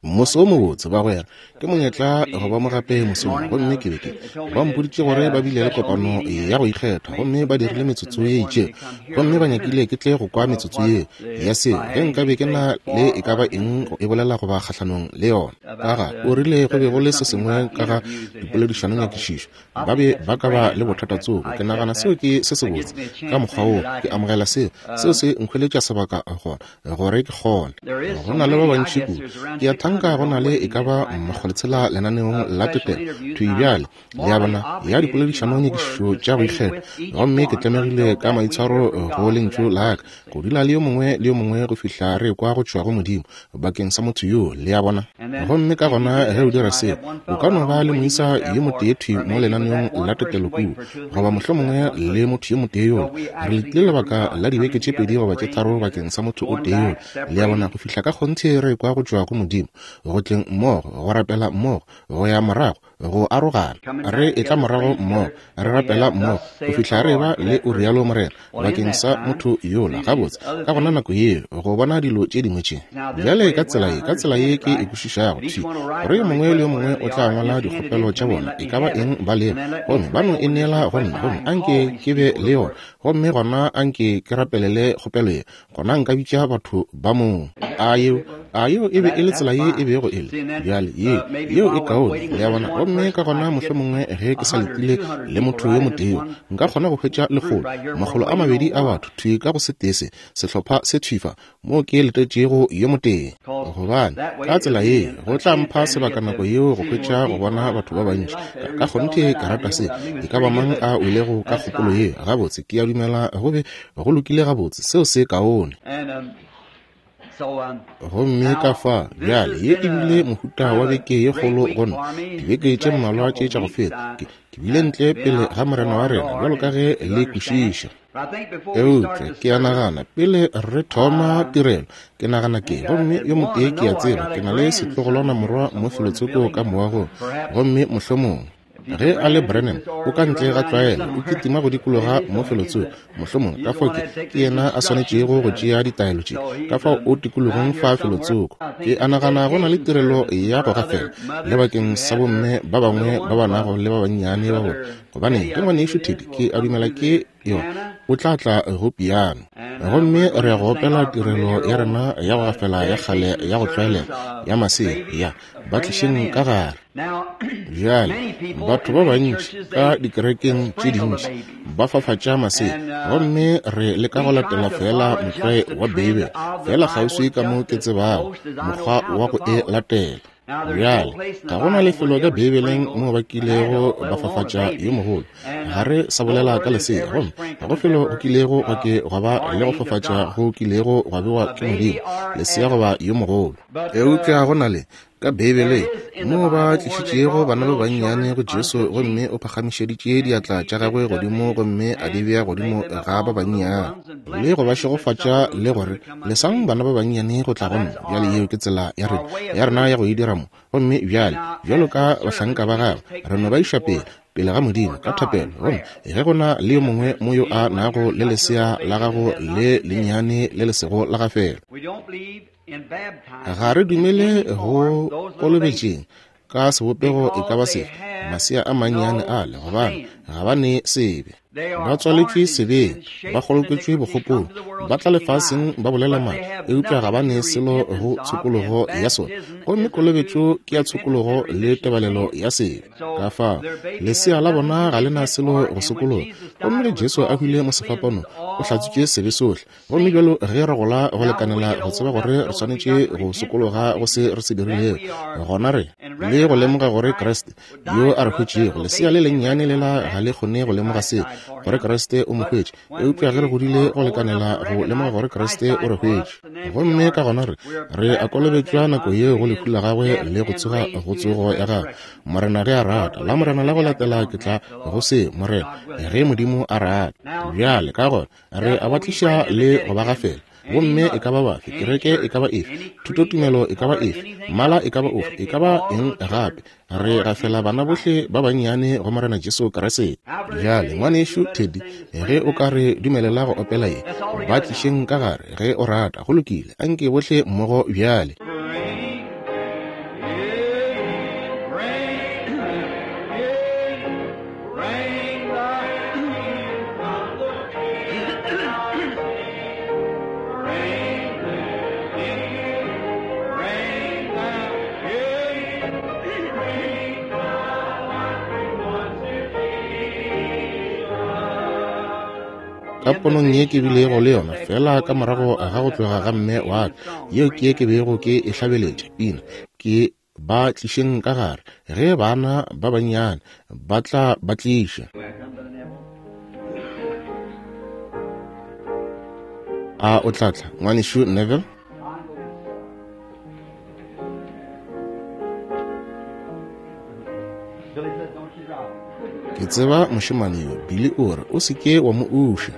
Moso wo mobotse, bagwera. Ke monyetla go ba mo gape mosong. Gomme ke be ke. Ba mpoditše gore ba bile le kopano ya go ikgetha, gomme ba dirile metsotso ye itšego. Gomme ba nyakile ke tle go kwa metsotso yeo ya seo, ge nka be ke na le e ka ba eng go e bolela goba kgahlanong le yona. Ka ga, o rile go be go le se sengwe ka ga dipoledišanonyakišišo. Ba be ba ka ba le bothata tsoko. Ke nagana seo ke se sebotse. Ka mokgwa woo, ke amogela seo. Seo se nkhweletša sebaka gona. gore ke kgone. Go na le ba bantši kudu. Ke a thanka go na le e ka ba makgolotshela lenaneong la tetelo thwi bjale, le a bona, ya dipoledišanonyakišišo tša go ikgetha. Gomme ke tlemegile ka maitshwaro go lentšu la ka, go dula le yo mongwe le yo mongwe go fihla re ekwa go tšwa go Modimo bakeng sa motho yoo, le a bona. Gomme ka gona ge o dira seo, o ka no ba le moisa yo motee thwi mo lenaneong la tetelo kua, goba mohlomongwe le motho yo motee yola. Re letile lebaka la dibeke tše pedi goba tše tharo bakeng sa motho o tee yola, le a bona, go fihla ka kgonthe re ekwa go tšwa go Modimo, go tleng mmogo, go rapela mmogo, go ya morago, go arogana, re etla morago mmogo, re rapela mmogo, go fihla re eba le O rialo morena bakeng sa motho yola. Gabotse, ka gona nako yeo, go bona dilo tše dingwe tše. Bjale ka tsela ye, ka tsela ye ke e kwešišago, thwi, gore yo mongwe le yo mongwe o tla ngwala dikgopelo tša bona, e ka ba eng ba lego, gomme ba no e neela go nna, gomme a nke ke be le yona, gomme gona a nke ke rapelele kgopelo ye, gona nka bitša batho ba moo. A yeo, a yeo e be e le tsela ye e bego e le? Bjale, ye, yeo e kaone, le a bona. Gomme ka gona mohlomongwe ge ke sa letile le motho yo motee yo, nka kgona go hwetša lekgolo, makgolo a mabedi a batho thwi ka go setee se, sehlopha se thwi fa, moo ke letetšego yo motee. Gobane, ka tsela ye, go tla mpha sebaka nako yeo go hwetša go bona batho ba bantši. Ka, ka kgonthe ke rata se. E ka ba mang a welego ka kgopolo ye, gabotse, ke a dumela go be go lokile gabotse. Seo se kaone. Gomme ka fa, bjale, ye e bile mohuta wa beke ye kgolo go nna, dibeke tše mmalwa tše tša go feta. Ke, ke bile ntle pele ga Morena wa rena, bjalo ka ge le kwešiša. Eupša ke a nagana, pele re thoma tirelo, ke nagana ke, gomme yo motee ke a tseba, ke na le setlogolwana morwa mo felotsoko ka moagong, gomme mohlomongwe, ge a le Branham, o ka ntle ga tlwaelo, o kitima go dikologa mo felotsoko, mohlomongwe, ka fao ke, ke yena a swanetšego go tšea ditaelo tše, ka fao o tikologong fa felotsoko. Ke a nagana go na le tirelo ya go gafela, le bakeng sa bomme ba bangwe ba ba nago le ba bannyane ba bona, gobane ke ngwanešu Teddy, ke a dumela ke yo o tla tla go piano. Gomme re ya go opela tirelo ya rena ya go gafela ya kgale ya go tlwaelega ya masea, ya Ba Tlišeng Ka Gare. Bjale, batho ba bantši ka dikerekeng tše dintši ba fafatša masea, gomme re leka go latela feela motlwae wa Beibele, feela kgauswi ka mo ke tsebago mokgwa wa go e latela. Bjale, ga go na lefelo ka Beibeleng moo ba kilego ba fafatša yo mogolo. Ga re sa bolela ka lesea, gomme ga go felo go kilego gwa ke gwa ba le go fafatša go kilego gwa bewa ke Modimo, lesea goba yo mogolo. Eupša go na le, ka Beibeleng, moo ba tlišitšego bana ba bannyane go Jesu, gomme o phagamišeditše diatla tša gagwe godimo gomme a di bea godimo ga ba bannyane, le go ba šegofatša, le go re, Lesang bana ba bannyane go tla go nna. Bjale yeo ke tsela ya rena, ya rena ya go e dira mo. Gomme bjale, bjalo ka bahlanka ba Gagwe, re no ba iša pele, pele ga Modimo, ka thapelo. Gomme ge go na le yo mongwe mo yo a nago le lesea la gago le lennyane le le sego la gafela, Ga re dumele go kolobetšeng ka sebopego e ka ba sefe masea a mannyane ale, gobane ga ba ne sebe. Ba tswaletšwe sebeng, ba kgoloketšwe bokgopong, ba tla lefaseng ba bolela maaka, eupša ga ba ne selo go tshokologo ya sona. Gomme kolobetšo ke ya tshokologo le tebalelo ya sebe. Ka fao, lesea la bona ga le na selo go sokologa. Gomme ge Jesu a hwile mo sefapanong, o hlatswitše sebe sohle. Gomme bjalo ge re gola go lekanela go tseba gore re swanetše go sokologa go se re se dirilego, gona re le go lemoga gore Kriste yo a re hwetšego, lesea le lennyane lela ga le kgone go lemoga seo, gore Kriste o mo hwetše. Eupša ge re godile go lekanela go lemoga gore Kriste o re hwetše, gomme ka gona re, re a kolobetšwa nako yeo go lehu la gagwe le go tsoga go tsogo ya gagwe. Morena ge a rata, la Morena la go latela ke tla go se, Morena, ge Modimo a rata. Bjale, ka gona, Re a ba tliša le go ba gafela. Bomme e ka ba bafe, kereke e ka ba efe, thutotumelo e ka ba efe, mmala e ka ba ofe, e ka ba eng gape, re gafela bana bohle ba bannyane go Morena Jesu Kriste. Bjale, Ngwanešu Teddy, ge o ka re dumelela go opela ye, Ba Tlišeng Ka Gare, ge o rata. Go lokile, anke bohle mmogo bjale. Ka ponong ye ke bilego le yona feela ka morago ga go tloga ga mme wa ka, yeo ke ye ke bego ke e hlabeletša pina, ke ba tlišeng ka gare, ge bana ba bannyane ba tla ba tliša. A o tla tla, Ngwanešu Neville? Ke tseba mošemane yo, Billy o re, o se ke wa mo uša.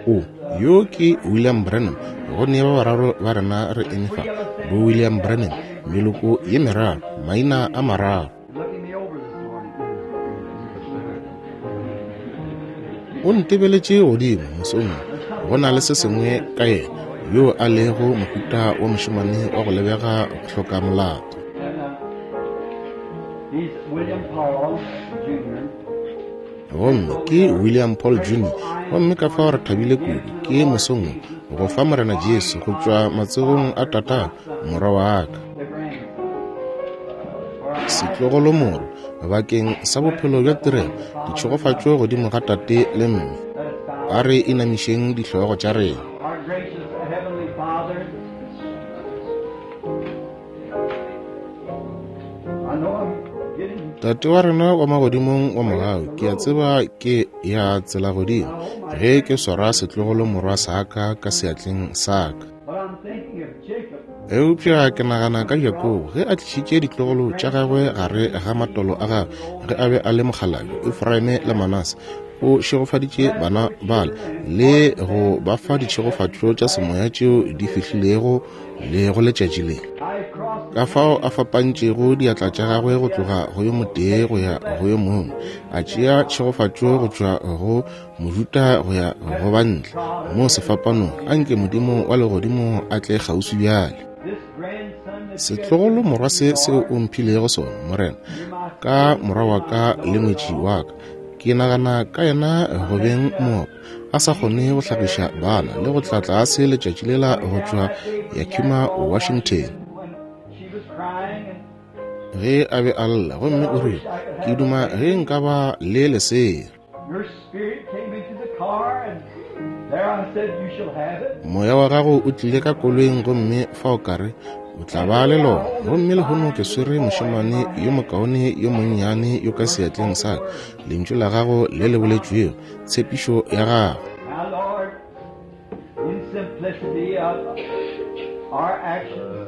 O, yo ke William Branham. Go ne ba bararo ba rena re eme fa, bo William Branham, meloko ye meraro, maina a mararo. O ntebeletše godimo mosong wo, go na le se sengwe ka yena, yo a lego mohuta wa mošemane wa go lebega go hloka molato. Gomme ke William Paul Jr. Gomme ka fao re thabile kudu ke mosong wo go fa Morena Jesu go tšwa matsogong a tatago morwa wa ka, setlogolomorwa, bakeng sa bophelo bja tirelo, ditšhegofatšo godimo ga tate le mme. A re inamišeng dihlogo tša rena. Tate wa rena wa magodimong wa mogau, ke a tseba ke ya tsela godimo ge ke swara setlogolo morwa sa ka ka seatleng sa ka. Eupša ke nagana ka Jakobo ge a tlišitše ditlogolo tša gagwe gare ga matolo a gagwe ge a be a le mokgalabje, Efraime le Manase. O šegofaditše bana bale le go ba fa ditšhegofatšo tša semoya tšeo di fihlilego le go letšatši le. Ka fao a fapantšego diatla tša gagwe go tloga go yo motee go ya go yo mongwe, a tšea tšhegofatšo go tšwa go Mojuta go ya go bantle mo sefapanong. Anke Modimo wa legodimo a tle kgauswi bjale. Setlogolo morwa se seo o mphilego sona, Morena, ka morwa wa ka le ngwetši wa ka, ke nagana ka yena go beng moopa, a sa kgone go hlagiša bana le go tla tlase letšatši lela go tšwa Yakima, Washington. Ge a be a lla, gomme o rile, Ke duma ge nka ba le lesea. Moya wa gago o tlile ka koloing gomme fao ka re, O tla ba le lona. Gomme lehono ke swere mošemane yo mokaone yo monnyane yo ka seatleng sa ka, Lentšu la gago le le boletšwego, tshepišo ya gago.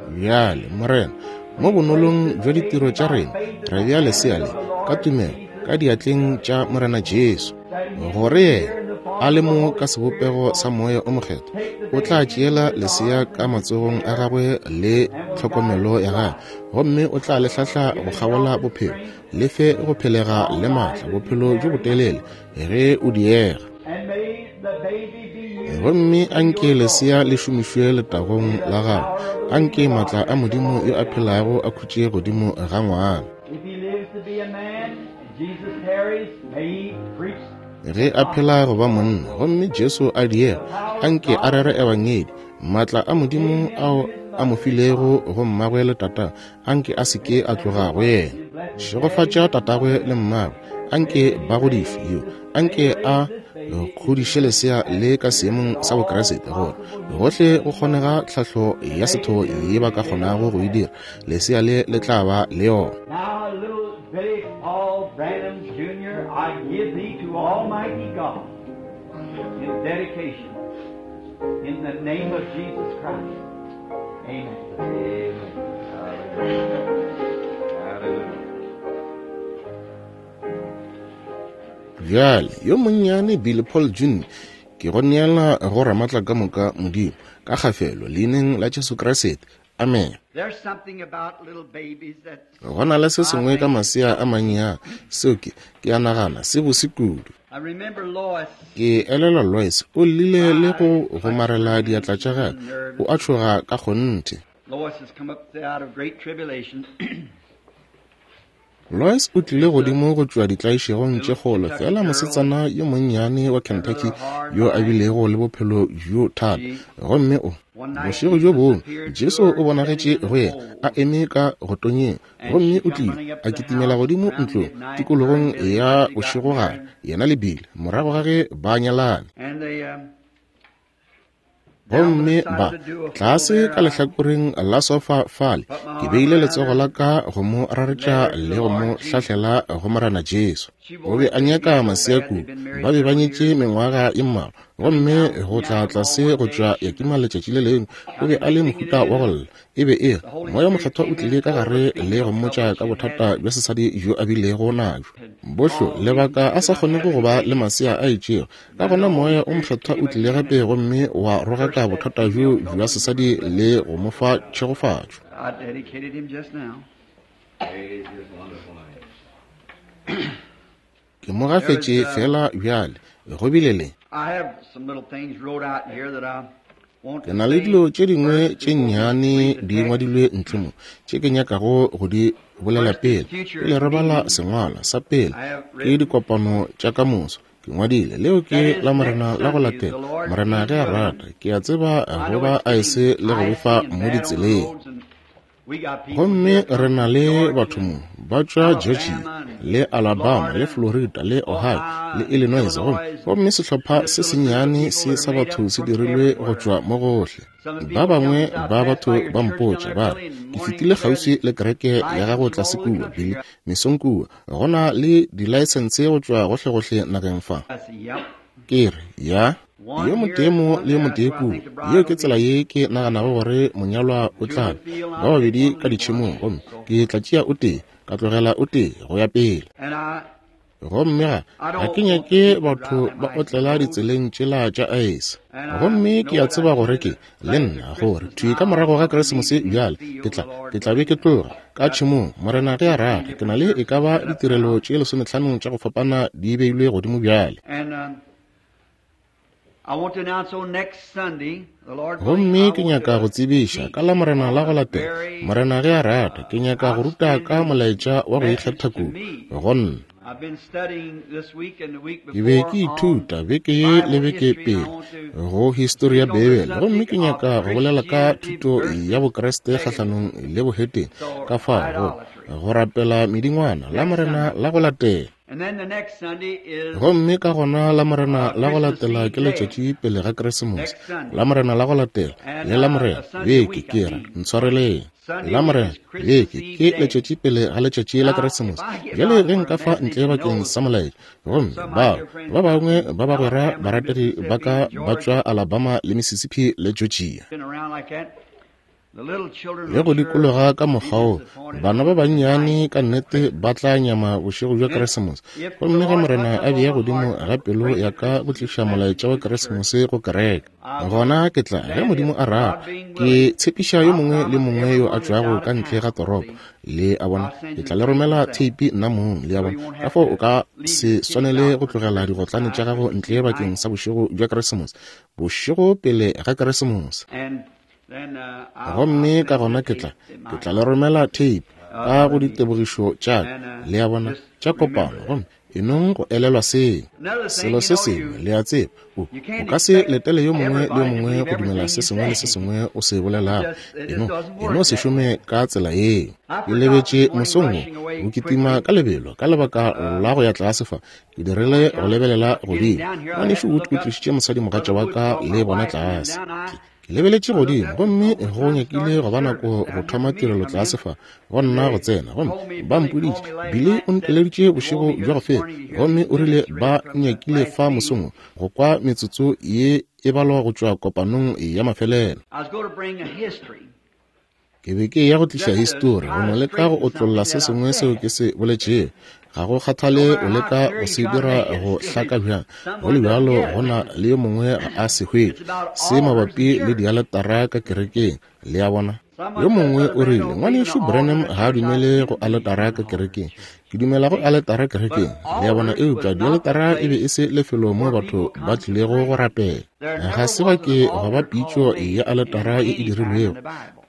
Bjale, Morena, mo bonolong bja ditiro tša rena, re bea lesea le, ka tumelo, ka diatleng tša Morena Jesu, gore yena, a le mo ka sebopego sa Moya o Mokgethwa, o tla tšeela lesea ka matsogong a gagwe le tlhokomelo ya gagwe, gomme o tla le hlahla go kgabola bophelo, le fe go phelega le maatla, bophelo bjo botelele, ge o diega. Gomme anke lesea le šomišwe letagong la gago. Anke maatla a Modimo yo a phelago a khutše godimo ga ngwana. Ge a phela go ba monna, gomme Jesu a diega, anke a rere ebangedi. Maatla a Modimo ao a mo filego go mmagwe le tata, anke a se ke a tloga go yena. Šegofatša tatagwe le mmagwe, anke ba godišwe yo, anke a kgodiše lesea le ka seemong sa Bokriste, gore gohle go kgonega tlhahlo ya setho ye ba ka kgonago go e dira, lesea le le tla ba le yona. Now, little Billy Paul Branham Jr., I give thee to Almighty God in dedication, in the name of Jesus Christ. Amen. Amen. Hallelujah. Hallelujah. Bjale, yo monnyane Billy Paul Jr., ke go neela go Ramatla ka moka Modimo, ka kgafelo, Leineng la Jesu Kriste. Amen. There's something about little babies that Go na le se sengwe ka masea a mannyane, seo ke, ke a nagana, se bose kudu. I remember Lois. Ke elelwa Lois o llile le go gomarela diatla tša gagwe, o a tšhoga ka kgonthe. Lois has come up out of great tribulation. Lois o tlile godimo go tšwa ditlaišegong tše kgolo, feela mosetsana yo monnyane wa Kentucky yo a bilego le bophelo bjo thata. Gomme o, bošego bjo bongwe, Jesu o bonagetše go yena, a eme ka go tonyeng, gomme o tlile a kitimela godimo ntlong tikologong ya bošegogare, yena le Bill, morago ga ge ba nyalane. Gomme ba, tlase ka lehlakoreng la sofa fale, ke beile letsogo la ka go mo raretša le go mo hlahlela go Morena Jesu. O be a nyaka masea kudu. Ba be ba nyetše mengwaga e mmalwa. Gomme go tla tlase go tšwa Yakima letšatši le lengwe, o be a le mohuta wa go lla. E be e re, Moya Mokgethwa o tlile ka gare le go mmotša ka bothata bja sesadi bjo a bilego nabjo. Bohlo, lebaka a sa kgonego go ba le masea a itšego. Ka gona Moya o Mokgethwa o tlile gape gomme wa rogaka bothata bjo bja sesadi le go mo fa tšhegofatšo. Ke mo gafetše feela bjale. Go bile le. Ke na le dilo tše dingwe tše nnyane di ngwadilwe ntle mo tše ke nyakago go di bolela pele, pele re bala sengwalwa sa pele ke dikopano tša ka moso. Ke ngwadile leo ke la Morena la go latela, Morena ge a rata. Ke a tseba go ba aese le go befa mo ditseleng. Gomme re na le batho mo ba tšwa Georgia le Alabama le Florida le Ohio le Illinois, gomme, gomme sehlopha se sennyane se sa batho se dirilwe go tšwa mo gohle. Ba bangwe ba batho ba mpotša ba re, Ke fetile kgauswi le kereke ya gago tlase kua, Billy, mesong kua. Go na le dilaesense go tšwa gohlegohle nageng fa. Ke re, Ya. Yo motee mo le yo motee kua. Yeo ke tsela ye ke naganago gore monyalwa o tla be, ba babedi ka ditšhemong, gomme ke tla tšea o tee, ka tlogela o tee, go ya pele. Gomme ga, ga ke nyake batho ba otlela ditseleng tšela tša aese. Gomme ke a tseba gore ke, le nna, gore thwi ka morago ga Keresemose bjale, ke tla, ke tla be ke tloga, ka tšhemong, Morena ge a rata. Ke na le e ka ba ditirelo tše lesometlhano tša go fapana di beilwe godimo bjale. Gomme ke nyaka go tsebiša ka Lamorena la go latela, Morena ge a rata, ke nyaka go ruta ka molaetša wa go ikgetha kudu go nna. Ke be ke ithuta beke ye le beke pele go histori ya Beibele, gomme ke nyaka go bolela ka thuto ya Bokriste kgahlanong le bohetene, ka fao go rapela medingwana, Lamorena la go latela. Gomme ka gona Lamorena la go latela ke letšatši pele ga Keresemose. Lamorena la go latela, le Lamorena, beke, ke ra, ntshwareleng. Lamorena, beke, ke letšatši pele ga letšatši la Keresemose. Bjale ge nka fa ntle bakeng sa molaetša, gomme bao, ba bangwe ba bagwera barategi ba ka ba tšwa Alabama le Mississippi le Georgia. Le go dikologa ka mokgwa wo, bana ba bannyane ka nnete ba tla nyama bošego bja Keresemose. Gomme ge Morena a bea godimo ga pelo ya ka go tliša molaetša wa Keresemose go kereke, gona ke tla, ge Modimo a rata, ke tshepiša yo mongwe le mongwe yo a tšwago ka ntle ga toropo, le a bona, ke tla le romela theipi nna mong, le a bona. Ka fao o ka se swanele go tlogela digotlane tša gago ntle bakeng sa bošego bja Keresemose, bošego pele ga Keresemose. Gomme ka gona ke tla, ke tla le romela tape ka go ditebogišo tša ka, le a bona, tša kopano. Gomme e nong go elelwa seo. Selo se sengwe, le a tseba, o, o ka se letele yo mongwe le yo mongwe go dumela se sengwe le se sengwe o se bolelago. E no, e no se šome ka tsela yeo. Ke lebetše mosong wo, go kitima ka lebelo ka lebaka la go ya tlase fa, ke dirile go lebelela godimo. Ngwanešu Wood o tlišitše mosadimogatša wa ka le bona tlase. Ke, Ke lebeletše godimo, gomme go nyakile go ba nako go thoma tirelo tlase fa, go nna go tsena. Gomme ba mpoditše, Billy o nteleditše bošego bja go feta, gomme o rile ba nyakile fa mosong wo, go kwa metsotso ye e balwa go tšwa kopanong ya mafelelo. Ke be ke eya go tliša histori, go no leka go otlolla se sengwe seo ke se boletšego. Ga go kgathale o leka go se dira go hlaka bjang, go le bjalo go na le yo mongwe ga a se hwetše. Se mabapi le dialetara ka kerekeng, le a bona. Yo mongwe o rile, Ngwanešu Branham ga a dumele go aletara ka kerekeng. Ke dumela go aletara kerekeng, le a bona, eupša dialetara e be e se lefelo moo batho ba tlilego go rapela. Ga se ba ke gwa ba pitšo ya aletara ye e dirilwego.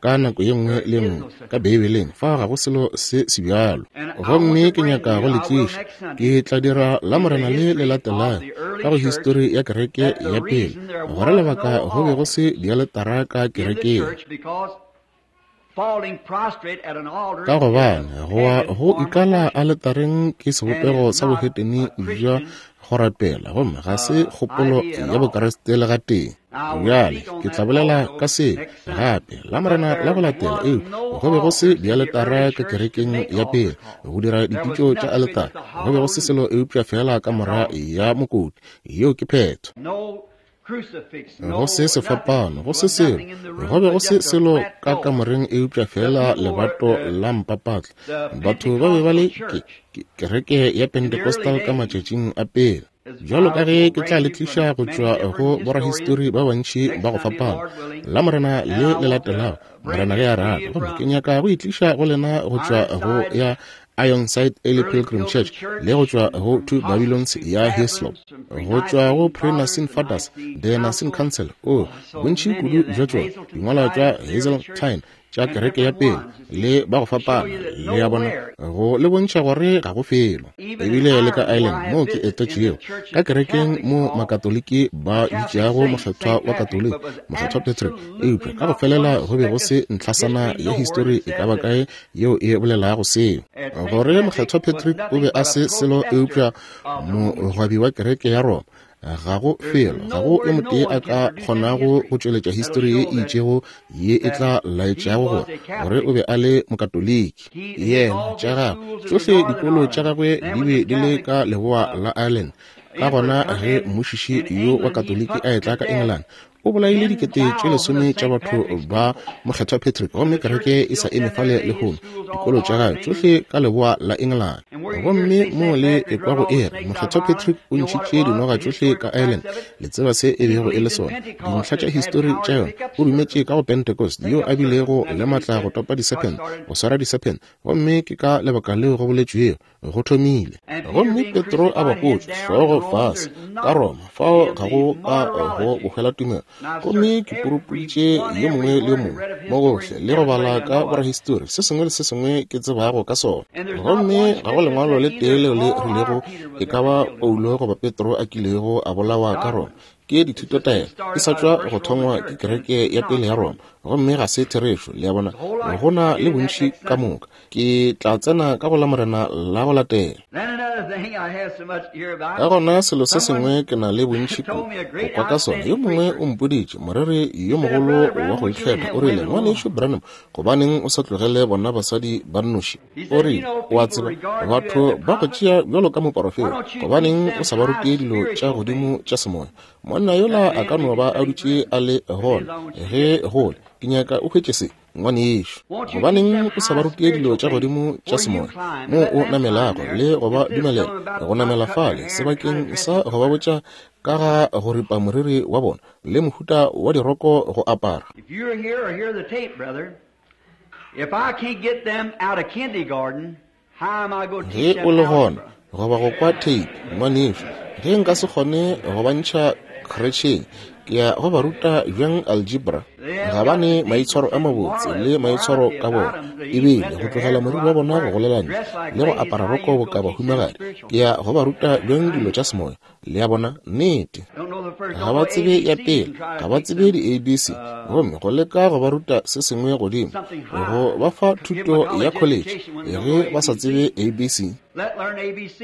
ka nako ye nngwe le nngwe ka Beibeleng. Fa ga go selo se se bjalo. Gomme ke nyaka go le tliša, ke tla dira Lamorena le le latelago, ka go histori ya kereke ya pele, gore lebaka go be go se dialetara ka kerekeng. Ka gobane go wa go ikala aletareng ke sebopego sa bohetene bja go rapela, gomme ga se kgopolo ya Bokriste le gatee. Bjale ke tla bolela ka se gape Lamorena la go latela. Eupša go be go se dialetara ka kerekeng ya pele go dira dipitšo tša aletara. Go be go se selo eupša feela kamora ya mokoti. Yeo ke phetho. Go se sefapano, go se selo, go be go se selo ka kamoreng eupša feela lebato la mpapatla. Batho ba be ba le kereke ya Pentecostal ka matšatšing a pele. Bjalo ka ge ke tla le tliša go tšwa go borahistori ba bantši ba go fapana Lamorena le le latelago, Morena ge a rata, gomme ke nyaka go e tliša go lena go tšwa go ya Ironside Early Pilgrim Church le go tšwa go Two Babylons ya Hislop, go tšwa go Pre-Nicene Fathers, The Nicene Council, o bontši kudu bja tšona, dingwalwa tša Hazeltine tša kereke ya pele le ba go fapana, le ya bona, go le bontšha gore ga go felo. Ebile le ka Ireland moo ke etetšego ka kerekeng mo Makatoliki ba bitšago mokgethwa wa Katoliki Mokgethwa Patrick, eupša ka go felela go be go se ntlhasana ya histori e ka ba kae yeo e bolelago seo, gore Mokgethwa Patrick o be a se selo eupša mogwabi wa kereke ya Roma. Ga go felo, ga go yo motee a ka kgonago go tšweletša histori ye e itšego ye e tla laetšago gore gore o be a le Mokatoliki. Yena, tša gagwe tšohle dikolo tša gagwe di be di le ka leboa la Ireland. Ka gona ge mmušiši yo wa Katoliki a etla ka England, o bolaile 10,000 tša batho ba Mokgethwa Patrick, gomme kereke e sa eme fale lehono, dikolo tša gagwe tšohle ka leboa la England. Gomme mo le ekwa go e re Mokgethwa Patrick o ntšhitše dinoga tšohle ka Ireland, le tseba se e bego e le sona, dintlha tša histori tša yona. O dumetše ka go Pentecost, yo a bilego le matla go topa diserpent, go swara diserpent, gomme ke ka lebaka leo go boletšwego go thomile. Gomme Petro a bapotšwe hlogo fase ka Roma, fao ga go ka go bohwela tumelo. Gomme ke purupuditše yo mongwe le yo mongwe mo gohle le go bala ka borahistori se sengwe le se sengwe ke tsebago ka sona, gomme ga go lengwalo le tee leo le rilego e ka ba Paulo goba Petro a kilego a bolawa ka Roma. Ke dithutotaelo e sa tšwa go thongwa ke kereke ya pele ya Roma, gomme ga se therešo. Le a bona, go na le bontši ka moka. Ke tla tsena ka go Lamorena la go latela. Ka gona selo se sengwe ke na le bontši go kwa ka sona. Yo mongwe o mpoditše, moreri yo mogolo wa go ikgetha, o rile, Ngwanešu Branham, gobaneng o sa tlogele bona basadi ba nnoši? O rile, o a tseba, batho ba go tšea bjalo ka moporofeta, gobaneng o sa ba rute dilo tša godimo tša semoya? Monna yola a ka no ba a dutše a le gona ge gole. Ke nyaka o hwetše se, ngwanešu. Gobaneng o sa ba rute dilo tša godimo tša semoya moo o namelago le go ba dumelela go namela fale, sebakeng sa go ba botša ka ga go ripa moriri wa bona le mohuta wa diroko go apara? If you're here or hear the tape, brother, if I can't get them out of kindergarten, how am I going to teach Ge them o le gona algebra? goba go kwa tape, ngwanešu, ge nka se kgone go ba ntšha kretšheng, ke ya go ba ruta bjang algebra? Ga ba ne maitshwaro a mabotse le maitshwaro ka bona, ebile go tlogela moriri wa bona go golela ntle le go apara roko boka bahumagadi. Ke ya go ba ruta bjang dilo tša semoya? Le a bona? Nnete. Ga ba tsebe ya pele, ga ba tsebe di-ABC, gomme go leka go ba ruta se sengwe godimo, go ba fa thuto ya college ge ba sa tsebe ABC.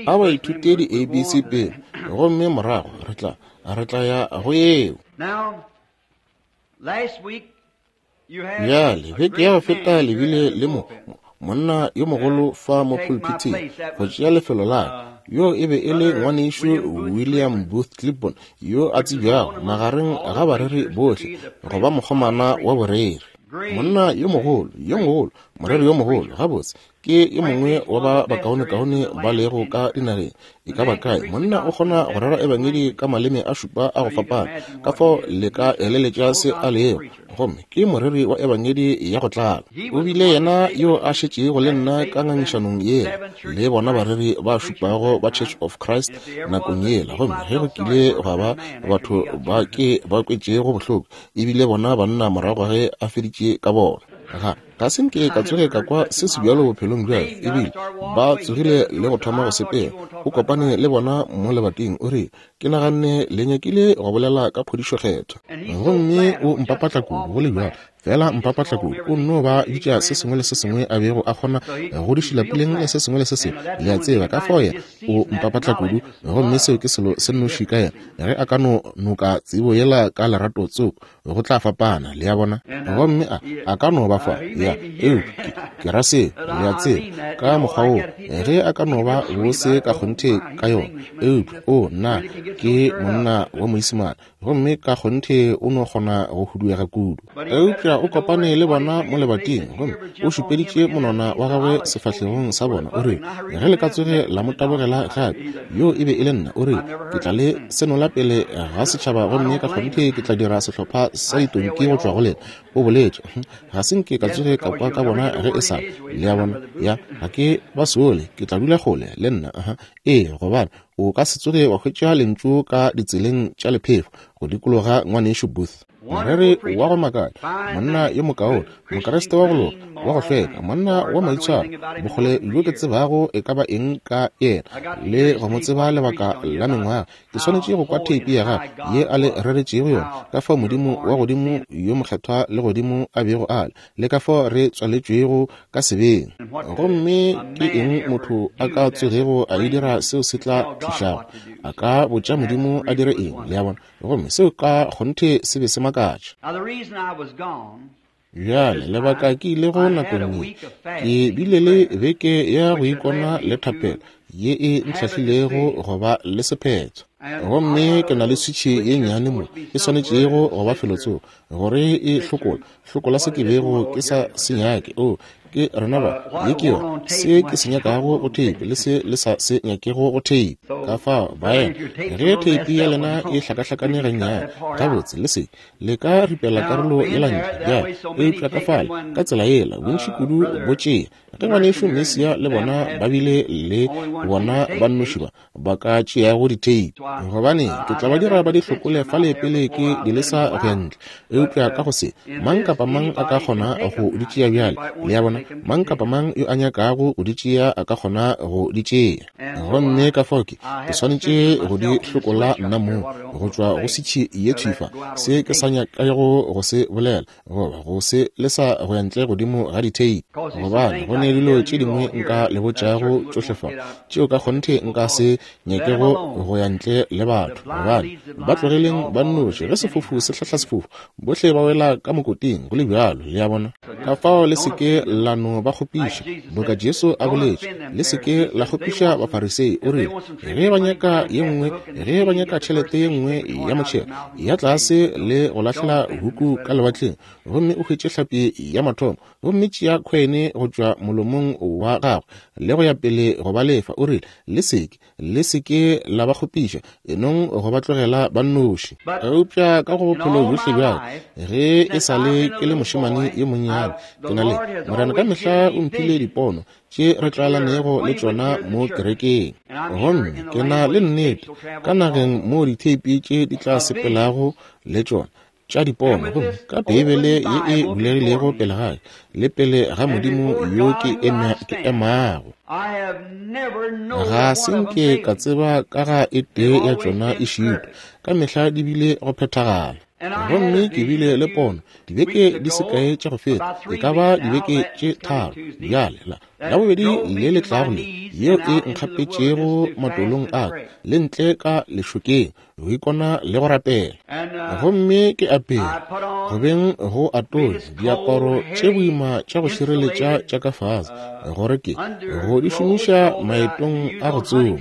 A ba ithute di-ABC pele, gomme morago re tla re tla ya go yeo. Bjale, beke ya go feta le bile le mo monna yo mogolo fa mo pulpithing go tšea lefelo la ka. Yo e be e le ngwanešu William Booth Clibborn, yo a tsebjago magareng ga bareri bohle go ba mokgomana wa boreri. Monna yo mogolo, yo mogolo, moreri yo mogolo, gabotse ke yo mongwe wa ba bakaonekaone ba lego ka dinageng e ka ba kae. Monna o kgona go rera ebangedi ka maleme a šupa a go fapana, ka fao le ka eleletša se a lego. Gomme ke moreri wa ebangedi ya go tlala. O bile yena yo a šetšego le nna ka ngangišanong yela le bona bareri ba šupago ba Church of Christ nakong yela. Gomme ge go kile gwa ba batho ba ke ba kwetšego bohloko, ebile bona banna morago ge a feditše ka bona. Ga se nke ka tsoge ka kwa se sebjalo bophelong bja ka. Ebile ba tsogile le go thoma go sepela. O kopane le bona mo lebating, o rile, Ke naganne le nyakile go bolela ka phodišo Kgethwa. Gomme o mpapatla kudu, go le bjalo. Feela mpapatla kudu. O nno ba bitša se sengwe le se sengwe a bego a kgona go di šila puleng le se sengwe le se sengwe. Le a tseba, ka fao yena o mpapatla kudu. Gomme seo ke selo se nnoši ka yena. Ge a ka no noka tsebo yela ka lerato tsoko, go tla fapana, le a bona. Gomme a, a ka no ba fa, ya, eupša ke, ke ra seo, le a tseba, ka mokgwa woo, ge a ka no ba bose ka kgonthe ka yona. Eupša, o, nna, ke monna wa Moisimane, gomme ka kgonthe o no kgona go huduega kudu. Eupša o kopane le bona mo lebating, gomme o šupeditše monwana wa gagwe sefahlegong sa bona, o rile, Ge le ka tsoge la mo tabogela gape, yoo e be e le nna, o rile, ke tla le senola pele ga setšhaba gomme ka kgonthe ke tla dira sehlopha sa ditonki go tšwa go lena. O boletše. Ga se nke ka tsoge ka kwa ka bona ge e sa le. Le a bona? Ya, ga ke ba sole, ke tla dula kgole le nna. Aha. Ee, gobane o ka se tsoge wa hwetša lentšu ka ditseleng tša lephefo go dikologa Ngwanešu Booth. Moreri wa go makatša, monna yo mokaone, Mokriste wa go loka, wa go hlweka, monna wa maitshwaro, bokgole bjo ke tsebago e ka ba eng ka yena, le go mo tseba lebaka la mengwaga. Ke swanetše go kwa theipi ya gagwe ye a le reretšego yona, ka fao Modimo wa godimo yo mokgethwa le godimo a bego a le, le ka fao re tswaletšwego ka sebeng. Gomme ke eng motho a ka tsogego a e dira seo se tla thušago? A ka botša Modimo a dire eng? Le a bona? Gomme seo ka kgonthe se be se makatša. Bjale, lebaka ke ilego nakong ye, ke bile le beke ya go ikona le thapelo ye e ntlhahlilego go ba le sephetho. Gomme ke na le switšhi ye nnyane mo e swanetšego go ba felotsoko gore e hlokola, hlokola se ke bego ke sa se nyake. O, ke rena ba, ye ke yona, se ke se nyakago go theipi le se le sa se nyakego go theipi. Ka fao, baena, ge theipi ya lena e hlakahlakane gannyane, gabotse, le se le ka ripela karolo yela ntle bjale, eupša ka fale, ka tsela yela, bontši kudu bo tšea. Ge ngwanešu Mesia le bona ba bile le bona ba nnoši ba, ba ka tšeago ditheipi, gobane ke tla ba dira ba di hlokole fale pele ke di lesa go ya ntle. Eupša ka go se, mang kapa mang a ka kgona go di tšea bjale, le a bona, mang kapa mang yo a nyakago go di tšea a ka kgona go di tšea. Gomme ka fao ke, ke swanetše go di hlokola nna mong go tšwa go sitšhi ye thwi fa, se ke sa nyakago go se bolela goba go se lesa go ya ntle godimo ga ditheipi, gobane go ne dilo tše dingwe nka le botšago tšohle fa tšeo ka kgonthe nka se nyakego go ya ntle le batho. Gobane ba tlogeleng ba nnoši, ge sefofu se hlahla sefofu, bohle ba wela ka mokoting go le bjalo, le a bona. Ka fao le se ke la no ba kgopiša, boka Jesu a boletše, le se ke la kgopiša Bafarisei. O rile, ge ba nyaka ye nngwe, ge ba nyaka tšhelete ye nngwe ya motšhelo, ya tlase le go lahlela huku ka lewatleng, gomme o hwetše hlapi ya mathomo, gomme tšea khwene go tšwa molomong wa gagwe, le go ya pele go ba lefa. O rile, le se ke, le se ke la ba kgopiša, enong go ba tlogela ba nnoši. Eupša ka go bophelo bjohle bja ka, ge e sa le ke le mošemane yo monnyane, ke na le Morena ka mehla o mphile dipono tše re tlwaelanego le tšona mo kerekeng. Gomme ke na le nnete ka nageng moo ditheipi tše di tla sepelago le tšona tša dipono, gomme ka Beibele ye e bulegilego pele ga ka le pele ga Modimo yo ke emago. Ga se nke ka tseba ka ga e tee ya tšona e šitwa, ka mehla di bile go phethagala. Gomme ke bile le pono dibeke di se kae tša go feta, e ka ba dibeke tše tharo bjale, la Labobedi le le tlago le, yeo e nkgapetšego matolong a ka le ntle ka lešokeng, go ikona le go rapela. Gomme ke apere, go beng go atonya, diaparo tše boima tša go šireletša tša ka fase, gore ke go di šomiša maetong a go tsoma,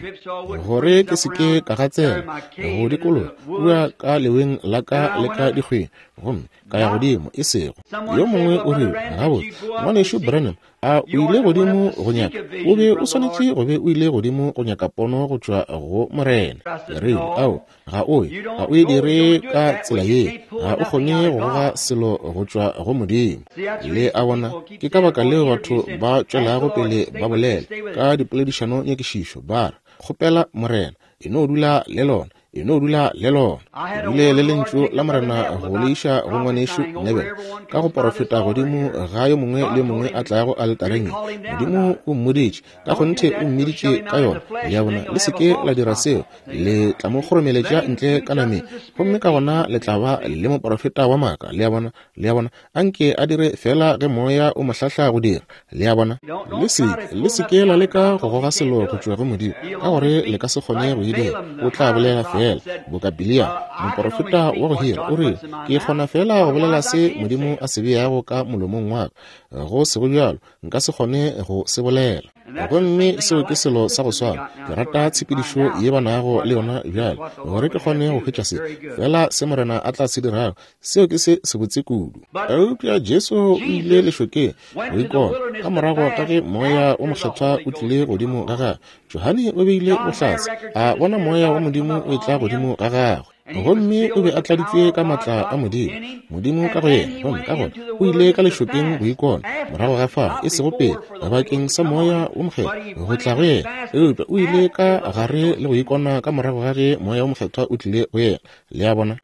gore ke se ke ka gatsela go dikologa kua ka leweng la ka le ka dikgweng, gomme ka ya godimo, e sego yo mongwe o rile, Gabotse, Ngwanešu Branham, A o ile godimo go nyaka? O be o swanetše go be o ile godimo go nyaka pono go tšwa go Morena. Ke rile, Ao, ga o ye, ga o e dire ka tsela ye. Ga o kgone go goga selo go tšwa go Modimo. Le a bona, ke ka baka leo batho ba tšwelago pele ba bolela ka dipoledišano nyakišišo, ba re, Kgopela Morena, e no dula le lona. E no dula le lona. Ke bile le Lentšu la Morena go le iša go Ngwanešu Neville, ka go porofeta godimo ga yo mongwe le yo mongwe a tlago aletareng ye. Modimo o mmoditše, ka kgonthe o mmiditše ka yona. Le a bona? Le se ke la dira seo, le tla mo kgoromeletša ntle ka nameng, gomme ka gona le tla ba le moporofeta wa maaka. Le a bona? Le a bona? Anke a dire feela ge Moya o mo hlahla go dira. Le a bona? Le se ke, le se ke la leka go goga selo go tšwa go Modimo, ka gore le ka se kgone go e dira. O tla bolela feela boka Bileam, moporofeta wa go hira, o rile, Ke kgona feela go bolela se Modimo a se beago ka molomong wa ka. Go sego bjalo, nka se kgone go se bolela. Gomme seo ke selo sa go swana. Ke rata tshepedišo ye ba nago le yona bjale, gore ke kgone go hwetša se, feela se Morena a tla se dirago. Seo ke se sebotse kudu. Eupša Jesu o ile lešokeng go ikona, ka morago ga ge Moya wo Mokgethwa o tlile godimo ga gagwe. Johane o beile bohlatse, a bona Moya wa Modimo o etla godimo ga gagwe. Gomme o be a tladitšwe ka maatla a Modimo, Modimo ka go yena. Gomme ka gona o ile ka lešokeng go ikona, morago ga fao, e sego pele, bakeng sa Moya wo Mokgethwa go tla go yena, eupša o ile ka gare le go ikona ka morago ga ge Moya wo Mokgethwa o tlile go yena. Le a bona?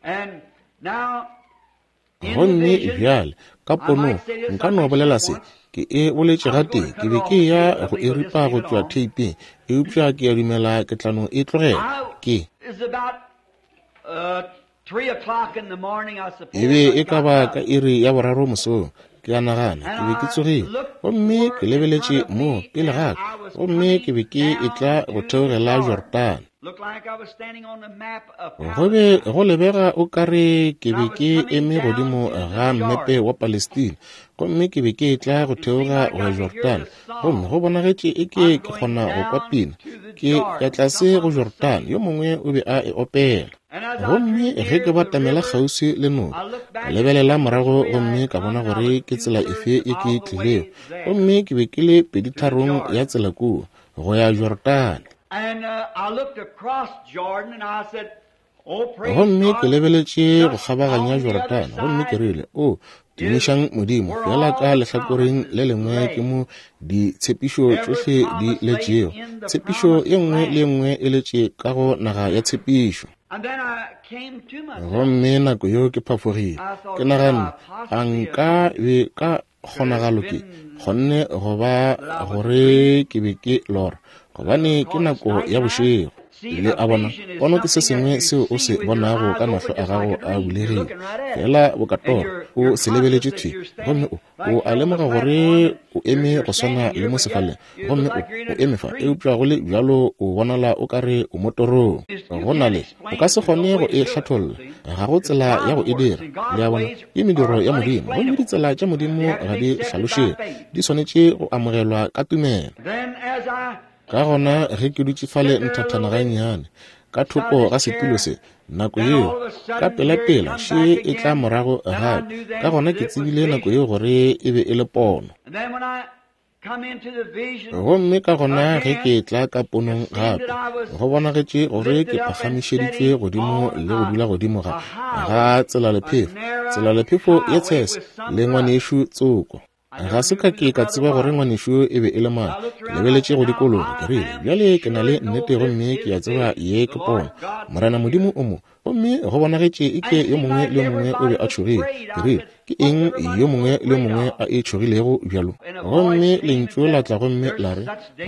Gomme bjale, ka ponong, nka no bolela se, ke e boletše gatee, ke be ke ya go e ripa go tšwa theiping, eupša ke a dumela ke tla no e tlogela. Ke. E be e ka ba ka iri ya boraro mosong, ke a nagana, ke be ke tsogile, gomme ke lebeletše mo pele ga ka, gomme ke be ke etla go theogela Jorodane. Go be go lebega o ka re ke be ke eme godimo ga mmepe wa Palestina, gomme ke be ke etla go theoga go ya Jorodane, gomme go bonagetše eke ke kgona go kwa pina, Ke ya tlase go Jorodane, yo mongwe o be a e opela. Gomme ge ke batamela kgauswi le noka, ka lebelela morago gomme ka bona gore ke tsela efe ye ke tlilego, gomme ke be ke le peditharong ya tsela kua, go ya Jorodane. Gomme ke lebeletše go kgabaganya Jorodane, gomme ke rile, O, tumišang Modimo, feela ka lehlakoreng le lengwe ke mo ditshepišo tšohle di letšego. Tshepišo ye nngwe le ye nngwe e letše ka go naga ya tshepišo. Gomme nako yeo ke phafogile, ke naganne, A nka be ka kgonagalo ke kgonne go ba gore ke be ke lora, gobane ke nako ya bošego. Le a bona, pono ke se sengwe seo o se bonago ka mahlo a gago a bulegile, feela boka toro, o se lebeletše thwi, gomme o, o a lemoga gore o eme go swana le mo sefaleng, gomme o, o eme fa, eupša go le bjalo o bonala o ka re o mo torong. Go na le, o ka se kgone go e hlatholla, ga go tsela ya go e dira. Le a bona, ke mediro ya Modimo, gomme ditsela tša Modimo ga di hlalošege, di swanetše go amogelwa ka tumelo. Ka gona ge ke dutše fale nthathana gannyane ka thoko ga setulo se, nako yeo ka pelapela še e tla morago gape. Ka gona ke tsebile nako yeo gore e be e le pono. Gomme ka gona ge ke tla ka ponong gape, go bonagetše gore ke phagamišeditšwe godimo le go dula godimo ga, ga tselalephefo, tselalephefo ye tshese, le ngwanešu tsoko. Ga se ka ke ka tseba gore ngwanešu e be e le mang. Ke lebeletše go dikologa, ke rile, Bjale ke na le nnete gomme ke a tseba ye ke pono. Morena Modimo o mo. Gomme go bonagetše eke yo mongwe le yo mongwe o be a tšhogile. Ke rile, Ke eng yo mongwe le yo mongwe a e tšhogilego bjalo? Gomme Lentšu la tla gomme la re,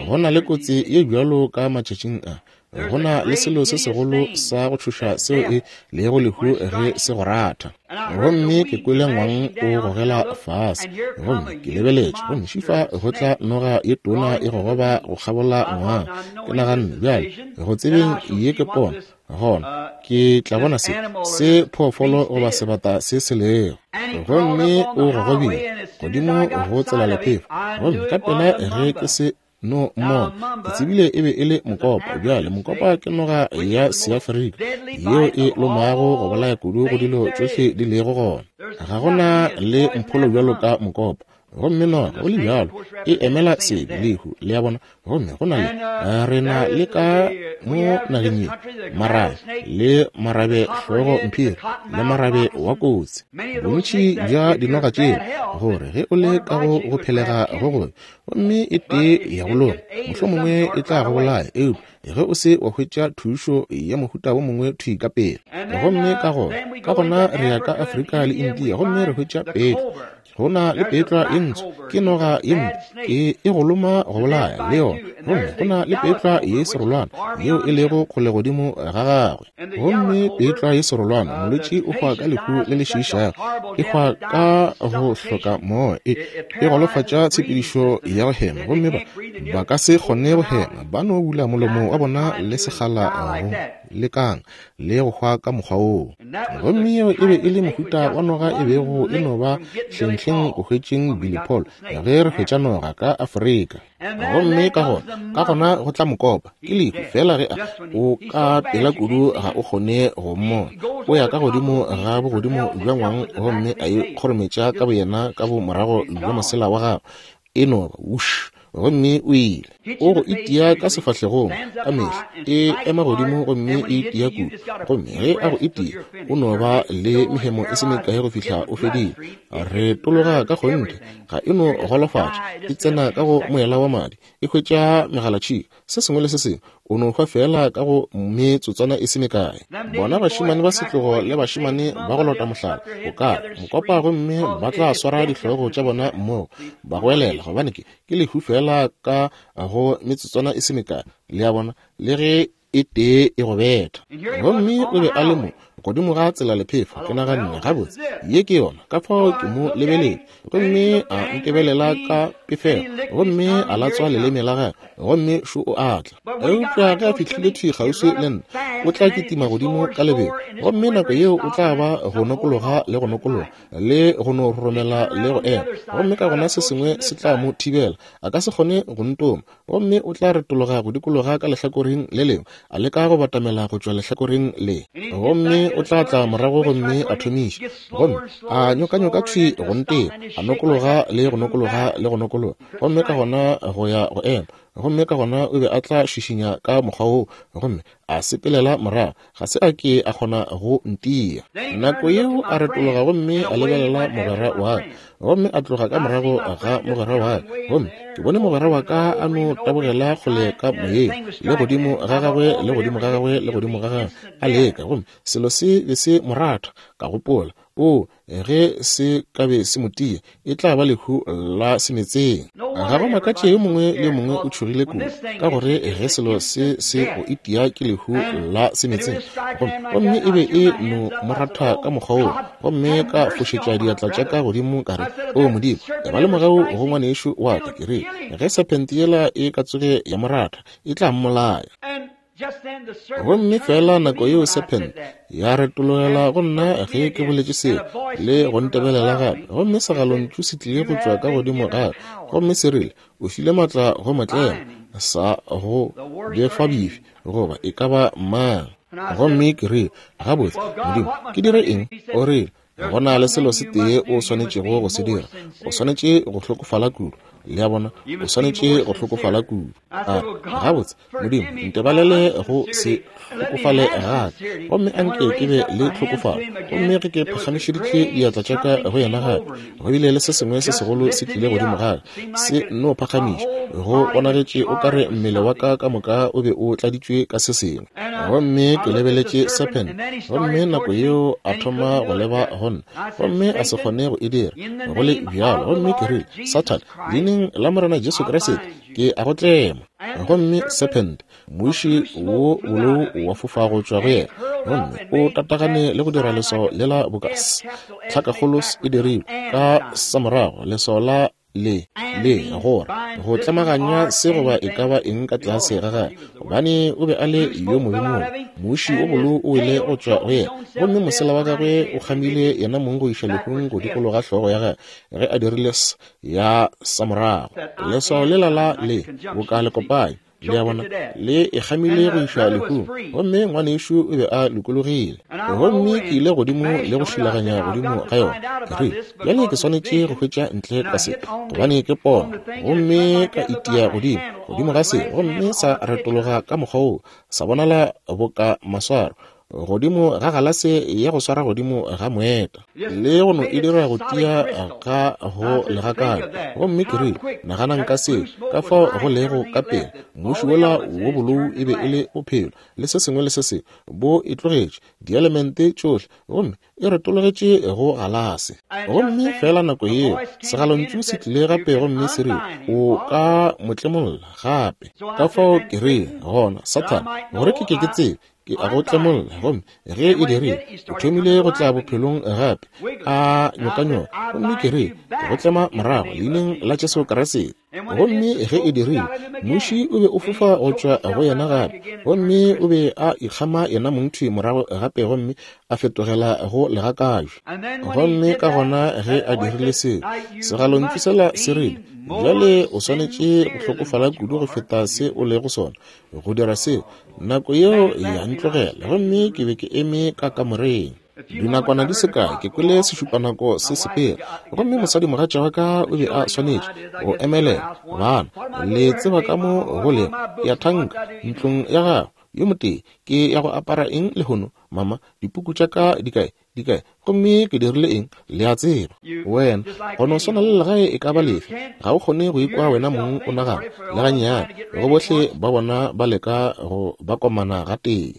Go na le kotsi ye bjalo ka matšatšing a. Go na le selo se segolo sa go tšhoša seo e lego lehu ge se go ratha. Gomme ke kwele ngwang o gogela fase, gomme ke lebeletše, gomme šifa go tla noga ye tona e gogoba go kgabola ngwang. Ke naganne, Bjale, go tsebeng ye ke pono, gona ke tla bona se, se phoofolo goba sebata se se lego. Gomme o gogobile godimo go tselalephefo, gomme ka pela ge ke se no mmona, ke tsebile e be e le mokopa. Bjale, mokopa ke noga ya Seafrika yeo e lomago go bolaya kudu go dilo tšohle di lego gona. Ga go na le mpholo bjalo ka mokopa. Gomme noga, go le bjalo, e emela sebe, lehu, le a bona. Gomme go na le, re na le ka mo nageng ye, marabe, le marabe hlogo mphiri, le marabe wa kotsi. Bontši bja dinoga tšeo, gore ge o le ka go go phelega go gobe, gomme e tee ya go loma, mohlomongwe e tla go bolaya, eupša ge o se wa hwetša thušo ya mohuta wo mongwe thwi ka pele. Gomme ka gona, ka gona re ya ka Afrika le India, gomme re hwetša petlwa. Go na le petlwa ye ntsho, ke noga ye mpe, e, e go loma go bolaya le yona. Gomme go na le petlwa ye serolwana yeo e lego kgole godimo ga gagwe. Gomme petlwa ye serolwana, molwetši o hwa ka lehu le le šiišago, e hwa ka go hloka moya, e, e golofatša tshepedišo ya go hema, gomme ba, ba ka se kgone go hema, ba no bula molomo wa bona le segala go lekang le go hwa ka mokgwa woo. Gomme yeo e be e le mohuta wa noga e bego e no ba hlenghleng go hwetšeng Billy Paul ge re hwetša noga ka Afrika. Gomme ka gona, ka gona go tla mokopa, ke lehu, feela ge a, o ka pela kudu ga o kgone go mmona. O ya ka godimo ga bogodimo bja ngwang gomme a ikgorometša ka boyena ka bomorago bja mosela wa gagwe, e no ba wush, gomme o ile. O go itia ka sefahlegong ka mehla, e ema godimo gomme e itia kudu, gomme ge a go itia o no ba le mehemo e se mekae go fihla o fedile. Re tologa ka kgonthe, ga e no golofatša, e tsena ka go moela wa madi, e hwetša megalatšhika, se sengwe le se sengwe, o no hwa feela ka go metsotswana e se mekae. Bona bašemane ba setlogo le bašemane ba go lota mohlala, o ka re mokopa, gomme ba tla swara dihlogo tša bona mmogo, ba goelela, gobane ke, ke lehu feela ka go metsotswana e se mekae, le a bona, le ge e tee e go betha. Gomme o be a le mo godimo ga tsela lephefo. Ke naganne, gabotse, ye ke yona. Ka fao ke mo lebeletše, gomme a ntebelela ka pefelo, gomme a latswa leleme la gagwe, gomme šo o a tla. Eupša ge a fihlile thwi kgauswi le nna, o tla kitima godimo ka lebelo, gomme nako yeo o tla ba go nokologa le go nokologa, le go no roromela le go ema, gomme ka gona se sengwe se tla mo thibela, a ka se kgone go ntoma. Gomme o tla retologa go dikologa ka lehlakoreng le lengwe, a leka go batamela go tšwa lehlakoreng le. Gomme o tla tla morago gomme a thomiša, gomme a nyokanyoka thwi go nteba, a nokologa le go nokologa le go nokologa, gomme ka gona go ya go ema. Gomme ka gona o be a tla šišinya ka mokgwa woo, gomme a sepelela morago. Ga se a ke a kgona go ntia. Nako yeo a retologa gomme a lebelela mogwera wa ka, gomme a tloga ka morago ga mogwera wa ka. Gomme ke bone mogwera wa ka a no tabogela kgole ka moyeng, le godimo ga gagwe, le godimo ga gagwe, le godimo ga gagwe, a leka. Gomme selo se be se mo ratha. Ka gopola, Oo, ge se ka be se mo tia, e tla ba lehu la semetseng. Ga go makatše yo mongwe le yo mongwe o tšhogile kudu, ka gore ge selo se se go itia ke lehu la semetseng. Gomme, gomme e be e no mo ratha ka mokgwa woo, gomme ka fošetša diatla tša ka godimo, ka re, O Modimo, eba le mogau go ngwanešu wa ka. Ke rile, Ge sephente yela e ka tsoge ya mo ratha, e tla mmolaya. Gomme feela nako yeo sephente ya retologela go nna ge ke boletše seo, le go ntebelela gape, gomme segalontšu se tlile go tšwa ka godimo ga ka, gomme se rile, O file maatla go motlema sa go befabefi goba e ka ba mang. Gomme ke rile, Gabotse, Modimo, ke dire eng? O rile, Go na le selo se tee o swanetšego go se dira. O swanetše go hlokofala kudu. Le a bona? O swanetše go hlokofala kudu. A re, Gabotse, Modimo, ntebalele go se hlokofale ga ka, gomme a nke ke be le tlhokofalo. Gomme ge ke phagamišeditše diatla tša ka go yena gape, go bile le se sengwe se segolo se tlile godimo ga ka, se nno phagamiša. Go bonagetše o ka re mmele wa ka ka moka o be o tladitšwe ka se sengwe. Gomme ke lebeletše serpent, gomme nako yeo a thoma go leba go nna, gomme a se kgone go e dira, go le bjalo. Gomme ke rile, Sathane, leineng la Morena Jesu Kriste, ke a go tlema. Gomme serpent, muši wo bolou wa fofa go tšwa go yena, gomme o tatagane le go dira leswao lela boka S, tlhakakgolo S e dirilwe ka samorago, leswao la le, le, gore, go tlemaganya se goba e ka ba eng ka tlase ga gagwe, gobane o be a le yo mobe mobe. Muši wo bolo o wele go tšwa go yena, gomme mosela wa gagwe o kgamile yena mong go iša lehung go dikologa hlogo ya gagwe, ge a dirile S ya samorago. Leswao lela la le, boka lekopanyi. Le a bona, le e kgamile go išwa lehung, gomme ngwanešu o be a lokologile. Gomme ke ile godimo le go šilaganya godimo ga yona. Ke rile, Bjale ke swanetše go hwetša ntle ka se, gobane ke pono. Gomme ka itia godimo, godimo ga se, gomme sa retologa ka mokgwa woo, sa bonala boka maswaro godimo ga galase ya go swara godimo ga moeta, le go no e dira go tia ga go legakane. Gomme ke rile, Naganang ka seo, ka fao go lego ka pela. Mmuši wola wo bolou e be e le bophelo, le se sengwe le se sengwe, bo e tlogetše, dielemente tšohle, gomme e retologetše go galase. Gomme feela nako yeo, segalontšu se tlile gape gomme se rile, O ka mo tlemolla gape. Ka fao ke rile, Gona, Sathane, gore ke ke ke tsebe, ke a go tlemolla. Gomme ge e dirile, o thomile go tla bophelong gape, a nyokanyoka. Gomme ke rile, Ke go tlema morago, Leineng la Jesu Kriste. Gomme ge e dirile, muši o be o fofa go tšwa go yena gape, gomme o be a ikgama yena mongthwi morago gape gomme a fetogela go legakajwe. Gomme ka gona ge a dirile seo, segalontšu sela se rile, Bjale o swanetše go hlokofala kudu go feta se o lego sona go dira seo. Nako yeo ya ntlogela, gomme ke be ke eme ka kamoreng. Dinakwana di se kae ke kwele sešupanako se sepela, gomme mosadimogatša wa ka o be a swanetše go emelela. Bana, le tseba ka mo go lego, ke a thanka, ntlong ya gago, yo motee, ke ya go apara eng lehono, mama? Dipuku tša ka di kae? Di kae? Gomme ke dirile eng? Le a tseba. Wena, go no swana le legae e ka ba lefe, ga o kgone go ikwa wena mong o nagana, le gannyane, go bohle ba bona ba leka go ba komana gatee.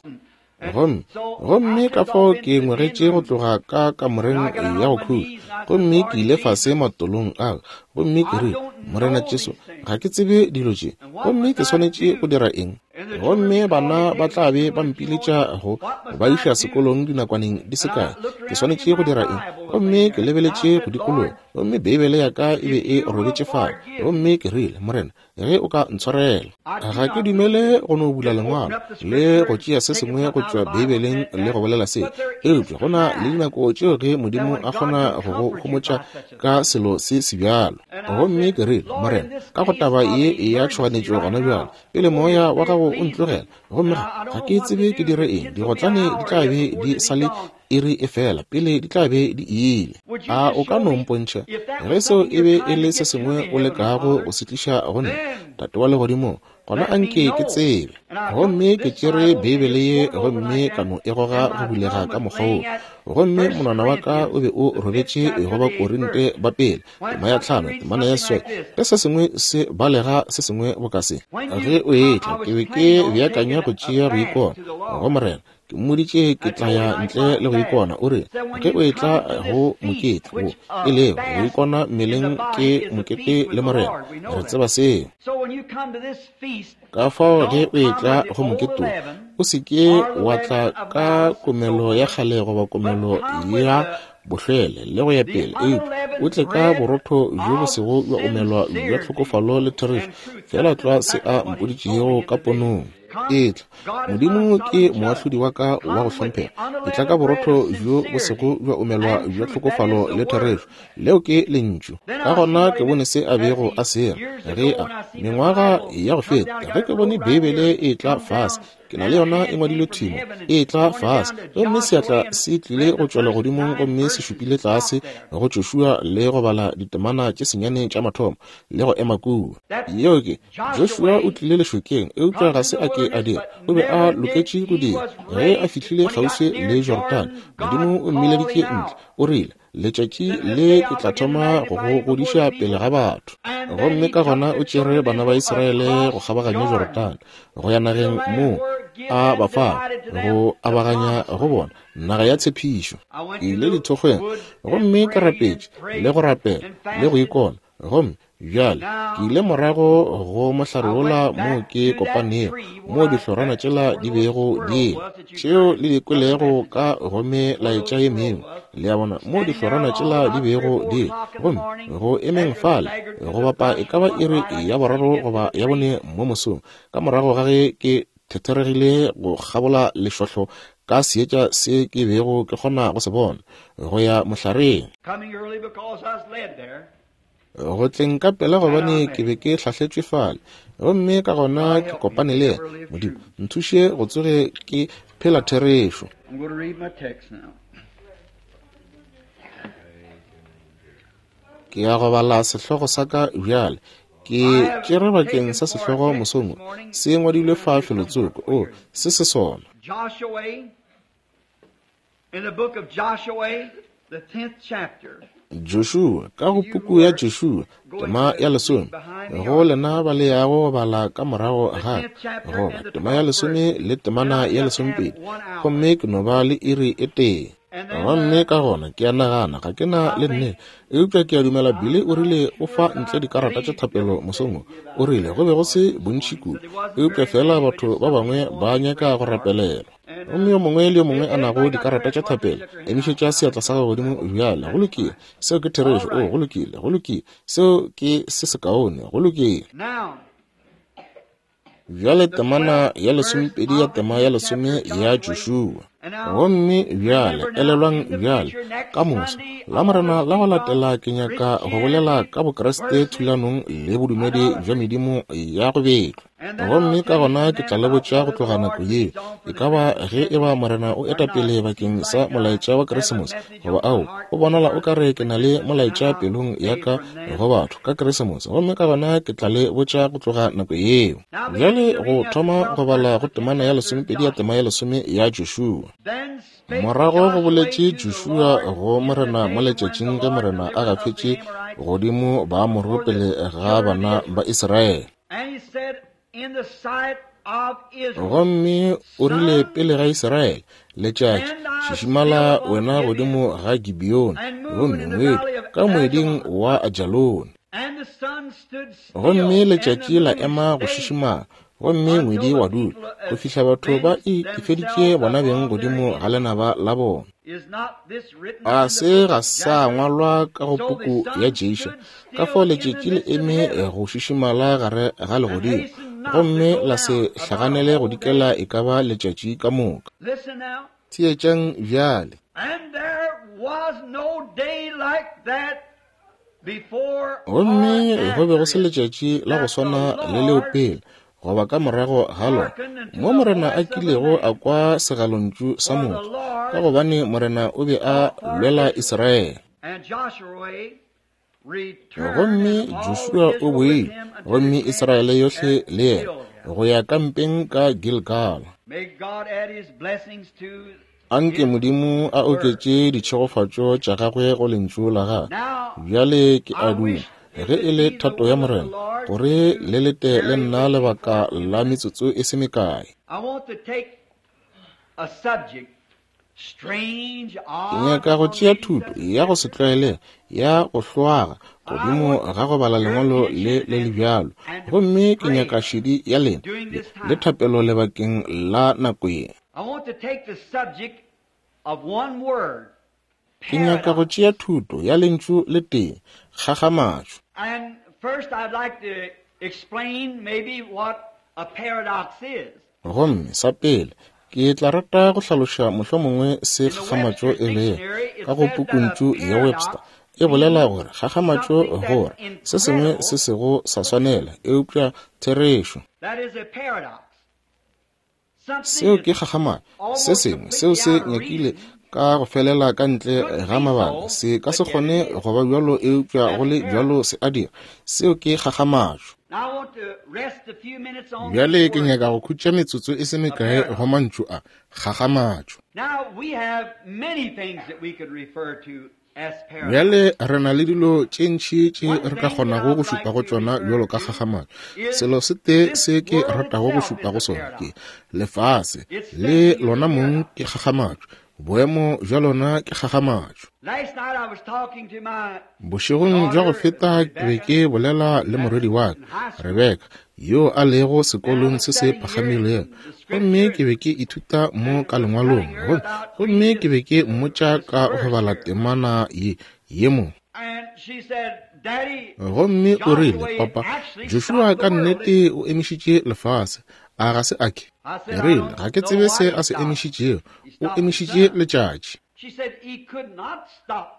Gomme, gomme ka fao ke ngwegetše go tloga ka kamoreng ya go khutša, gomme ke ile fase matolong a, gomme ke rile, Morena Jesu, ga ke tsebe dilo tše, gomme ke swanetše go dira eng? Gomme bana ba tla be ba mpiletša go ba iša sekolong dinakwaneng di se kae. Ke swanetše go dira eng? Gomme ke lebeletše go dikologa, gomme Beibele ya ka e be e robetše fale. Gomme ke rile, Morena, ge o ka ntshwarela. Ga ke dumele go no bula Lengwalo le go tšea se sengwe go tšwa Beibeleng le go bolela se, eupša go na le dinako tšeo ge Modimo a kgona go go homotša ka selo se sebjalo. Gomme ke rile, Morena, ka go taba ye ya tšhoganetšo gona bjale, pele moya wa gago o ntlogela, gomme ga ke tsebe ke dire eng, digotlane di tla be di sa le iri e fela pele di tla be di ile. A o ka no mpontšha ge seo e be e le se sengwe o lekago go se tliša go nna, Tate wa Legodimong? Gona a nke ke tsebe. Gomme ke tšere Beibele ye gomme ka no e goga go bulega ka mokgwa wo. Gomme monwana wa ka o be o robetše go Bakorinte ba pele, tema ya 5, temana ya 8, ge se sengwe se balega se sengwe boka se. Ge o etla, ke be ke beakanya go tšea go ikona go Morena. Ke mmoditše ke tla ya ntle le go ikona. O rile, Ge o etla go mokete wo, e lego go ikona mmeleng ke mokete le Morena. Re tseba seo. Ka fao ge o etla go mokete wo, o se ke wa tla ka komelo ya kgale goba komelo ya bohlwele le go ya pele, eupša o tle ka borotho bjo bo sego bja omelwa bja tlhokofalo le therešo, feela tlwa se a mpoditšego ka ponong. Etla, Modimo ke moahlodi wa ka wa go hlomphega. Etla ka borotho bjo bo sego bja omelwa bja tlhokofalo le therešo. Leo ke Lentšu. Ka gona ke bone se a bego a se ra ge a, mengwaga ya go feta, ge ke bone Beibele e etla fase. Ke na le yona e ngwadilwe thwi mo. E etla fase, gomme seatla se tlile go tšwa legodimong gomme se šupile tlase go Joshua le go bala ditemana tše senyane tša mathomo, le go ema kua. Yeo ke, Joshua o tlile lešokeng, eupša ga se a ke a dira. O be a loketše go dira. Ge a fihlile kgauswi le Jorodane, Modimo o mmileditše ntle. O rile, Letšatši le ke tla thoma go go godiša pele ga batho. Gomme ka gona o tšere bana ba Israele go kgabaganya Jorodane, go ya nageng moo a ba fago, go abaganya go bona naga ya tshepišo. Ke ile dithokgweng gomme ke rapetše le go rapela le go ikona, gomme Bjale, ke ile morago go mohlare wola moo ke kopanego, moo dihlorana tšela di bego di le, tšeo le di kwelego ka go melaetša ye mengwe, le a bona, moo dihlorana tšela di bego di le. Gomme go emeng fale, go bapa e ka ba iri ya boraro goba ya bone mo mosong, ka morago ga ge ke thetheregile go kgabola lešohlo ka seetša se ke bego ke kgona go se bona, go ya mohlareng. Coming early because I was led there. Go tleng ka pela gobane ke be ke hlahletšwe fale, gomme ka gona ke kopane le yena. Modimo, nthuše go tsoge ke phela therešo. Ke ya go bala sehlogo sa ka bjale. Ke tšere bakeng sa sehlogo mosong wo, se ngwadilwe fa felotsoko. O, se se sona. In the book of Joshua, the 10th chapter. Joshua, ka go puku ya Joshua, tema ya lesome, go lena ba le yago go bala ka morago ga goba tema ya lesome le temana ya lesomepedi, gomme ke no ba le iri e tee. Gomme ka gona ke a nagana ga ke na le nnete, eupša ke a dumela Billy o rile o fa ntle dikarata tša thapelo mosong wo. O rile go be go se bontši kudu, eupša feela batho ba bangwe ba nyaka go rapelelwa. Gomme yo mongwe le yo mongwe a nago dikarata tša thapelo, emišetša seatla sa gago godimo bjale. Go lokile. Seo ke therešo. O, go lokile. Go lokile. Seo ke se sekaone. Go lokile. Bjale temana ya lesomepedi ya tema ya lesome ya Joshua. Gomme bjale, elelwang bjale, ka moso, Lamorena la go latela ke nyaka go bolela ka Bokriste thulanong le bodumedi bja medimo ya go betlwa. Gomme ka gona ke tla le botša go tloga nako yeo, e ka ba ge e ba Morena o eta pele bakeng sa molaetša wa Keresemose, goba ao, o bonala o ka re ke na le molaetša pelong ya ka go batho ka Keresemose, gomme ka gona ke tla le botša go tloga nako yeo. Bjale go thoma go bala go temana ya lesomepedi ya tema ya lesome ya Joshua. Morago go boletše Joshua go Morena mo letšatšing ge Morena a gafetše godimo Baamoro pele ga bana ba Israele. Gomme o rile pele ga Israele, Letšatši, šišimala wena godimo ga Gibeone, gomme ngwedi ka moeding wa Ajalone. Gomme letšatši la ema go šišimala, gomme ngwedi wa dula, go fihla batho ba itefeditše bona beng godimo ga lenaba la bona. A se ga sa ngwalwa ka go puku ya Ješa, ka fao letšatši le eme go šišimala gare ga legodimo, gomme la se hlaganele go dikela e ka ba letšatši ka moka. Theetšang bjale. Gomme go be go se letšatši la go swana le leo pele goba ka morago ga lona mo Morena a kilego a kwa segalontšu sa motho, ka gobane Morena o be a lwela Israele. Gomme Joshua o boile, gomme Israele yohle le yena, go ya kampeng ka Gilgala. Anke Modimo a oketše ditšhegofatšo tša gagwe go lentšu la gagwe. Bjale ke a duma, ge e le thato ya Morena, gore le lete le nna lebaka la metsotso e se mekae. Ke nyaka go tšea thuto ya go se tlwaelege ya go hloaga godimo ga go bala lengwalo le le le bjalo, gomme ke nyaka šedi ya lena le thapelo lebakeng la nako ye. Ke nyaka go tšea thuto ya lentšu le tee, kgakgamatšo. Gomme sa pele, ke tla rata go hlaloša mohlomongwe se kgakgamatšo e lego. Ka go pukuntšu ya Webster, e bolela gore kgakgamatšo gore se sengwe se sego sa swanela, eupša therešo. Seo ke kgakgamatšo. Se sengwe seo se nyakile ka go felela ka ntle ga mabaka se ka se kgone go ba bjalo, eupša go le bjalo se a dira. Seo ke kgakgamatšo. Bjale ke nyaka go khutša metsotso e se mekae go mantšu a, kgakgamatšo. Bjale re na le dilo tše ntši tše re ka kgonago go šupa go tšona bjalo ka kgakgamatšo. Selo se tee se ke ratago go šupa go sona ke lefase le lona mong ke kgakgamatšo. Boemo bja lona ke kgakgamatšo. Bošegong bja go feta ke be ke bolela le morwedi wa ka, Rebeka, yo a lego sekolong se se phagamilego, gomme ke be ke ithuta mo ka lengwalong, gomme ke be ke mmotša ka go bala temana ye ye mo. Gomme o rile, Papa, Joshua ka nnete o emišitše lefase, a ga se a ke? Ke rile, ga ke tsebe se a se emišitšego, o emišitše letšatši.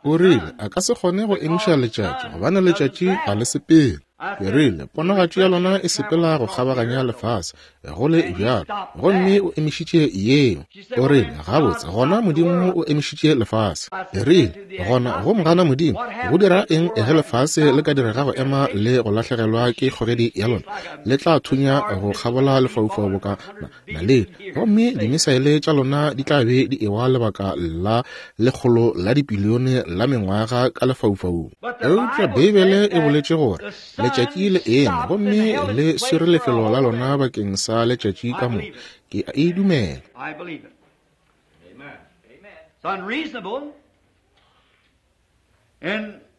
O rile, A ka se kgone go emiša letšatši, gobane letšatši ga le sepele. Ke rile, Ponagatšo ya lona e sepela go kgabaganya lefase, go le bjalo, gomme o emišitše yeo. O rile, Gabotse, gona Modimo o emišitše lefase. Ke rile, Gona go mogana Modimo, go dira eng ge lefase le ka direga go ema le go lahlegelwa ke kgogedi ya lona? Le tla thunya go kgabola lefaufau boka na, naledi, gomme dimisaele tša lona di tla be di ewa lebaka la lekgolo la dipilione la mengwaga ka lefaufaung. Eupša Beibele e boletše gore letšatši le eme gomme le swere lefelo la lona bakeng sa letšatši ka moka. Ke a e dumela.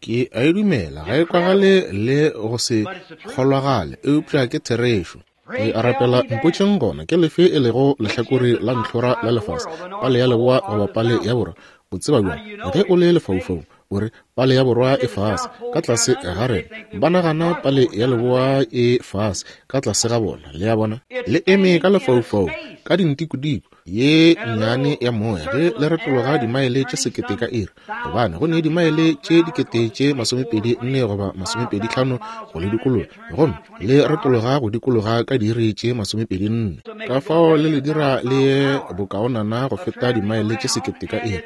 Ke a e dumela. Ga e kwagale le go se kgolwagale, eupša ke therešo. Ke a rapela, mpotšeng gona ke lefe e lego lehlakore la ntlhora la lefase, pale ya leboa goba pale ya borwa. O tseba bjang ge o le lefaufaung? O re, Pale ya borwa e fase, ka tlase ga rena. Ba nagana pale ya leboa e fase, ka tlase ga bona. Le a bona? Le eme ka lefaufaung, ka dintikodiko ye nnyane ya moya, ge le retologa dimaele tše sekete ka iri, gobane go ne dimaele tše dikete tše 24 goba 25 go le dikologa, gomme le retologa go dikologa ka diiri tše 24. Ka fao le le dira le ye bokaonana go feta dimaele tše sekete ka iri.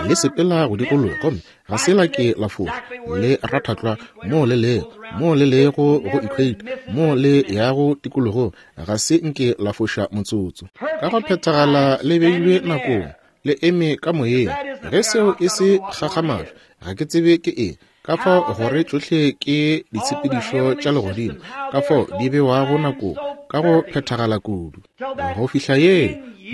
Le sepela go dikologa gomme ga se la ke la fofa, le ratha tlwa moo le lego, moo le lego go equator, moo le yago tikologong, ga se nke la foša motsotso. Ka go phethagala le beilwe nakong, le eme ka moyeng. Ge seo e se kgakgamatšo, ga ke tsebe ke eng. Ka fao gore tšohle ke ditshepedišo tša legodimo, ka fao di bewago nakong ka go phethagala kudu. Go fihla ye,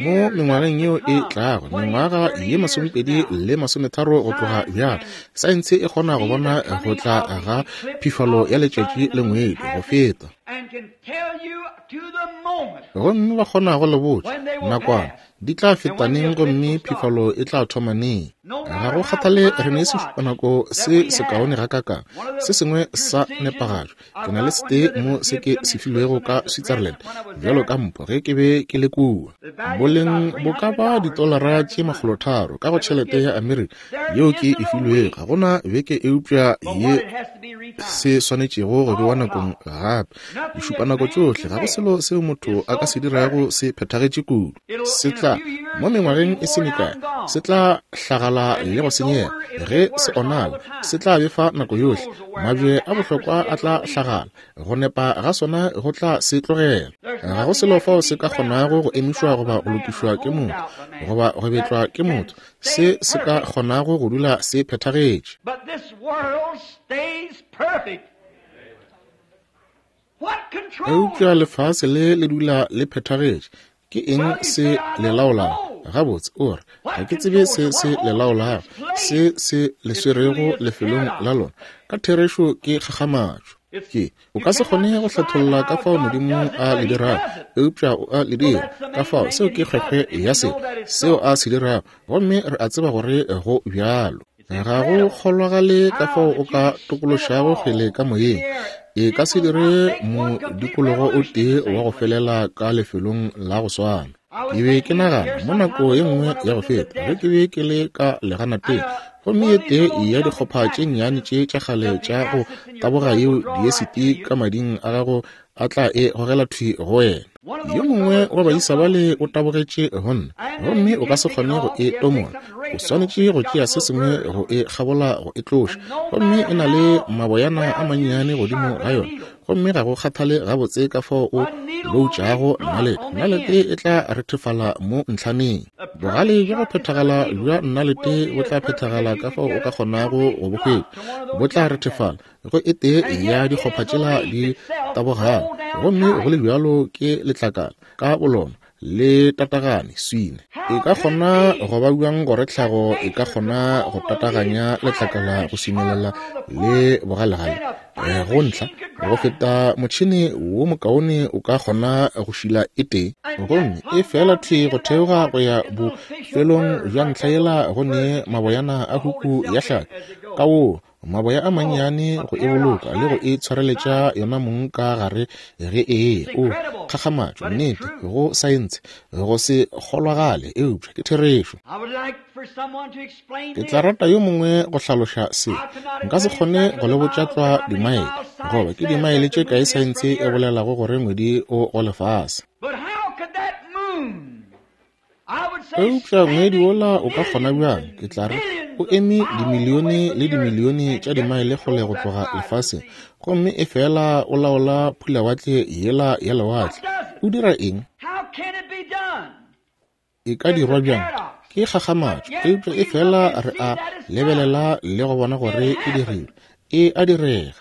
mo mengwageng yeo e tlago, mengwaga ye 20 le 30 go tloga bjale, saense e kgona go bona go tla ga phifalo ya letšatši le ngwedi go feta. Gomme ba kgona go le botša nakwana di tla feta neng gomme phifalo e tla thoma neng. Ga go kgathale re ne sešupanako se sekaone gakakang, se sengwe sa nepagalo. Ke na le setee mo se ke se filwego ka Switzerland bjalo ka mpho ge ke be ke le kua. Boleng bo ka ba ditolara tše 300 ka go tšhelete ya Amerika yeo ke e filwego. Ga go na beke eupša ye se swanetšego go bewa nakong gape. Dišupanako tšohle, ga go selo seo motho a ka se dirago se phethagetše kudu. Se tla, mo mengwageng e se mekae, se tla hlagala le go senyega. Ge se onala, se tla befa nako yohle. Mabje a bohlokwa a tla hlagala, go nepa ga sona go tla se tlogela. Ga go selo fao se ka kgonago go emišwa goba go lokišwa ke motho, goba go betlwa ke motho, se se ka kgonago go dula se phethagetše. Eupša lefase le le dula le phethagetše. Ke eng se le laolago? Gabotse, o re, ga ke tsebe se se le laolago, se se le swerego lefelong la lona. Ka therešo ke kgakgamatšo. Ke, o ka se kgone go hlatholla ka fao Modimo a le dirago, eupša o a le dira. Ka fao, seo ke kgwekgwe ya selo, seo a se dirago, gomme re a tseba gore go bjalo. Ga go kgolwagale ka fao o ka tokološago kgwele ka moyeng. E ka se dire modikologo o tee wa go felela ka lefelong la go swana. Ke be ke nagana mo nako ye nngwe ya go feta ge ke be ke le ka leganateng, gomme ye tee ya dikgopha tše nnyane tše tša kgale tša go taboga yeo diesiti ka mading a gago a tla e gogela thwi go wena. Yo mongwe wa baisa bale o tabogetše go nna, gomme o ka se kgone go e tomola. O swanetše go tšea se sengwe go e kgabola go e tloša. Gomme e na le maboyana a mannyane godimo ga yona, gomme ga go kgathale gabotse ka fao o loutšago nalete, nalete e tla rethefala mo ntlhaneng. Bogale bja go phethagala bja nalete bo tla phethagala ka fao o ka kgonago go bo hwetša, bo tla rethefala go e tee ya dikgopha tšela di tabogago, gomme go le bjalo ke letlakala ka bolona le tatagane swine. E ka kgona go ba bjang gore tlhago e ka kgona go tataganya letlakala go swinelela le bogalegale go ntlha go feta motšhene wo mokaone o ka kgona go šila e tee, gomme e fela thwi go theoga go ya bofelong bja ntlha yela go ne maboyana a huku ya hlapi ka wo. Maboya a mannyane go e boloka le go e tshwareletša yona mong ka gare ge e eya. O, kgakgamatšo, nnete, go saense, go se kgolwagale, eupša ke therešo. Ke tla rata yo mongwe go hlaloša se. Nka se kgone go le botša tlwa dimaele, goba ke dimaele tše kae saense e bolelago gore ngwedi o go lefase. Eupša ngwedi wola o ka kgona bjang, ke tla re, o eme dimilione le dimilione tša dimaele kgole go tloga lefaseng, gomme efela o laola phulawatle yela ya lewatle. O dira eng? E ka dirwa bjang? Ke kgakgamatšo, eupša efela re a lebelela le go bona gore e dirilwe. E a direga.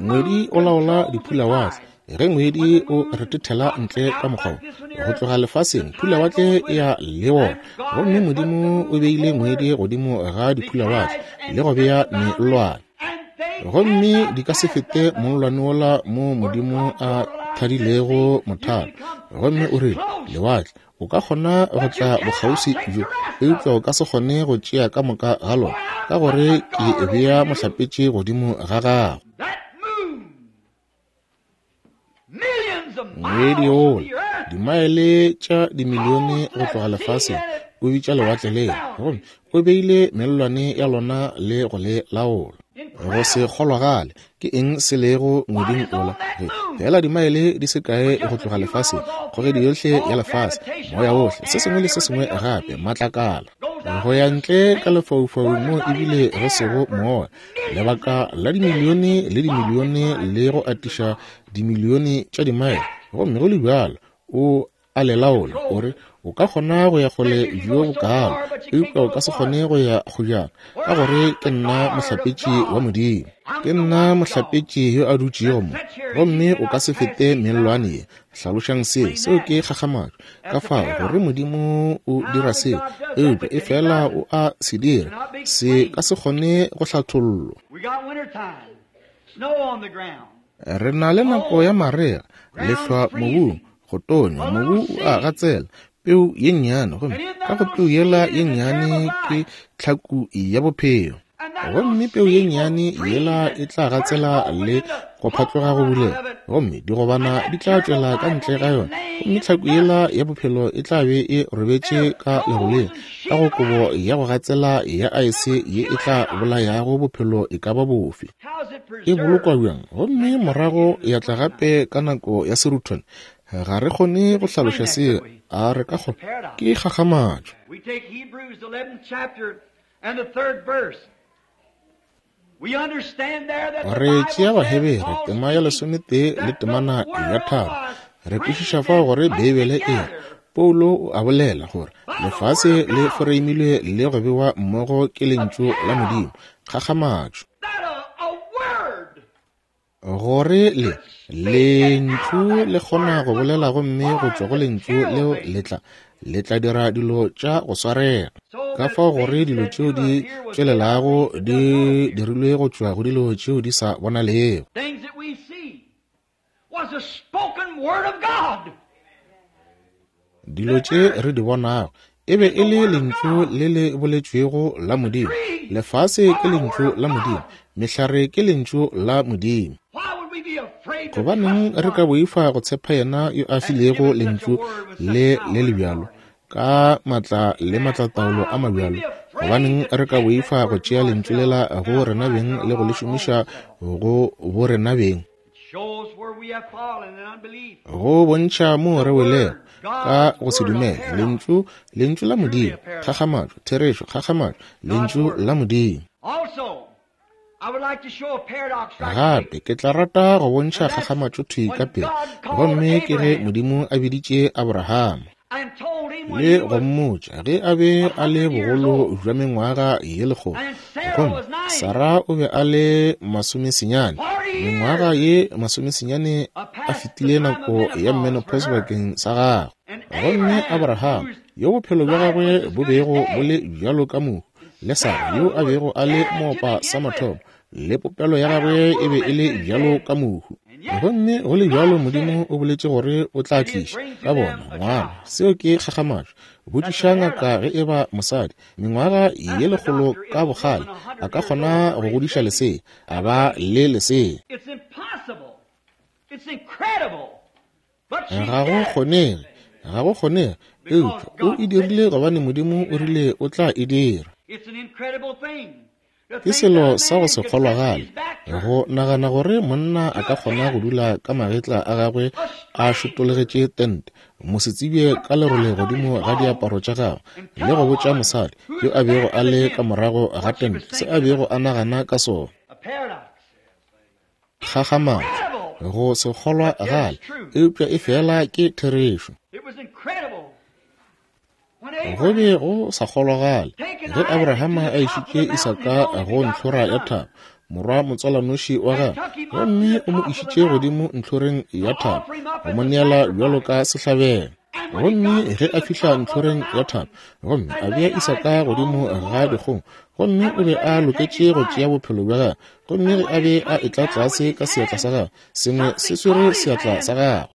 Ngwedi o laola diphulawatle. Ge ngwedi o retethela ntle ka mokgwa wo, go tloga lefaseng, phulawatle e ya le wona. Gomme Modimo o beile ngwedi godimo ga diphulawatle le go bea mellwane. Gomme di ka se fete mollwane wola mo Modimo a thadilego mothalo. Gomme o rile, Lewatle, O ka kgona go tla bokgauswi bjo, eupša o ka se kgone go tšea ka moka ga lona, ka gore ke bea mohlapetši godimo ga gago. Ngwedi wola, dimaele tša dimilione go tloga lefaseng, o bitša lewatle lela, gomme o beile mellwane ya lona le go le laola. Go se kgolwagale, ke eng se lego ngweding wola? Ge feela dimaele di se kae go tloga lefaseng, kgogedi yohle ya lefase, moya wohle, se sengwe le se sengwe gape, matlakala, go ya ntle ka lefaufaung mo ebile go sego moya, lebaka la dimilione le dimilione le go atiša dimilione tša dimaele, gomme go le bjalo o a le laola, o re, O ka kgona go ya kgole bjo bokaalo, eupša o ka se kgone go ya kgojana, ka gore ke nna mohlapetši wa Modimo. Ke nna mohlapetši yo a dutšego mo, gomme o ka se fete mellwane ye. Hlalošang seo, seo ke kgakgamatšo. Ka fao gore Modimo o dira seo, eupša efela o a se dira, se ka se kgone go hlathollwa. Re na le nako ya marega, lehlwa mobung, go tonya, mobu o a gatsela, peu ye nnyane, gomme ka go peu yela ye nnyane ke tlhaku ya bophelo. Gomme peu ye nnyane yela e tla gatsela le go phatloga go bulega, gomme digobana di tla tšwela ka ntle ga yona, gomme tlhaku yela ya bophelo e tla be e robetše ka leroleng, ka go kobo ya go gatsela ya aese ye e tla bolayago bophelo e ka ba bofe. E bolokwa bjang gomme morago ya tla gape ka nako ya seruthwane? Ga re kgone go hlaloša seo, a re ka kgona? Ke kgakgamatšo. Re tšea Bahebere tema ya lesometee le temana ya tharo. Re kwešiša fao gore Beibele e re, Paulo o a bolela gore lefase le foreimilwe le go bewa mmogo ke Lentšu la Modimo. Kgakgamatšo! Gore le, Lentšu le kgona go bolela gomme go tšwa go Lentšu leo le tla, le tla dira dilo tša go swarega. Ka fao gore dilo tšeo di tšwelelago di dirilwe go tšwa go dilo tšeo di sa bonalego. Dilo tše re di bonago e be e le lentšu le le boletšwego la Modimo. Lefase ke lentšu la Modimo. Mehlare ke lentšu la Modimo. Gobaneng re ka boifa go tshepa yena yo a filego lentšu le le le bjalo ka matla le matlataolo a mabjalo? Gobaneng re ka boifa go tšea lentšu lela go rena beng le go le šomiša go bo rena beng? Go bontšha moo re welego ka go se dumele lentšu, lentšu la Modimo, kgakgamatšo, therešo, kgakgamatšo, lentšu la Modimo. Gape ke tla rata go bontšha kgakgamatšo thwi ka pele, gomme ke ge Modimo a biditše Abrahama le go mmotša ge a be a le bogolo bja mengwaga ye lekgolo, gomme Sara o be a le masomesenyane, mengwaga ye masomesenyane a fetile nako ya menopause bakeng sa gagwe. Gomme Abraham, yo bophelo bja gagwe bo bego bo le bjalo ka mohu, le Sara yo a bego a le moopa sa mathomo, le popelo ya gagwe e be e le bjalo ka mohu. Gomme go le bjalo Modimo o boletše gore o tla tliša ka bona ngwana. Seo ke kgakgamatšo. Botšiša ngaka ge e ba mosadi, mengwaga ye lekgolo ka bokgale, a ka kgona go godiša lesea, a ba le lesea. Ga go kgonege, ga go kgonege, eupša o e dirile gobane Modimo o rile o tla e dira. Ke selo sa go se kgolwagale go nagana gore monna a ka kgona go dula ka magetla a gagwe a šotologetše tente, mosetsebje ka lerole godimo ga diaparo tša gagwe, le go botša mosadi yo a bego a le ka morago ga tente se a bego a nagana ka sona. Kgakgamatšo, go se kgolwagale, eupša e fela ke therešo. Go be go sa kgolwagale ge Abrahama a išitše Isaka go ntlhora ya thaba, morwa motswalanoši wa gagwe, gomme o mo išitše godimo ntlhoreng ya thaba go mo neela bjalo ka sehlabelo. Gomme ge a fihla ntlhoreng ya thaba gomme a bea Isaka godimo ga dikgong, gomme o be a loketše go tšea bophelo bja gagwe, gomme ge a be a etla tlase ka seatla sa gagwe, sengwe se swere seatla sa gagwe.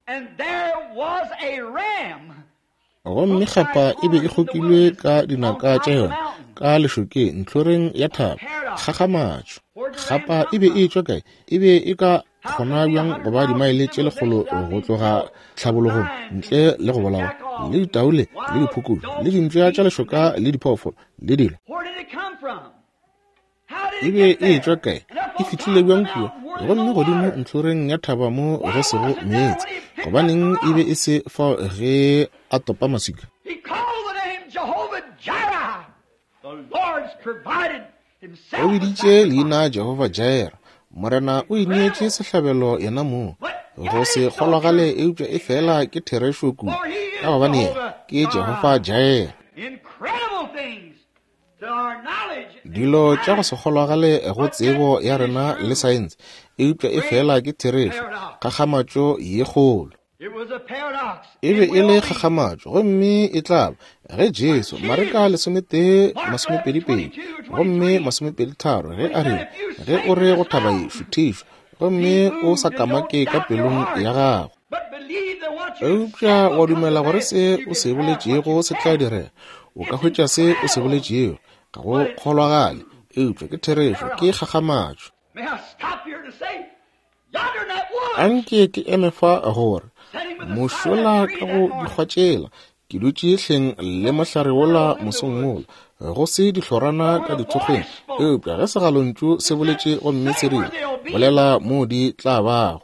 Gomme kgapa e be e kgokilwe ka dinaka tša yona ka lešokeng ntlhoreng ya thaba. Kgakgamatšo! Kgapa e be e etšwa kae? E be e ka kgona bjang go ba dimaele tše lekgolo go tloga tlhabologong ntle le go bolawa le ditaole le diphukubje le dimpša tša lešoka le diphoofolo le dilo? E be e etšwa kae? E fihlile bjang kua? Gomme godimo ntlhoreng ya thaba mo go sego meetse, gobaneng e be e se fao ge a topa maswika? O biditše leina Jehofa Jireh, Morena o ineetše sehlabelo yena mong. Go se kgolwagale, eupša e fela ke therešo kudu, ka gobane yena ke Jehofa Jireh. Dilo tša go se kgolwagale go tsebo ya rena le saense, eupša e fela ke therešo, kgakgamatšo ye kgolo. E be e le kgakgamatšo, gomme e tla ba ge Jesu, Mareka 11, 22, gomme 23, ge a rile, Ge o re go thaba ye, šuthišwa, gomme o sa kamake ka pelong ya gago, eupša wa dumela gore se o se boletšego se tla direga, o ka hwetša se o se boletšego. Ga go kgolwagale, eupša ke therešo, ke kgakgamatšo. Anke ke eme fa gore mošola ka go dikgwa tšela, ke dutše hleng le mohlare wola mosong wola, go se dihlorana ka dithokgweng, eupša ge segalontšu se boletše gomme se rile, bolela moo di tla bago.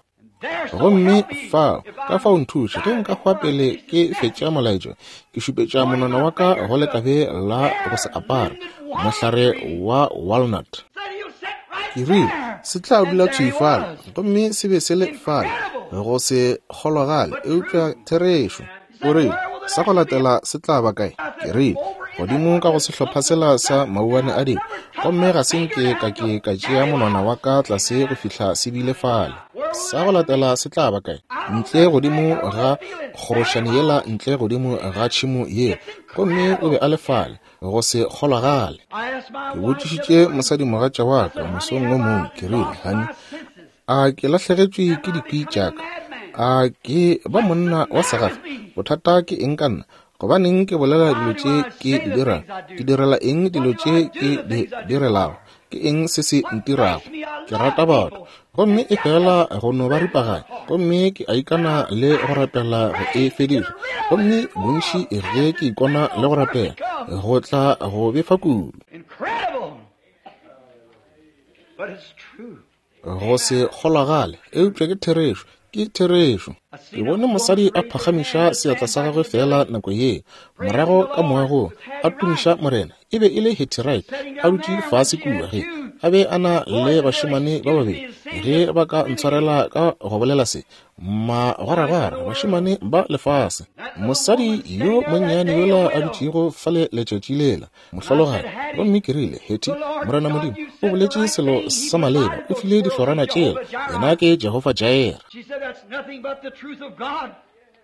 Gomme fao, ka fao nthuše, ge nka hwa pele ke fetša molaetša, ke šupetša monwana wa ka go lekabe la go se apare, mohlare wa walnut. Ke rile, Se tla dula thwi fale. Gomme se be se le fale, go se kgolwagale, eupša therešo. O rile, Sa go latela se tla ba kae? Ke rile, Godimo ka go sehlopha sela sa mauwane a dilo. Gomme ga se nke ka ke ka tšea monwana wa ka tlase go fihla se bile fale. Sa go latela se tla ba kae? Ntle godimo ga kgorošane yela, ntle godimo ga tšhemo yela. Gomme o be a le fale, go se kgolwagale. Ke botšišitše mosadimogatša wa ka mosong wo mongwe, ke rile, Honey, A ke lahlegetšwe ke dikwi tša ka? A ke ba monna wa segafa? Bothata ke eng ka nna? Gobaneng ke bolela dilo tše ke di dirago? Ke direla eng dilo tše ke di direlago? Ke eng se se ntirago? Ke rata batho, gomme e fela go no ba ripaganya, gomme ke a ikana le go rapela go e fediša. Gomme bontši ge ke ikona le go rapela, go tla go befa kudu. Go se kgolwagale, eupša ke therešo. Ke therešo. Ke bone mosadi a phagamiša seatla sa gagwe feela nako ye, morago ka moagong, a tumiša Morena. E be e le Hattie Wright, a dutše fase kua, ge a be a na le bašemane ba babedi, ge ba ka ntshwarela ka go bolela se, magwaragwara, bašemane ba lefase. Mosadi yo monnyane yola a dutšego fale letšatši lela, mohlologadi. Gomme ke rile, Hattie, Morena Modimo o boletše selo sa maleba, o file dihlorana tšela, yena ke Jehofa Jireh.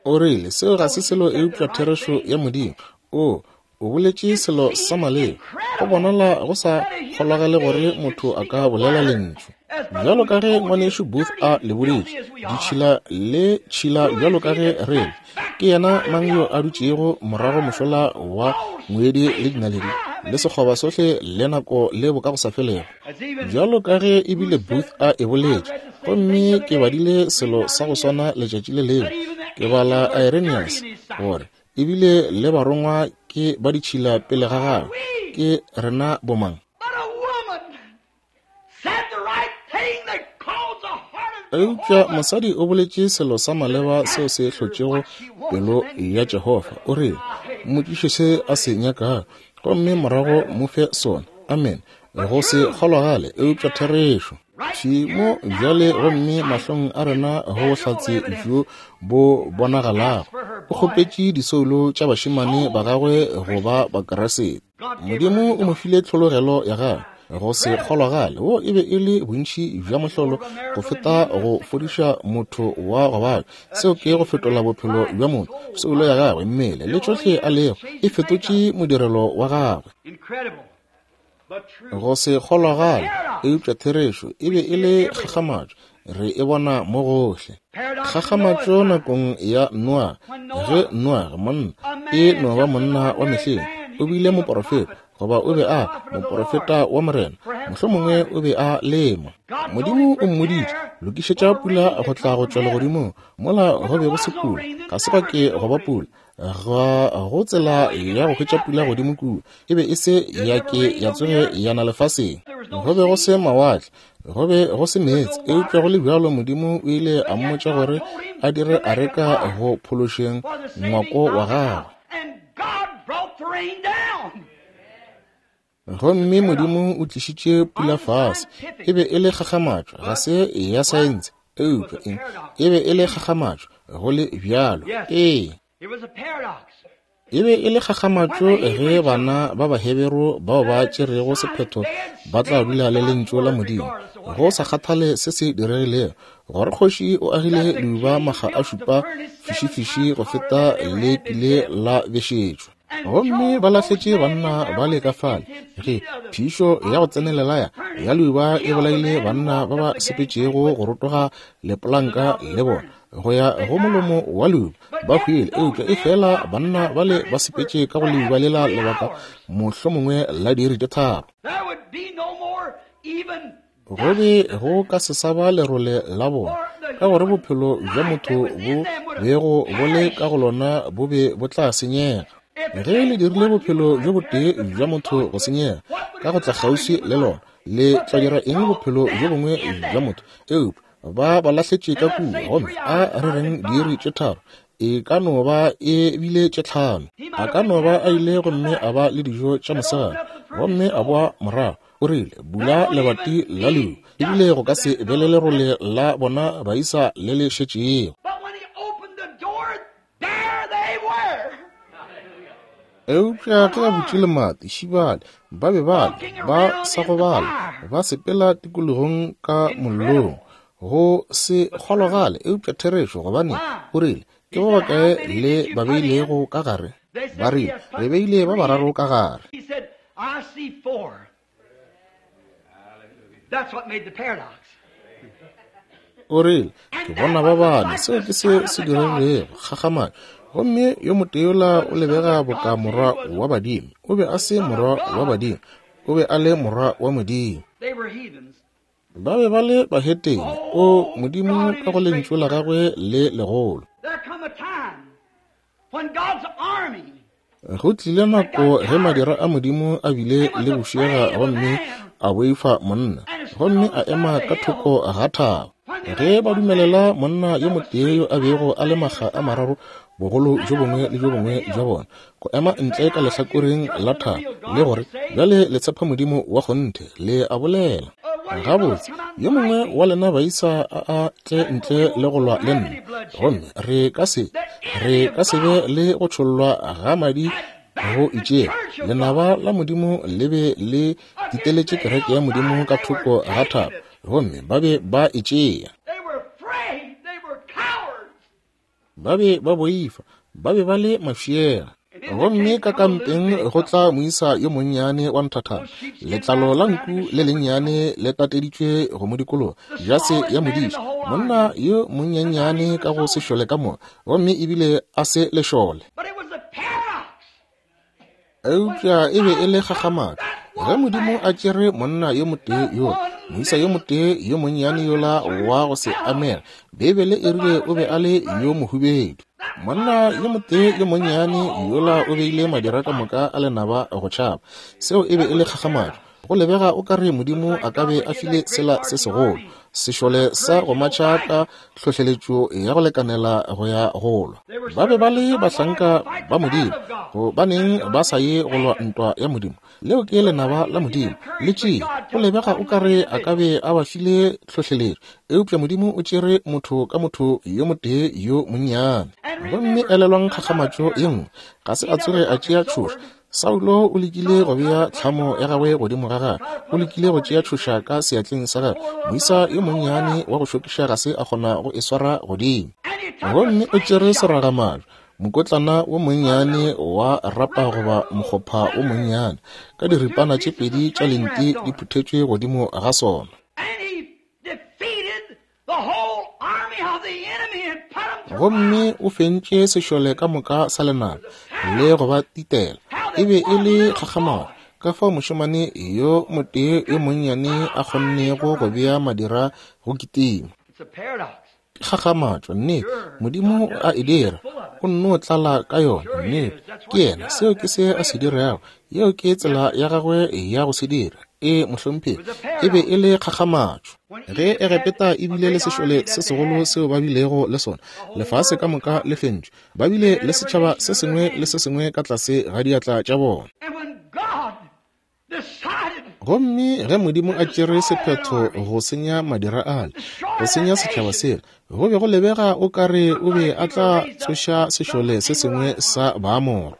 O rile, Seo ga se selo eupša therešo ya Modimo. O, O boletše selo sa maleba. Go bonala go sa kgolagale gore motho a ka bolela lentšu. Bjalo ka ge Ngwanešu Booth a le boletše, ditšhila le tšhila bjalo ka ge re le. Ke yena mang yo a dutšego morago mošola wa ngwedi le dinaledi, le sekgoba sohle le nako le bokagosafelego? Bjalo ka ge ebile Booth a e boletše, gomme ke badile selo sa go swana letšatši le lengwe, ke bala Irenaeus, gore ebile le barongwa ke ba ditšhila pele ga gagwe. Ke rena bomang? Eupša mosadi o boletše selo sa maleba seo se hlotšego pelo ya Jehofa. O rile, Mmotšiše se a se nyakago, gomme morago mo fe sona. Amen. Go se kgolwagale, eupša therešo. Thwi mo bjale gomme mahlong a rena go bohlatse bjo bo bonagalago. O kgopetše disoulo tša bašemane ba gagwe go ba Bakriste. Modimo o mo file tlhologelo ya gagwe. Go se kgolwagale, wo e be e le bontši bja mohlolo go feta go fodiša motho wa go babja. Seo ke go fetola bophelo bja motho, soulo ya gagwe, mmele, le tšohle a lego, e fetotše modirelo wa gagwe. Go se kgolwagale, eupša therešo e be e le kgakgamatšo. Re e bona mo gohle. Kgakgamatšo nakong ya Noage, ge Noage, monna, e no ba monna wa mehleng, o bile moporofeta, goba o be a moporofeta wa Morena, mohlomongwe o be a lema. Modimo o mmoditše, lokišetša pula go tla go tšwa legodimong, mola go be go se pula, ga se gwa ke gwa ba pula. Ga go tsela ya go hwetša pula godimo kua. E be e se ya ke ya tsoge ya na lefaseng. Go be go se mawatle, go be go se meetse, eupša go le bjalo Modimo o ile a mmotša gore a dire areka go phološeng ngwako wa gagwe. Gomme Modimo o tlišitše pula fase. E be e le kgakgamatšo, ga se ya saense, eupša eng? E be e le kgakgamatšo, go le bjalo. Ee. E be e le kgakgamatšo ge bana ba Baheberu bao ba tšerego sephetho ba tla dula le Lentšu la Modimo, go sa kgathale se se diregilego, gore kgoši o agile leuba makga a šupa fišifiši go feta le kile la bešetšwa. Gomme ba lahletše banna ba le ka fale, ge phišo ya go tsenelela ya leuba e bolaile banna ba ba sepetšego go rotoga lepolanka le bona go ya go molomo wa leuba, ba hwile. Eupša efela banna bale ba sepetše ka go leuba lela lebaka mohlomongwe la diiri tše tharo. Go be go ka se sa ba lerole la bona, ka gore bophelo bja motho bo bego bo le ka go lona bo be bo tla senyega. Ge le dirile bophelo bjo botee bja motho go senyega ka go tla kgauswi le lona, le tla dira eng bophelo bjo bongwe bja motho? Eupša ba ba lahletše ka kua, gomme a re reng diiri tše tharo, e ka no ba e bile tše tlhano. A ka no ba a ile gomme a ba le dijo tša mosegare, gomme a boa morago. O rile, Bula lebati la leuba, ebile go ka se be le lerole la bona baisa le le šetšego. Eupša ge a butše lemati, šibale, ba be ba le, ba sa gobala, ba sepela tikologong ka mollong. Go se kgologale, eupša therešo, gobane o rile, Ke ba bakae le ba beilego ka gare? Ba rile, Re beile ba bararo ka gare. O rile, Ke bona ba bane. Seo ke se se diregilego. Kgakgamatšo. Gomme yo motee yola o lebega boka morwa wa badimo. O be a se morwa wa badimo. O be a le morwa wa Modimo. Ba be ba le bahetene. O Modimo ka go Lentšu la Gagwe le legolo. Go tlile nako ge madira a Modimo a bile le bošega gomme a boifa monna, gomme a ema ka thoko ga thaba. Ge ba dumelela monna yo motee yo a bego a le makga a mararo bogolo bjo bongwe le bjo bongwe bja bona go ema ntle ka lehlakoreng la thaba le gore, Bjale le tshepa Modimo wa kgonthe, le a bolela. Gabotse, yo mongwe wa lena baisa a a tle ntle le go lwa le nna, gomme re ka se, re ka se be le go tšhollwa ga madi go itšego. Lenaba la Modimo le be le titeletše kereke ya Modimo ka thoko ga thaba, gomme ba be ba e tšea. Ba be ba boifa, ba be ba le mafšega. Gomme ka kampeng go tla moisa yo monnyane wa nthathana, letlalo la nku le lennyane le tateditšwe go mo dikologa, jase ya modiši, monna yo monyenyane ka go sešole ka moka, gomme ebile a se lešole. Eupša e be e le kgakgamatšo ge Modimo a tšere monna yo motee yola, moisa yo motee yo monnyane yola wa go se amege. Beibele e rile o be a le yo mohubedu. Monna yo motee yo monnyane yola o beile madira ka moka a lenaba go tšhaba. Seo e be e le kgakgamatšo. Go lebega o ka re Modimo a ka be a file sela se segolo, sešole sa go matšha ka hlohleletšo ya go lekanela go ya go lwa. Ba be ba le bahlanka ba Modimo, gobaneng ba sa ye go lwa ntwa ya Modimo? Leo ke lenaba la Modimo, le tšee. Go lebega o ka re a ka be a ba file hlohleletšo, eupša Modimo o tšere motho ka motho yo motee yo monnyane. Gomme elelwang kgakgamatšo ye nngwe, ga se a tsoge a tšea tšhoša. Saulo o lekile go bea tlhamo ya gagwe godimo ga gagwe, o lekile go tšea tšhoša ka seatleng sa gagwe. Moisa yo monnyane wa go šokiša ga se a kgona go e swara godimo. Gomme o tšere seragamajwe, mokotlana wo monnyane wa rapa goba mokgopha wo monnyane, ka diripana tše pedi tša lenti di phuthetšwe godimo ga sona. Gomme o fentše sešole ka moka sa lenaba le go ba titela. E be e le kgakgamalo ka fao mošemane yo motee yo monnyane a kgonnego go bea madira go kitima. Kgakgamatšo, nnete. Modimo a e dira, o nno tlala ka yona, nnete. Ke yena, seo ke se a se dirago. Yeo ke tsela ya gagwe ya go se dira. Ee, mohlomphegi, e be e le kgakgamatšo. Ge Egepeta e bile le sešole se segolo seo ba bilego le sona, lefase ka moka le fentšwe, ba bile le setšhaba se sengwe le se sengwe ka tlase ga diatla tša bona. Gomme ge Modimo a tšere sephetho go senya madira ale, go senya setšhaba sela, go be go lebega o ka re o be a tla tsoša sešole se sengwe sa Baamoro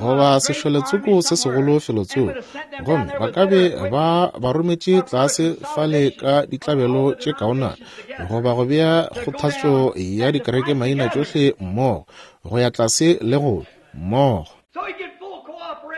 goba sešoletsoko se segolo felotsoko, gomme ba ka be ba ba rometše tlase fale ka ditlabelo tše kaonana, goba go bea kgothatso ya dikereke maina tšohle mmogo, go ya tlase le go mmogo.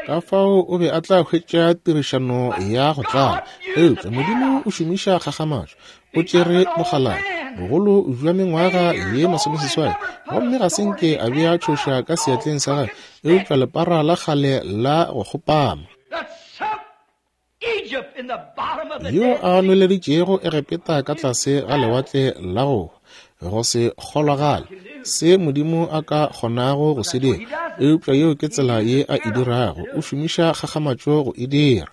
Ka fao o be a tla hwetša tirišano ya go tlala. Eupša Modimo o šomiša kgakgamatšo. O tšere mokgalabje, bogolo bja mengwaga ye 80, gomme ga se nke a bea tšhoša ka seatleng sa gagwe, eupša lepara la kgale la go kgopama, yo a nweleditšego Egepeta ka tlase ga lewatle la go go se kgolwagale, se Modimo a ka kgonago go se dira. Eupša yeo ke tsela ye a e dirago, o šomiša kgakgamatšo go e dira.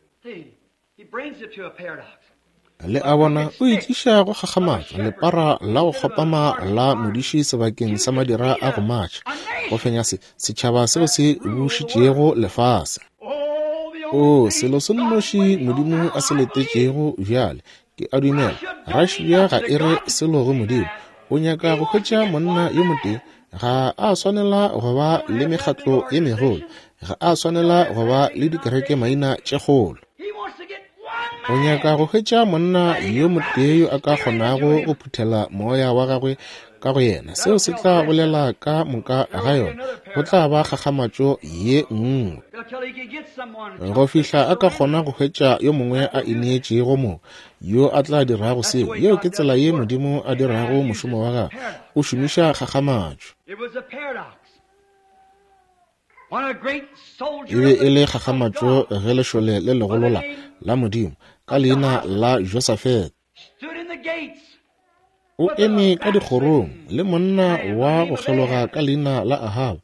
Le a bona, o itliša go kgakgamatšo, lepara la go kgopama la modiši sebakeng sa madira a go matšha, go fenya se, setšhaba seo se bušitšego lefase. O, selo se nnoši Modimo a se letetšego bjale, ke a dumela, Russia ga e re selo go Modimo. O nyaka go hwetša monna yo motee. Ga a swanela go ba le mekgatlo ye megolo. Ga a swanela go ba le dikereke maina tše kgolo. O nyaka go hwetša monna yo motee yo a ka kgonago go phuthela moya wa gagwe ka go yena. Seo se tla bolela ka moka ga yona. Go tla ba kgakgamatšo ye nngwe. Go fihla a ka kgona go hwetša yo mongwe a ineetšego mo, yo a tla dirago seo. Yeo ke tsela ye Modimo a dirago mošomo wa gagwe. O šomiša kgakgamatšo. E be e le kgakgamatšo ge lešole le legolo la, la Modimo, ka leina la Josafete, o eme ka dikgorong le monna wa go kgeloga ka leina la Ahaba,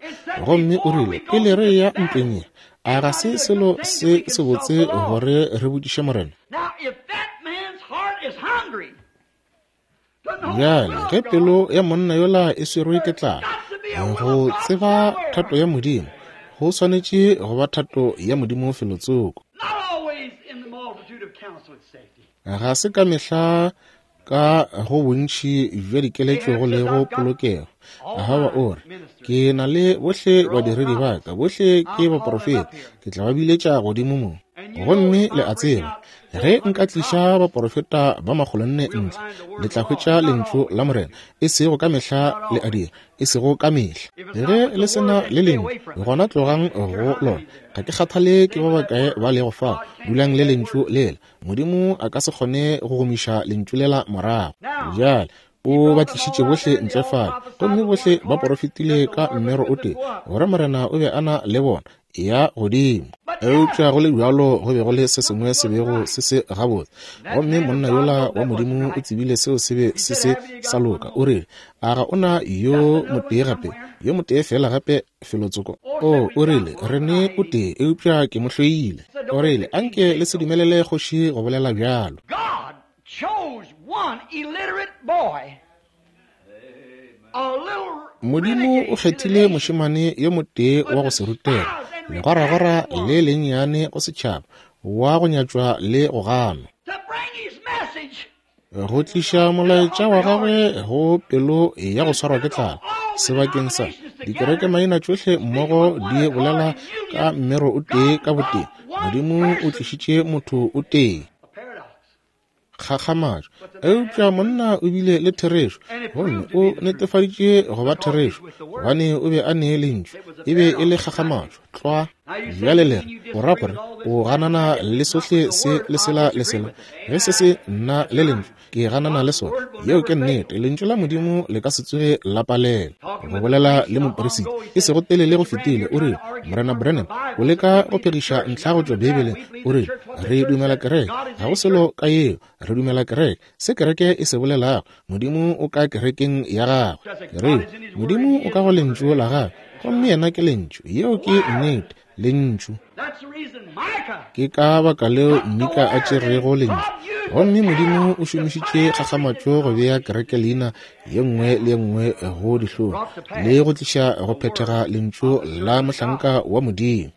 gomme o rile, pele re ya ntweng ye, a ga se selo se sebotse gore re botšiše Morena? Bjale, ge pelo ya monna yola e swerwe ke tlala, go tseba thato ya Modimo, go swanetše go ba thato ya Modimo felotsoko. Ga se ka mehla ka go bontši bja dikeletšo go lego polokego. Ahaba o re, ke na le bohle badiredi ba ka, bohle ke baprofeta, ke tla ba biletša godimo mo. Gomme le a tseba, Ge nka tliša baporofeta ba 400 ntle, le tla hwetša Lentšu la Morena. E sego ka mehla le a dira, e sego ka mehla. Ge le se na le Lentšu, gona tlogang go lona. Ga ke kgathale ke ba bakae ba lego fao, dulang le Lentšu lela. Modimo a ka se kgone go gomiša Lentšu lela morago. Bjale, O ba tlišitše bohle ntle fale, gomme bohle ba porofetile ka mmero o tee, gore Morena o be a na le bona. Eya godimo. Eupša go le bjalo go be go le se sengwe se bego se se gabotse, gomme monna yola wa Modimo o tsebile seo se be se se sa loka. O rile, A ga o na yo motee gape, yo motee feela gape felotsoko? O, o rile, re ne o tee, eupša ke mo hloile. O rile, Anke le se dumelele kgoši go bolela bjalo. Modimo o kgethile mošemane yo motee wa go se rutega, legwaragwara le lennyane go setšhaba, wa go nyatšwa le go ganwa, go tliša molaetša wa gagwe go pelo ya go swarwa ke tlala. Sebakeng sa dikerekemaina tšohle mmogo di bolela ka mmero o tee ka botee, Modimo o tlišitše motho o tee. Kgakgamatšo. Eupša monna o bile le therešo, gomme o netefaditše go ba therešo, gobane o be a ne Lentšu. E be e le kgakgamatšo, tlwa. Bjale le re, o ra gore o ganana le sohle se le sela le sela? Ge se se nna le Lentšu, ke ganana le sona. Yeo ke nnete. Lentšu la Modimo le ka se tsoge la palela. Go bolela le moperisita e sego telele go fetile, o rile, Morena Branham, o leka go phegiša ntlha go tšwa Beibeleng. O rile, Re dumela kereke. Ga go selo ka yeo. Re dumela kereke. Se kereke e se bolelago, Modimo o ka kerekeng ya Gagwe. Ke rile, Modimo o ka go Lentšu la Gagwe, gomme Yena ke Lentšu. Yeo ke nnete. Lentšu. Ke ka baka leo Mika a tšerego Lentšu. Gomme Modimo o šomišitše kgakgamatšo go bea kereke leina ye nngwe le ye nngwe go dihlong le go tliša go phethega Lentšu la mohlanka wa Modimo.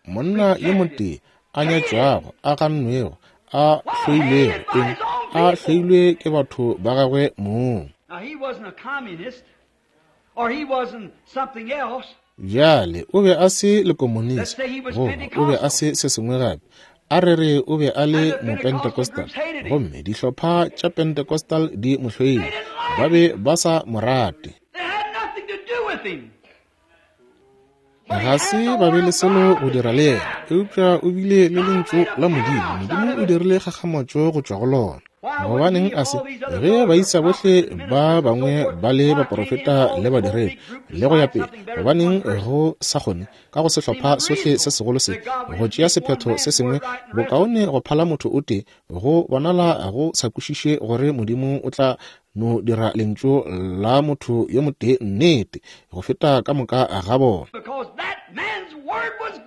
Monna yo motee a nyatšwago, a gannwego, a hloilwego, eng, a hloilwe ke batho ba gagwe mong. Bjale, o be a se lekomonisi, goba o be a se se sengwe gape. A re re o be a le Mopentecostal, gomme dihlopha tša Pentecostal di mo hloile. Ba be ba sa mo rate. Ga se ba be le selo go dira le yena, eupša o bile le Lentšu la Modimo. Modimo o dirile kgakgamatšo go tšwa go lona. Gobaneng a se? Ge baisa bohle ba bangwe ba le baprofeta le badiredi le go ya pele, gobaneng go sa kgone ka go sehlopha sohle se segolo se go tšea sephetho se sengwe bokaone go phala motho o tee? Go bonala go sa kwešiše gore Modimo o tla no dira lentšu la motho yo motee nnete go feta ka moka ga bona,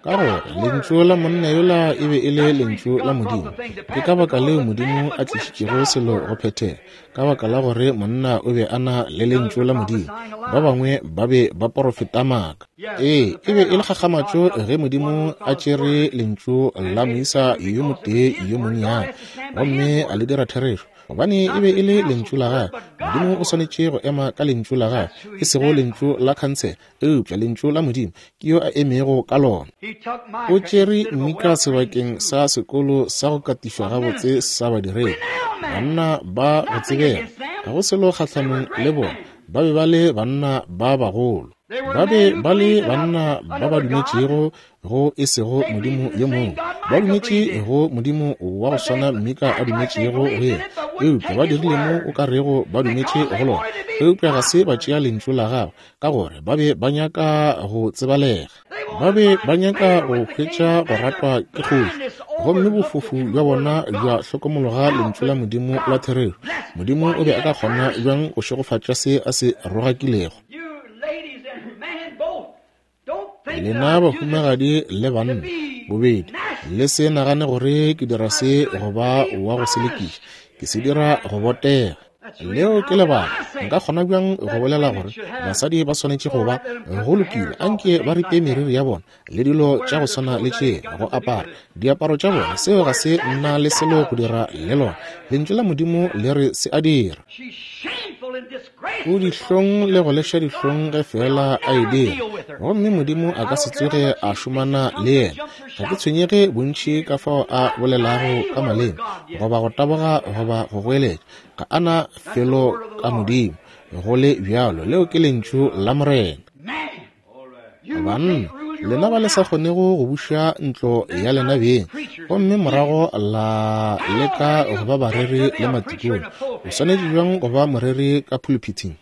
ka gore lentšu la monna yola e be e le lentšu la Modimo. Ke ka baka leo Modimo a tlišitšego selo go phethega, ka baka la gore monna o be a na le lentšu la Modimo. Ba bangwe ba be ba porofeta maaka. Ee, e be e le kgakgamatšo ge Modimo a tšere lentšu la moisa yo motee yo monnyane gomme a le dira therešo, gobane e be e le lentšu la gagwe. Modimo o swanetše go ema ka lentšu la gagwe, e sego lentšu la khansele, eupša lentšu la Modimo ke yo a emego ka lona. O tšere Mika sebakeng sa sekolo sa go katišwa gabotse sa badiredi, banna ba go tsebega, ga go selo kgahlanong le bona, ba be ba le banna ba bagolo. Ba be ba le banna ba ba dumetšego go e sego Modimo yo mongwe. Ba dumetše go Modimo wa go swana Mika a dumetšego go yena, eupša ba dirile mo o ka rego ba dumetše go lona, eupša ga se ba tšea lentšu la gagwe, ka gore ba be ba nyaka go tsebalega. Ba be ba nyaka go hwetša go ratwa ke kgoši, gomme bofofu bja bona bja hlokomologa lentšu la Modimo la therešo. Modimo o be a ka kgona bjang go šegofatša se a se rogakilego? Lena bahumagadi le banna bobedi, le se nagane gore ke dira se go ba wa go selekiša. Ke se dira go botega. Leo ke lebaka. Nka kgona bjang go bolela gore basadi ba swanetše go ba go lokile, anke ba ripe meriri ya bona le dilo tša go swana le tše, go apara diaparo tša bona? Seo ga se nna le selo go dira le lona. Lentšu la Modimo le re se a dira. O dihlong le go leša dihlong ge feela a e dira, gomme Modimo a ka se tsoge a šomana le yena. Ga ke tshwenyege bontši ka fao a bolelago ka maleme, goba go taboga, goba go goeletša. Ga a na felo ka Modimo, go le bjalo. Leo ke Lentšu la Morena. Banna, lena ba le sa kgonego go buša ntlo ya lena beng, gomme morago la leka go ba bareri le matikone, o swanetše bjang go ba moreri ka pulpiting,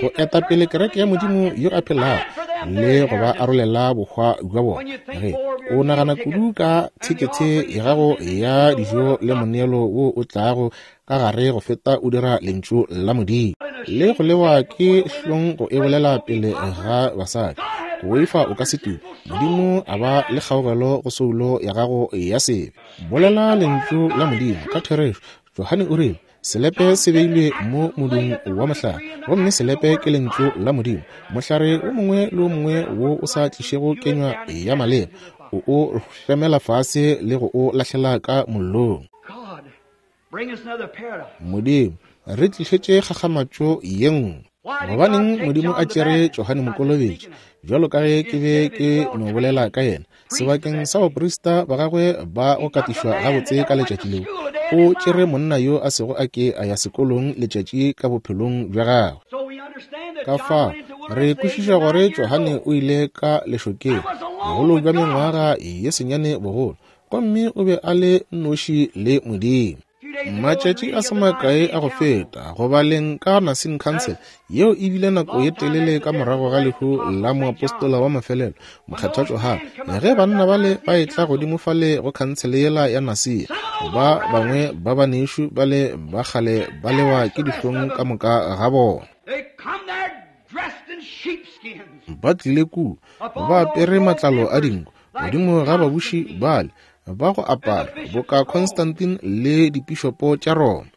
go eta pele kereke ya Modimo yo a phelago le go ba arolela bohwa bja bona? Ge o nagana kudu ka thekethe ya gago ya dijo le moneelo wo o tlago ka gare go feta o dira lentšu la Modimo, le go lewa ke hlong go e bolela pele ga basadi, go boifa o ka se tume. Modimo a ba le kgaogelo go soulo ya gago ya sebe. Bolela lentšu la Modimo ka therešo. Johane o rile, Selepe se beilwe mo modung wa mohlare, gomme selepe ke lentšu la Modimo. Mohlare o mongwe le o mongwe wo o sa tlišego kenywa ya maleba, o o hlemela fase le go o lahlela ka mollong. Modimo, re tlišetše kgakgamatšo ye nngwe. Gobaneng Modimo a tšere Johane Mokolobetši, bjalo ka ge ke be ke no bolela ka yena, sebakeng sa baprista ba gagwe ba go katišwa gabotse ka letšatši leo, o tšere monna yo a sego a ke a ya sekolong letšatši ka bophelong bja gagwe. Ka fao re kwešiša gore Johane o ile ka lešokeng, bogolo bja mengwaga ye senyane bogolo, gomme o be a le noši le Modimo. Matšatši a se makae a go feta, go baleng ka Nursing Council, yeo e bile nako ye telele ka morago ga lehu la moapostola wa mafelelo, Mokgethwa Johane, ge banna bale ba etla godimo fale go khansele yela ya Nasia, ba bangwe ba banešu bale ba kgale ba lewa ke dihlong ka moka ga bona. Ba tlile kua ba apere matlalo a dinku godimo ga babuši bale ba go apara boka Constantine le dipišopo tša Roma.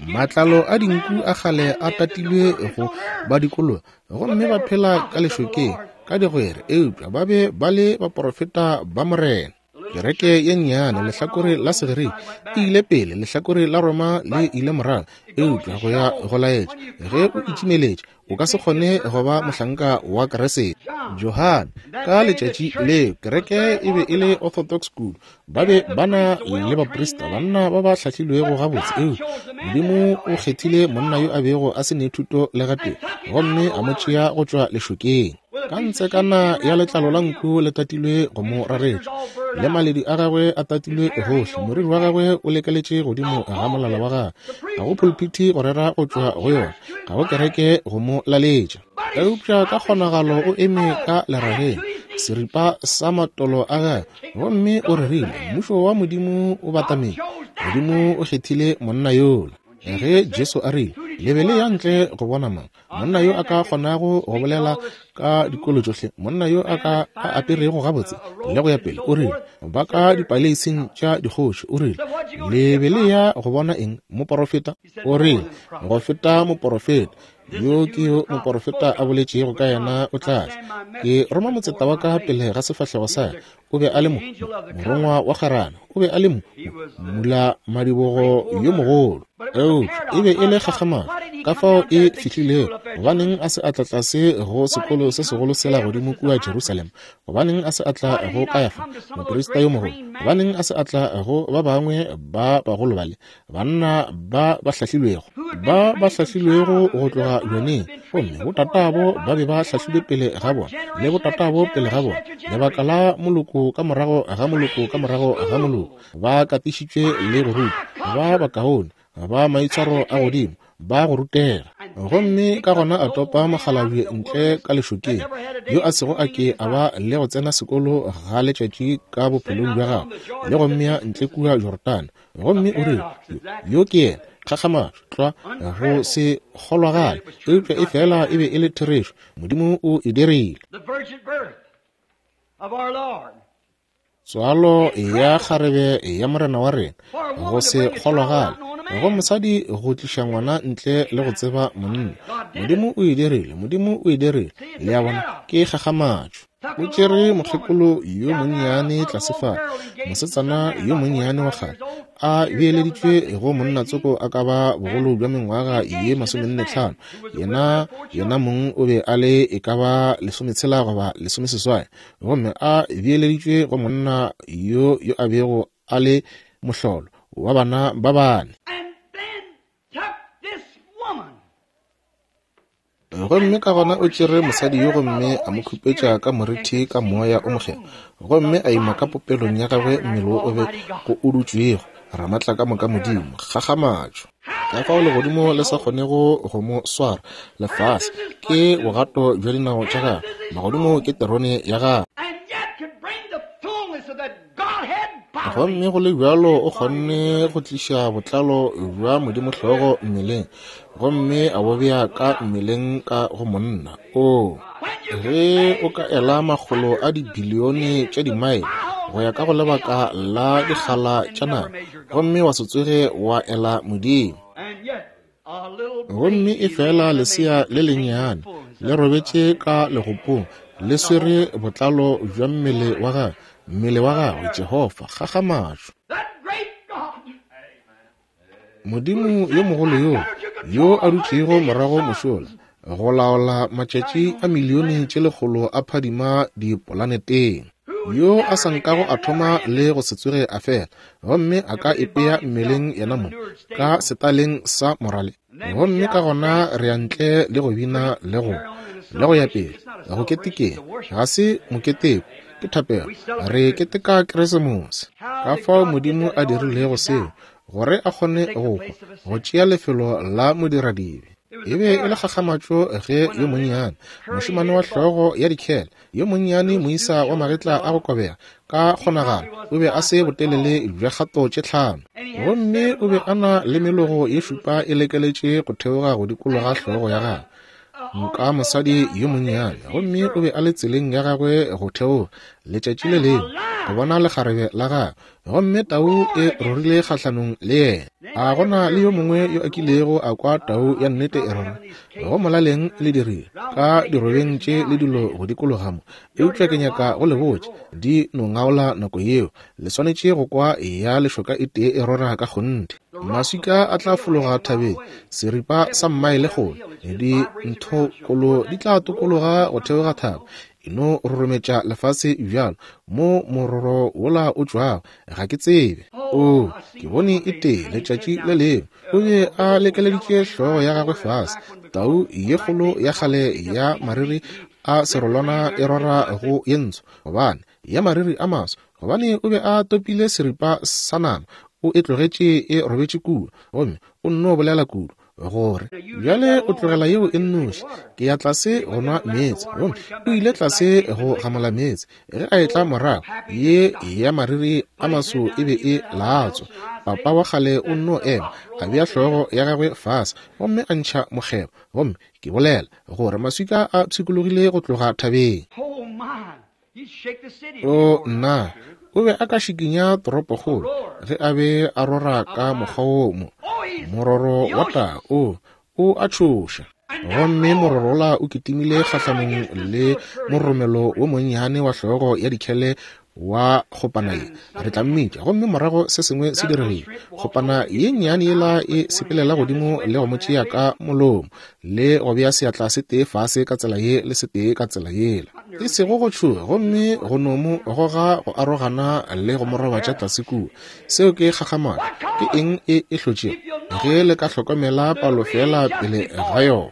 Matlalo a dinku a kgale a tatilwe go ba dikologa, gomme ba phela ka lešokeng ka digwere, eupša ba be ba le baporofeta ba Morena. Kereke ye nnyane, lehlakore la Segerike e ile pele, lehlakore la Roma le ile morago, eupša go ya go laetša ge o itšimeletše o ka se kgone go ba mohlanka wa Kriste. Johane, ka letšatši leo kereke e be e le Orthodox kudu, ba be ba na le baprista, banna ba ba hlahlilwego gabotse, eupša Modimo o kgethile monna yo a bego a se ne thuto le gatee, gomme a mo tšea go tšwa lešokeng. Ka ntsekana ya letlalo la nku le tatilwe go mo raretša, le maledi a gagwe a tatilwe gohle, moriri wa gagwe o lekeletše godimo ga molala wa gagwe. Ga go pulpiti go rera go tšwa go yona, ga go kereke go mo laletša. Eupša ka kgonagalo o eme ka lerageng, seripa sa matolo a gagwe, gomme o rerile, Mmušo wa Modimo o batametše. Modimo o kgethile monna yola. Ge Jesu a rile, Le be le ya ntle go bona mang? Monna yo a ka kgonago go bolela ka dikolo tšohle, monna yo a ka a aperego gabotse le go ya pele, o rile, ba ka dipaleising tša dikgoši, o rile, le be le ya go bona eng? Moporofeta? O rile, go feta moporofeta. Yo ke yo moporofeta a boletšego ka yena o tla tla. Ke roma motseta wa ka pele ga sefahlego sa ka. O be a le mo, morongwa wa kgarana. O be a le mo, mula madibogo yo mogolo. Eupša e be e le kgakgamatšo ka fao e fihlilego. Gobaneng a se a tla tlase go sekolo se segolo sela godimo kua Jerusalema? Gobaneng a se a tla go Kayafa, moprista yo mogolo? Gobaneng a se a tla go ba bangwe ba bagolo bale, banna ba ba hlahlilwego, ba ba hlahlilwego go tloga bjaneng? Gomme botatabo ba be ba hlahlilwe pele ga bona, le botatabo pele ga bona, lebaka la moloko ka morago ga moloko ka morago ga moloko, ba katišitšwe le go rutwa, ba bakaone, ba maitshwaro a godimo, ba go rutega. Gomme ka gona a topa mokgalabje ntle ka lešokeng, yo a sego a ke a ba le go tsena sekolo ga letšatši ka bophelong bja gagwe, le go mmea ntle kua Jorodane. Gomme o rile, Yo ke yena. Kgakgamatšo, tlwa, go se kgolwagale, eupša e fela e be e le therešo. Modimo o e dirile. Tswalo ya kgarebe ya Morena wa rena, go se kgolwagale go mosadi go tliša ngwana ntle le go tseba monna. Modimo o e dirile, Modimo o e dirile. Le a bona, ke kgakgamatšo. O tšere mokgekolo yo monnyane tlase fa, mosetsana yo monnyane wa kgale, a beeleditšwe go monna tsoko a ka ba bogolo bja mengwaga ye 45. Yena, yena mong o be a le e ka ba 60 goba 68. Gomme a beeleditšwe go monna yo yo a bego a le mohlolo wa bana ba bane. Gomme ka gona o tšere mosadi yo gomme a mo khupetša ka morithi ka Moya o Mokgethwa, gomme a ima ka popelong ya gagwe mmele wo o be go o dutšwego, Ramatlakamoka Modimo, kgakgamatšo. Ka fao legodimo le sa kgonego go mo swara, lefase ke bogato bja dinao tša gagwe, magodimo ke terone ya gagwe. Gomme go le bjalo o kgonne go tliša botlalo bja Modimo hlogo mmeleng, gomme a bo bea ka mmeleng ka go monna. Oo, ge o ka ela makgolo a dibilione tša dimaele go ya ka go lebaka la dikgala tša nako, gomme wa se tsoge wa ela Modimo. Gomme efela lesea le lennyane le robetše ka legopong, le swere botlalo bja mmele wa gagwe, mmele wa gagwe, Jehofa, kgakgamatšo. Modimo yo mogolo yo, yo a dutšego morago mošola, go laola matšatši a milione tše lekgolo a phadima dipolaneteng, yo a sa nkago a thoma le go se tsoge a fela, gomme a ka ipea mmeleng yena mong ka setaleng sa morale, gomme ka gona re ya ntle le go bina le go le go ya pele go ketekeng. Ga se moketeko, ke thapelo. Re keteka Keresemose. Ka fao Modimo a dirilego seo gore a kgone go hwa, go tšea lefelo la modiradibe. E be e le kgakgamatšo ge yo monnyane, mošemane wa hlogo ya dikhele, yo monnyane moisa wa magetla a go kobega, ka kgonagalo o be a se botelele bja kgato tše 5. Gomme o be a na le melogo ye 7 e lekeletše go theoga go dikologa hlogo ya gagwe, nka mosadi yo monnyane. Gomme o be a le tseleng ya gagwe go theoga letšatši le lengwe go bona lekgarebe la gagwe, gomme tau e rorile kgahlanong le yena. A gona le yo mongwe yo a kilego a kwa tau ya nnete e rora? Go molaleng le dirile ka dirobeng tše le dilo go dikologa mo, eupša ke nyaka go le botša, di no ngaola nako yeo. Le swanetše go kwa ya lešoka e tee e rora ka kgonthe. Maswika a tla fologa thabeng, seripa sa mmaele kgole, dinthokolo di tla tokologa go theoga thaba, e no rorometša lefase bjalo, mo mororo wola o tšwago, ga ke tsebe. Oo, ke bone e tee letšatši le lengwe, o be a lekeleditše hlogo ya gagwe fase, tau ye kgolo ya kgale ya mariri a serolwana e rora go ye ntsho, gobane ya mariri a maso, gobane o be a topile seripa sa nama, o e tlogetše e robetše kua, gomme o nno bolela kudu gore bjale o tlogela yeo e nnoši, ke ya tlase go nwa meetse. Gomme o ile tlase go gamola meetse. Ge a etla morago, ye ya mariri a maso e be e latswa. Papa wa kgale o nno ema, a bea hlogo ya gagwe fase, gomme a ntšha mokgebo. Gomme ke bolela gore maswika a pshikologile go tloga thabeng. O nna, o be a ka šikinya toropokgolo ge a be a rora ka mokgwa wo mo. Mororo wa tau, o, o a tšhoša. Gomme mororola o kitimile kgahlanong le moromelo wo monnyane wa hlogo ya dikhele wa kgopana ye, re tla mmitša. Gomme morago se sengwe se diregile. Kgopana ye nnyane yela e sepelela godimo le go mo tšea ka molomo, le go bea seatla se tee fase ka tsela ye le se tee ka tsela yela. E sego go tšhoga, gomme go no mo goga go arogana le go mo robatša tlase kua. Seo ke kgakgamatšo. Ke eng e e hlotšego? Ge le ka hlokomela palo feela pele ga yona.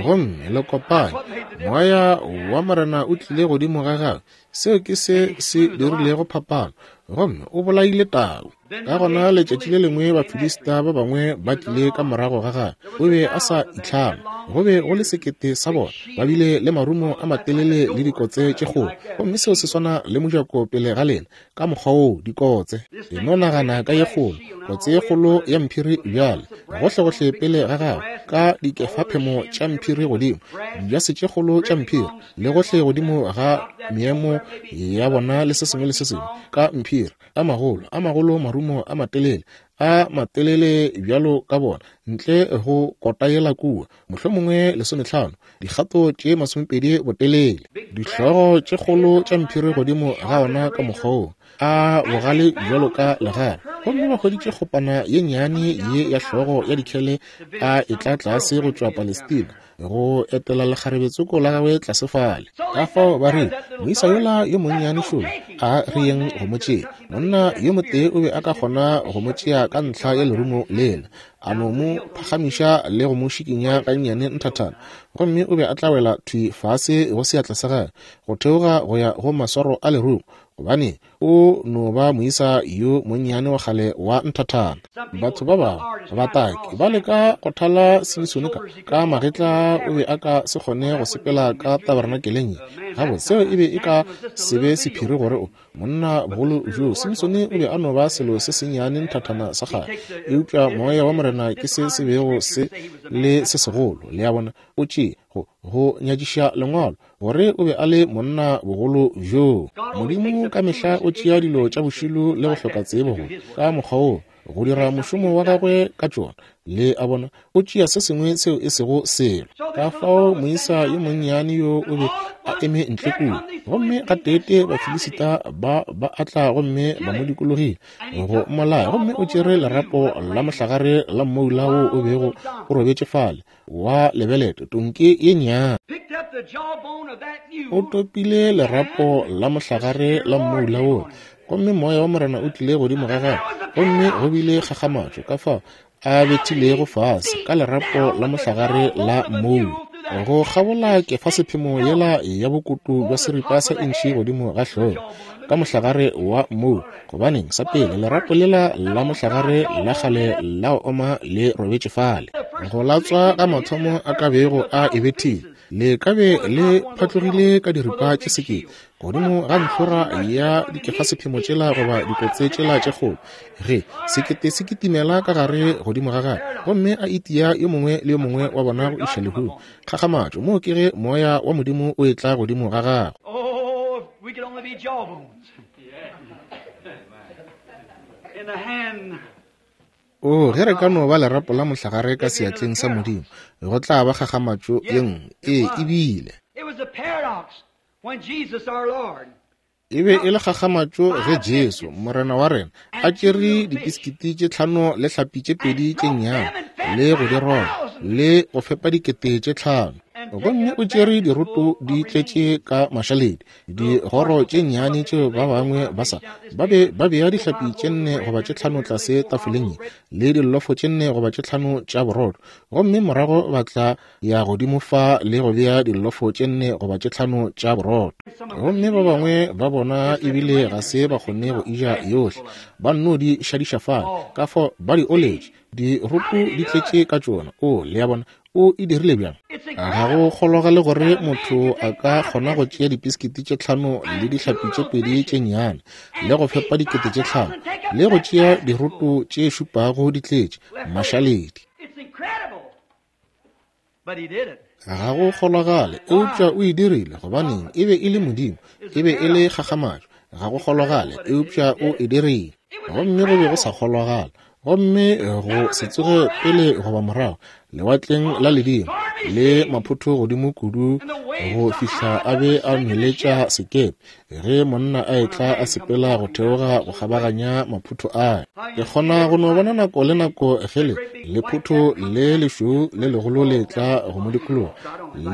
Gomme le kopane, Moya wa Morena o tlile godimo ga gagwe. Seo ke se se dirilego phapano, gomme o bolaile tau. Ka gona letšatši le lengwe Bafilista ba bangwe ba tlile ka morago ga gagwe. O be a sa itlhama. Go be go le sekete sa bona, ba bile le marumo a matelele le dikotse tše kgolo. Gomme seo se swana le mojako pele ga lena, ka mokgwa woo, dikotse. E no nagana ka ye kgolo, kotse ye kgolo ya mphiri bjale, gohlegohle pele ga gago, ka dikefaphemo tša mphiri godimo, dijase tše kgolo tša mphiri, le gohle godimo ga meemo ya bona le se sengwe le se sengwe, ka mphiri, a magolo, a magolo marumo a matelele, a matelele bjalo ka bona, ntle go kota yela kua, mohlomongwe 15, dikgato tše 20 botelele, dihlogo tše kgolo tša mphiri godimo ga ona ka mokgwa wo, a bogale bjalo ka legare. Gomme ba hweditše kgopana ye nnyane ye ya hlogo ya dikhele a etla tlase go tšwa Palestina, go etela lekgarebetsoko la gagwe tlase fale. Ka fao ba re, moisa yola yo monnyane šolo, a re yeng go mo tšea. Monna yo motee o be a ka kgona go mo tšea ka ntlha ya lerumo lela, a no mo phagamiša le go mo šikinya gannyane nthathana, gomme o be a tla wela thwi fase go seatla sa gagwe, go theoga go ya go maswaro a lerumo, gobane o no ba moisa yo monnyane wa kgale wa nthathana. Batho ba bangwe bataki ba leka go thala Simisone ka magetla, o be a ka se kgone go sepela ka tabernakeleng ye. Gabotse, seo e be e ka se be sephiri gore o monna bogolo bjo. Simisone o be a no ba selo se sennyane nthathana sa kgale, eupša moya wa Morena ke se se bego se le se segolo. Le a bona, o tšee go nyatšiša lengwalo gore o be a le monna bogolo bjoo. Modimo ka mehla o tšea dilo tša bošilo le go hloka tsebo go ka mokgwa wo go dira mošomo wa gagwe ka tšona. Le a bona, o tšea se sengwe seo e sego selo. Ka fao moisa yo monnyane yo o be a eme ntle kua, gomme gateete Bafilisita ba ba atla gomme ba mo dikologile go mmolaya, gomme o tšere lerapo la mohlagare la mmoula wo o bego o robetše fale wa lebelete, tonki ye nnyane. O topile lerapo la mohlagare la mmoula wo, gomme moya wa Morena o tlile godimo ga gagwe, gomme go bile kgakgamatšo ka fao a bethilego fase ka lerapo la mohlagare la mmoula go kgabola kefa sephemo yela ya bokutu bja seripa sa intšhi godimo ga hlogo ka mohlagare wa mmoula. Gobaneng, sa pele, lerapo lela la mohlagare la kgale la go oma le robetše fale. Go latswa ga mathomo a ka bego a e bethile, le ka be le phatlogile ka diripa tše sekete godimo ga ntlhora ya dikefasephemo tšela goba dikotse tšela tše kgolo, ge sekete se kitimela ka gare godimo ga gagwe gomme a itia yo mongwe le yo mongwe wa bona go iša lehung. Kgakgamatšo, moo ke ge Moya wa Modimo o etla godimo ga gagwe. Oh, if we could only be jawbones. In the hand. O, ge re ka no ba lerapo la mohlagare ka seatleng sa Modimo, go tla ba kgakgamatšo ye nngwe. Ee, e bile. It was a paradox when Jesus our Lord E be e le kgakgamatšo ge Jesu, Morena wa rena, a tšere dipisikiti tše 5 le hlapi tše 2 tše nnyane le go di roba le go fepa 5,000. Gomme o tšere diroto di tletše ka mašaledi, digoro tše nnyane tšeo ba bangwe ba sa ba be ba bea dihlapi tše 4 goba tše 5 tlase tafoleng ye, le dillofo tše 4 goba tše 5 tša borotho, gomme morago ba tla ya godimo fa le go bea dillofo tše 4 goba tše 5 tša borotho. Gomme ba bangwe ba bona ebile ga se ba kgone go ija yohle, ba nno di šadiša fale, ka fao ba di oletše, diroto di tletše ka tšona. O, le a bona, o e dirile bjang? Ga go kgologale gore motho a ka kgona go tšea dipisikiti tše 5 le dihlapi tše 2 tše nnyane le go fepa 5,000 le go tšea diroto tše 7 di tletše mašaledi. It's incredible. But he did it. Ga go kgolagale, eupša o e dirile. Gobaneng? E be e le Modimo, e be e le kgakgamatšo. Ga go kgolagale, eupša o e dirile. Gomme go be go sa kgolagala, gomme go se tsoge pele goba morago lewatleng la ledimo le maphotho godimo kudu go fihla a be a nweletša sekepe ge monna a etla a sepela go theoga go kgabaganya maphotho a. Ke kgona go no bona nako le nako ge le lephotho le lešweu le legolo le tla go mo dikologa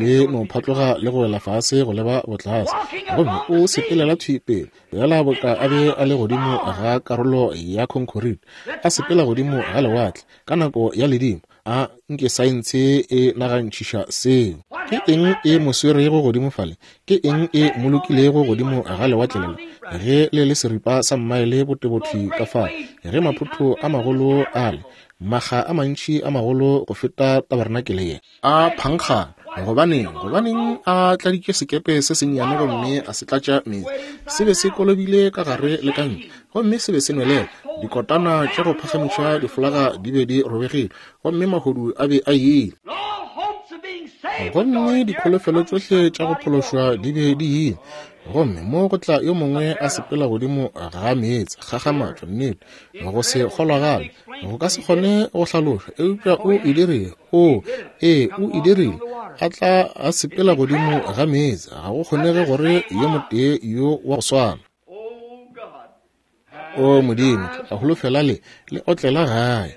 le no phatloga le go wela fase go leba botlase, gomme o sepelela thwi pele bjala boka a be a le godimo ga karolo ya khonkhorite, a sepela godimo ga lewatle ka nako ya ledimo. A nke saense e nagantšhiša seo. Ke eng e mo swerego godimo fale? Ke eng e mo lokilego godimo ga lewatle lela ge le le seripa sa mmaele botebothwi ka fao, ge maphotho a magolo ale, makga a mantši a magolo go feta tabarenakele ye, a phankgana? Gobaneng, gobaneng a tladitše sekepe se sennyane gomme a se tlatša meetse? Se be se kolobile ka gare le ka ntle, gomme se be se nwelela. Dikotana tša go phagamiša difolaga di be di robegile, gomme mahodu a be a ile. Gomme dikholofelo tšohle tša go phološwa di be di ile. Gomme mo go tla yo mongwe a sepela godimo ga meetse, kgakgamatšo, nnete, go se kgolwagale, go ka se kgone go hlalošwa, eupša o e dirile. O, ee, o e dirile, a tla a sepela godimo ga meetse. Ga go kgonege gore yo motee yo wa go swana. O Modimo, ke a holofela le le otlela gae.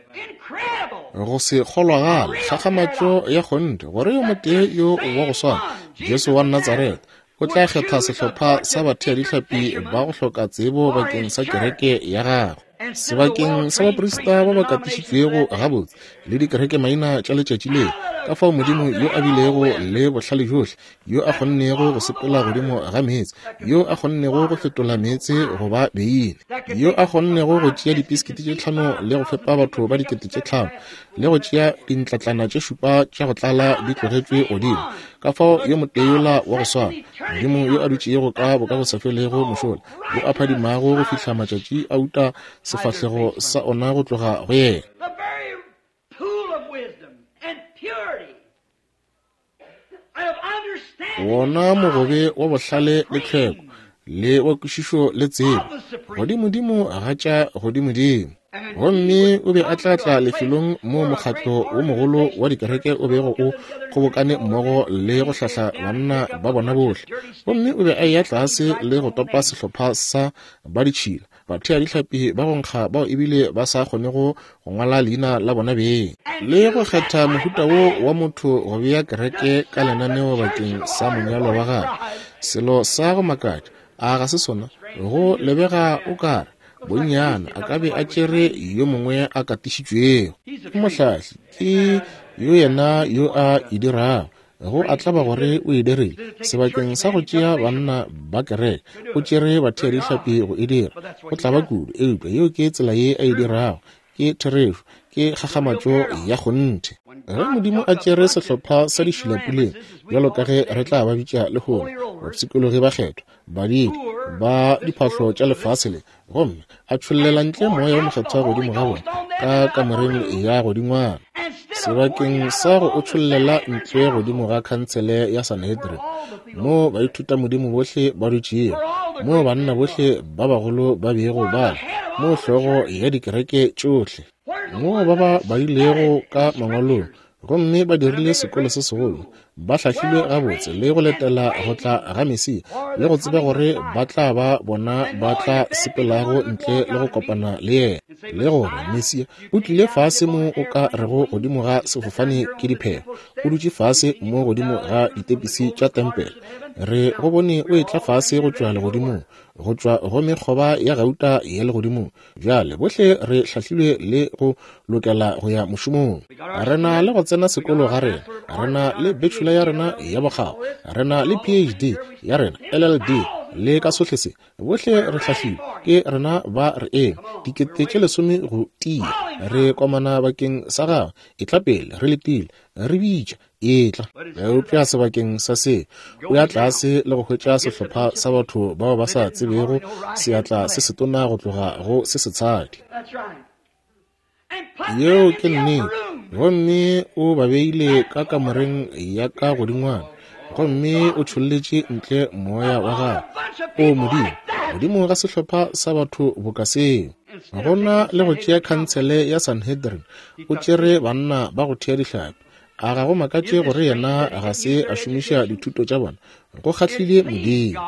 Go se kgolwagale, kgakgamatšo ya kgonthe, gore yo motee yo wa go swana, Jesu wa Natsaretha, o tla kgetha sehlopha sa batheadihlapi ba go hloka tsebo bakeng sa kereke ya gagwe, sebakeng sa baprista ba ba katišitšwego gabotse le dikerekemaina tša letšatši leo. Ka fao Modimo yo a bilego le bohlale bjohle, yo a kgonnego go sepela godimo ga meetse, yo a kgonnego go fetola meetse go ba beine, yo a kgonnego go tšea dipiskiti tše tlhano le go fepa batho ba 5000, le go tšea dintlatlana tše šupa tša go tlala di tlogetšwe godimo. Ka fao yo motee yola wa go swana, Modimo yo a dutšego ka bokagosafelego mošola, yo a phadimago go fihla matšatši a uta sefahlego sa ona go tloga go yena. Wona mogobe wa bohlale le tlhweko le wa kwešišo le tsebo, godimodimo ga tša godimodimo. Gomme o be a tla tla lefelong moo mokgatlo wo mogolo wa dikereke o bego o kgobokane mmogo le go hlahla banna ba bona bohle. Gomme o be a eya tlase le go topa sehlopha sa ba ditšhila, batheadihlapi ba go nkga bao ebile ba sa kgonego go ngwala leina la bona beng, le go kgetha mohuta wo wa motho go bea kereke ka lenaneo bakeng sa monyalo wa gagwe. Selo sa go makatša, a ga se sona? Go lebega o ka re bonnyane a ka be a tšere yo mongwe a katišitšwego. Ke mohlahli, ke yo yena yo a e dirago. Go a tlaba gore o e dirile. Sebakeng sa go tšea banna ba kereke, o tšere batheadihlapi go e dira. Go tlaba kudu, eupša yeo ke tsela ye a e dirago. Ke therešo. Ke kgakgamatšo ya kgonthe. Ge Modimo a tšere sehlopha sa dišilapuleng, bjalo ka ge re tla ba bitša lehono, bapshikologi-bakgethwa, badidi ba diphahlo tša lefase le, gomme a tšhollela ntle moya wo mokgethwa godimo ga bona ka kamoreng ya godingwana, sebakeng sa go o tšhollela ntle godimo ga khansele ya Sanhedrin, moo baithutamodimo bohle ba dutšego, moo banna bohle ba bagolo ba bego ba le, moo hlogo ya dikereke tšohle, moo ba ba badilego ka mangwalong gomme ba dirile sekolo se segolo, ba hlahlilwe gabotse le go letela go tla ga Mesia, le go tseba gore ba tla ba bona ba tla sepelago ntle le go kopana le yena, le gore Mesia o tlile fase mo o ka rego godimo ga sefofane ke diphego, o dutše fase mo godimo ga ditepisi tša tempele. Re go bone o etla fase go tšwa legodimong, go tšwa go mekgoba ya gauta ya legodimong. Bjale bohle re hlahlilwe le go lokela go ya mošomong. Re na le go tsena sekolo ga rena, re na le bachelor ya rena ya bokgabo, re na le PhD ya rena, LLD, le ka sohle se. Bohle re hlahlilwe, ke rena ba re eme, 10,000 go tia. Re komana bakeng sa Gagwe. Etla pele, re letile, re bitša, etla. Eupša sebakeng sa se, o ya tlase le go hwetša sehlopha sa batho bao ba sa tsebego seatla se setona go tloga go se setshadi. Yeo ke nnete. Gomme o ba beile ka kamoreng ya ka godingwana, gomme o tšholletše ntle moya wa gagwe. O Modimo, godimo ga sehlopha sa batho boka seo. Go na le go tšea khansele ya Sanhedrin, o tšere banna ba go thea dihlapi. A ga go makatše gore yena ga se a šomiša dithuto tša bona? Go kgahlile Modimo.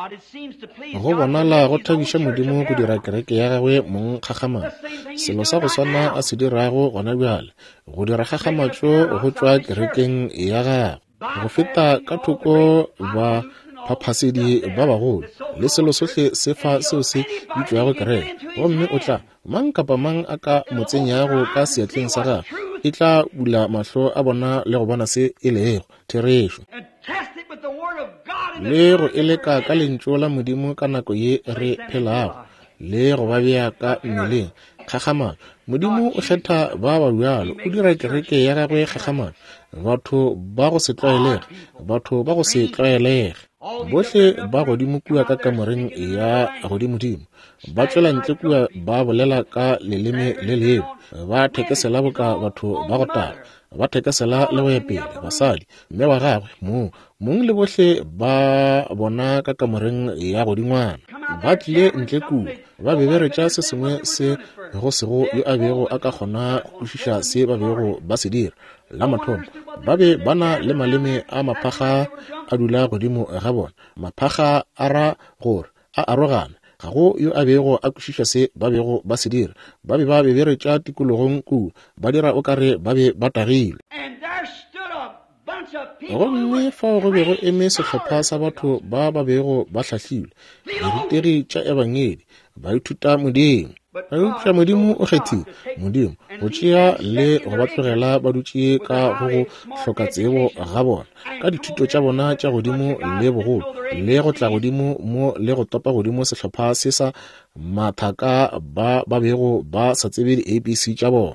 Go bonala go thabiša Modimo go dira kereke ya gagwe mong kgakgamatšo. Selo sa go swana a se dirago gona bjale, go dira kgakgamatšo go tšwa kerekeng ya gagwe, go feta ka thoko ba phaphasedi ba bagolo le selo sohle se fa seo se bitšwago kereke, gomme o tla Mang kapa mang a ka mo tsenyago ka seatleng sa gagwe, e tla bula mahlo a bona le go bona se e lego therešo, le go e leka ka Lentšu la Modimo ka nako ye re phelago, le go ba bea ka mmeleng. Kgakgamatšo! Modimo o kgetha ba ba bjalo, o dira kereke ya gagwe kgakgamatšo, batho ba go se tlwaelege, batho ba go se tlwaelege. Bohle ba godimo kua ka kamoreng ya godimodimo, ba tšwela ntle kua ba bolela ka leleme le lengwe, ba thekesela boka batho ba go taga, ba thekesela le go ya pele, basadi, mme wa gagwe, mong, mong le bohle ba bona ka kamoreng ya godingwana. Ba tlile ntle kua, ba beberetša se sengwe se go sego yo a bego a ka kgona go kwešiša se ba bego ba se dira. La mathomo, ba be ba na le maleme a maphakga a dula godimo ga bona. Maphakga a ra gore a arogana. Ga go yo a bego a kwešiša se ba bego ba se dira. Ba be ba beberetša tikologong kua, ba dira o ka re ba be ba tagilwe. Gomme fao go be go eme sehlopha sa batho ba ba bego ba hlahlilwe, dirutegi tša Ebangedi, baithuta Modimo. Eupša Modimo o kgethile, Modimo, go tšea le go ba tlogela ba dutše ka go go hloka tsebo ga bona, ka dithuto tša bona tša godimo le bogolo, le go tla godimo mo le go topa godimo sehlopha se sa mathaka ba ba bego ba sa tsebe di-ABC tša bona.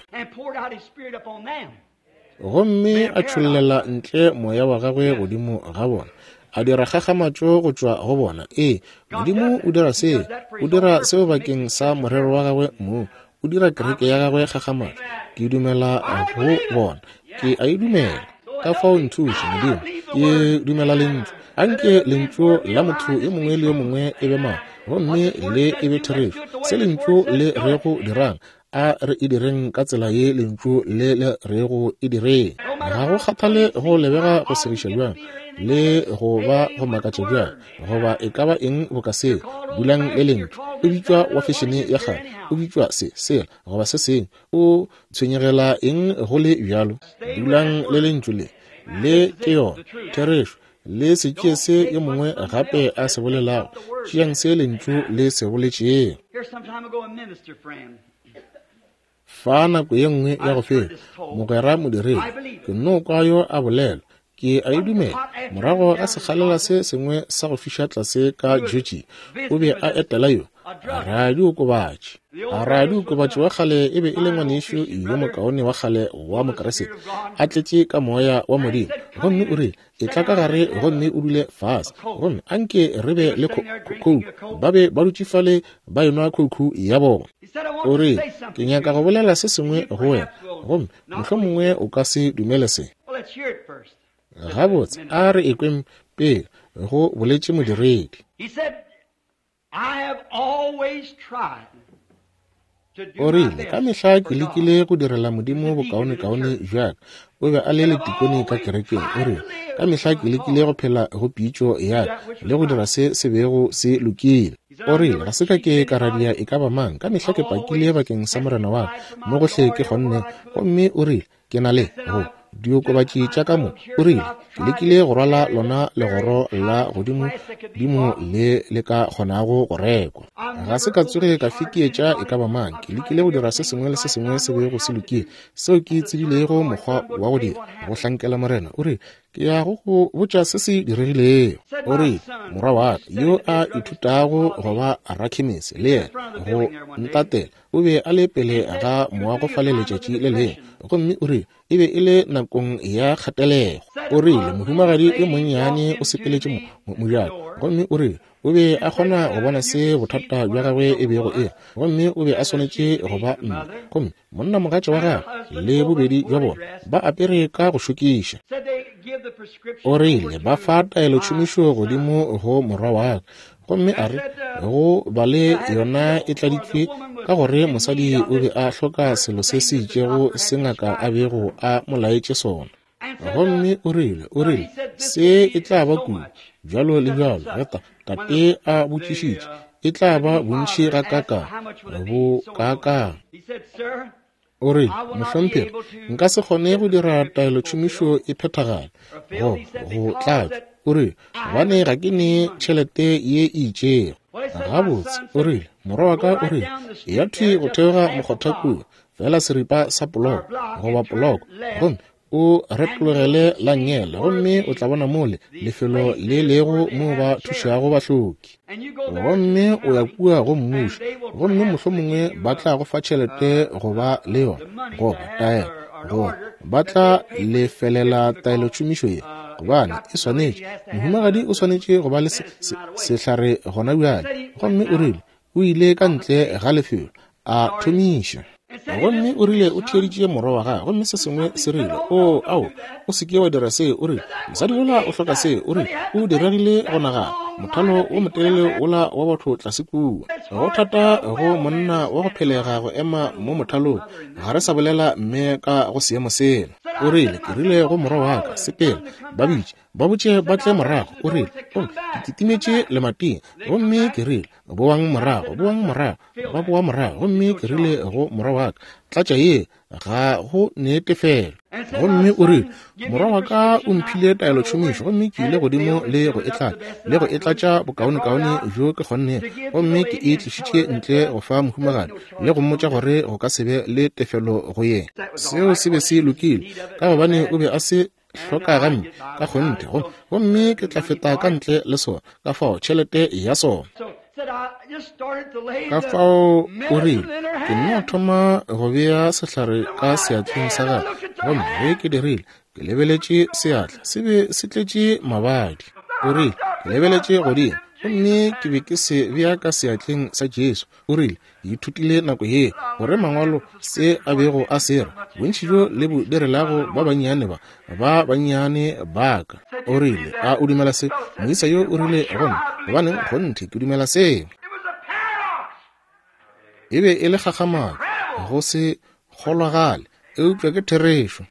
Gomme a tšhollela ntle moya wa gagwe godimo ga bona, a dira kgakgamatšo go tšwa go bona. Ee, Modimo o dira seo. O dira seo bakeng sa morero wa gagwe mong. O dira kereke ya gagwe kgakgamatšo. Ke dumela go bona. Ke a e dumela. Ka fao nthuše, Modimo. Ke dumela Lentšu. Anke Lentšu la motho yo mongwe le yo mongwe e be maaka, gomme le e be therešo. Se Lentšu le rego dirang, A re e direng ka tsela ye Lentšu le le rego e direng. Ga go kgathale go lebega go segiša bjang, le go ba go makatša bjang, goba e ka ba eng boka seo, dulang le Lentšu. O bitšwa wa fešene ya kgale, o bitšwa se, sela, goba se sengwe. O tshwenyegela eng go le bjalo? Dulang le Lentšu le. Le ke yona Therešo. Le se tšee se yo mongwe gape a se bolelago. Tšeang se Lentšu le se boletšego. Fa nako ye nngwe ya go feta, mogwera modiredi, ke nno kwa yo a bolela, ke a e dumela, morago ga sekgalela se sengwe sa go fiša tlase ka Georgia, o be a etela yo radiokobatši. Radiokobatši wa kgale e be e le ngwanešu yo mokaone wa kgale wa Mokriste, a tletše ka Moya wa Modimo. Gomme o rile, Etla ka gare gomme o dule fase, gomme anke re be le khouku. Ba be ba dutše fale ba enwa khouku ya bona. O rile, Ke nyaka go bolela se sengwe go wena, gomme mohlomongwe o ka se dumele se. Gabotse, a re ekweng pele, go boletše modiredi. O rile, Ka mehla ke lekile go direla Modimo bokaonekaone bja ka. O be a le letikone ka kerekeng. O rile, Ka mehla ke lekile go phela go pitšo ya ka le go dira se se bego se lokile. O rile, Ga se ka ke ka radia e ka ba mang. Ka mehla ke pakile bakeng sa Morena wa ka mo gohle ke kgonne. Gomme o rile, Ke na le go diokobatši tša ka mo. O rile, Ke lekile go rwala lona legoro la godimo dimo le le ka kgonago go rekwa. Ga se ka tsoge ka fekeetša e ka ba mang. Ke lekile go dira se sengwe le se sengwe se bego se lokile, seo ke tsebilego mokgwa wa go dira, go hlankela Morena. O rile, Ke ya go go botša se se diregilego. O rile, Morwa wa ka, yo a ithutago go ba rakhemisi, le yena, go ntatela, o be a le pele ga moago fale letšatši le lengwe. Gomme o rile, E be e le nakong ya kgatelego. O rile, Mohumagadi yo monnyane o sepeletše mo, mo, mojako. Gomme o rile, O be a kgona go bona se bothata bja gagwe e bego e le, gomme o be a swanetše go ba mme. Gomme monnamogatša wa gagwe le bobedi bja bona ba apere ka go šokiša. O rile ba fa taelotšhomišo godimo go morwa wa ka, gomme a re go ba le yona e tladitšwe ka gore mosadi o be a hloka selo se se itšego se ngaka a bego a mo laetše sona. Gomme o rile, o rile, se e tla ba kudu, bjalo le bjalo, ge ta, tate a botšišitše, e tla ba bontši gakaakang, bo kaakang. O rile, Mohlomphegi, nka se kgone go dira taelotšhomišo e phethagale, go, go tlatšwa. O rile, Gobane ga ke ne tšhelete ye e itšego. Gabotse, o rile, morwa wa ka o rile, eya thwi go theoga mokgotha kua, feela seripa sa poloko, goba poloko, gomme o retologele la nngele, gomme o tla bona mole lefelo le lego mo ba thušago bahloki. Gomme o ya kua go mmušo, gomme mohlomongwe ba tla go fa tšhelete go ba le yona, goba taelo, goba ba tla lefelela taelotšhomišo ye. gobane e swanetše, mohumagadi o swanetše go ba le se, se, sehlare gona bjale. Gomme o rile o ile ka ntle ga lefelo, a thomiša. Gomme o rile o theeditše morwa wa gagwe, gomme se sengwe se rile, O, ao, o se ke wa dira se. O rile, mosadi yola o hloka se. O rile, o diregile go nagana, mothalo wo motelele wola wa batho tlase kua. Go thata go monna wa go phelega go ema mo mothalong, ga re sa bolela mme ka go seemo sela. O rile, ke rile go morwa wa ka, sepela, ba bitše, ba botše ba tle morago. O rile, gomme ke kitimetše lemating, gomme ke rile, boang morago, boang morago. Ba boa morago, gomme ke rile go morwa wa ka, tlatša ye, ga go ne tefelo. Gomme o rile, morwa wa ka o mphile taelotšhomišo, gomme ke ile godimo le go e tlatša, le go e tlatša bokaonekaone bjo ke kgonnego, gomme ke e tlišitše ntle go fa mohumagadi, le go mmotša gore go ka se be le tefelo go yena. Seo se be se lokile, ka gobane o be a se hloka gamme ka kgonthe, gomme ke tla feta ka ntle le sona, ka fao tšhelete ya sona. Ka fao o rile, ke nno thoma go bea sehlare ka seatleng sa gagwe, gomme ge ke dirile, ke lebeletše seatla, se be se tletše mabadi. O rile, ke lebeletše godimo, gomme ke be ke se bea ka seatleng sa Jesu. O rile, ke ithutile nako ye gore mangwalo se a bego a se re, bontši bjo le bo direlago ba bannyane ba, ba bannyane ba ka. O rile, a o dumela se? Moisa yo o rile, gomme gobaneng, kgonthe ke dumela seo. E be e le kgakgamatšo, go se kgolwagale, eupša ke therešo.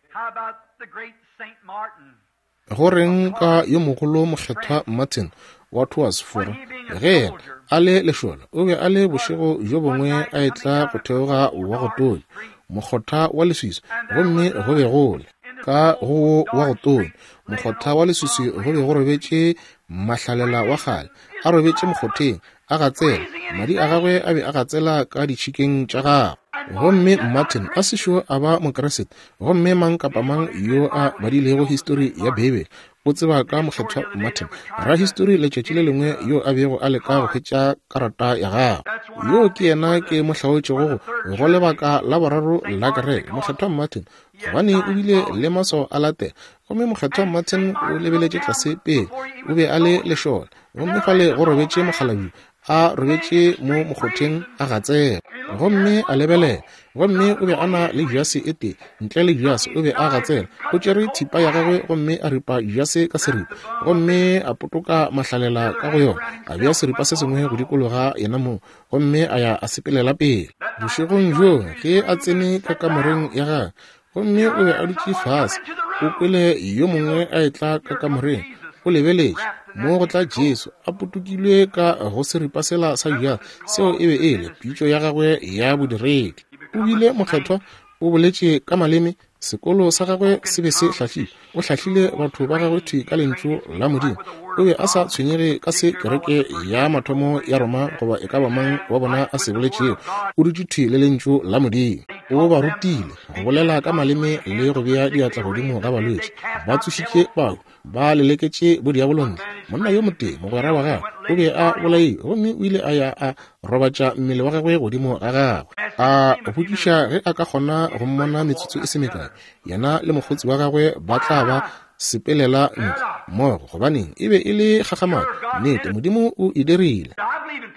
Go reng ka yo mogolo Mokgethwa Martin wa Tours, Fora? Ge yena a le lešole, o be a le bošego bjo bongwe a etla go theoga wa go tonya, mokgotha wa leswiswi, gomme go be go le ka go wo wa go tonya mokgotha wa leswiswi go be go robetše mahlalela wa kgale, a robetše mokgotheng, a gatsela, madi a gagwe a be a gatsela ka ditšhikeng tša gagwe. Gomme Martin a sešo a ba Mokriste, gomme mang kapa mang yo a badilego histori ya Beibele o tseba ka Mokgethwa Martin, rahistori letšatši le lengwe yo a bego a leka go hwetša karata ya gagwe. Yo ke yena ke mo hlaotšego go go lebaka la boraro la kereke, Mokgethwa Martin, gobane o bile le maswao a latela. Gomme Mokgethwa Martin o lebeletše tlase pele, o be a le lešole, gomme fale go robetše mokgalabje a robetše mo mokgotheng a gatsela. Gomme a lebelela, gomme o be a na le jase e tee, ntle le jase o be a gatsela. O tšere thipa ya gagwe gomme a ripa jase ka seripa, gomme a potoka mahlalela ka go yona, a bea seripa se sengwe go dikologa yena mong, gomme a ya a sepelela pele. Bošegong bjoo ge a tsene ka kamoreng ya gagwe, gomme o be a dutše fase, o kwele yo mongwe a etla ka kamoreng. O lebeletše, mo go tla Jesu, a potokilwe ka go seripa sela sa bjang. Seo e be e le pitšo ya gagwe ya bodiredi. O bile mokgethwa, o boletše ka maleme, sekolo sa gagwe se be se hlahlile. O hlahlile batho ba gagwe thwi ka lentšu la Modimo. O be a sa tshwenyege ka se kereke ya mathomo ya Roma goba e ka ba mang wa bona a se boletšego. O dutše thwi le lentšu la Modimo. O ba rutile go bolela ka maleme le go bea diatla godimo ga balwetši. Ba tsošitše bahu, ba leleketše bodiabolo ntle. Monna yo motee, mogwera wa gagwe, o be a bolailwe, gomme o ile a ya a robatša mmele wa gagwe godimo ga gagwe. A botšiša ge a ka kgona go mmona metsotso e se mekae, yena le mokgotsi wa gagwe ba tla ba sepelela ntle mmogo. Gobaneng, e be e le kgakgamatšo. Nnete, Modimo o e dirile.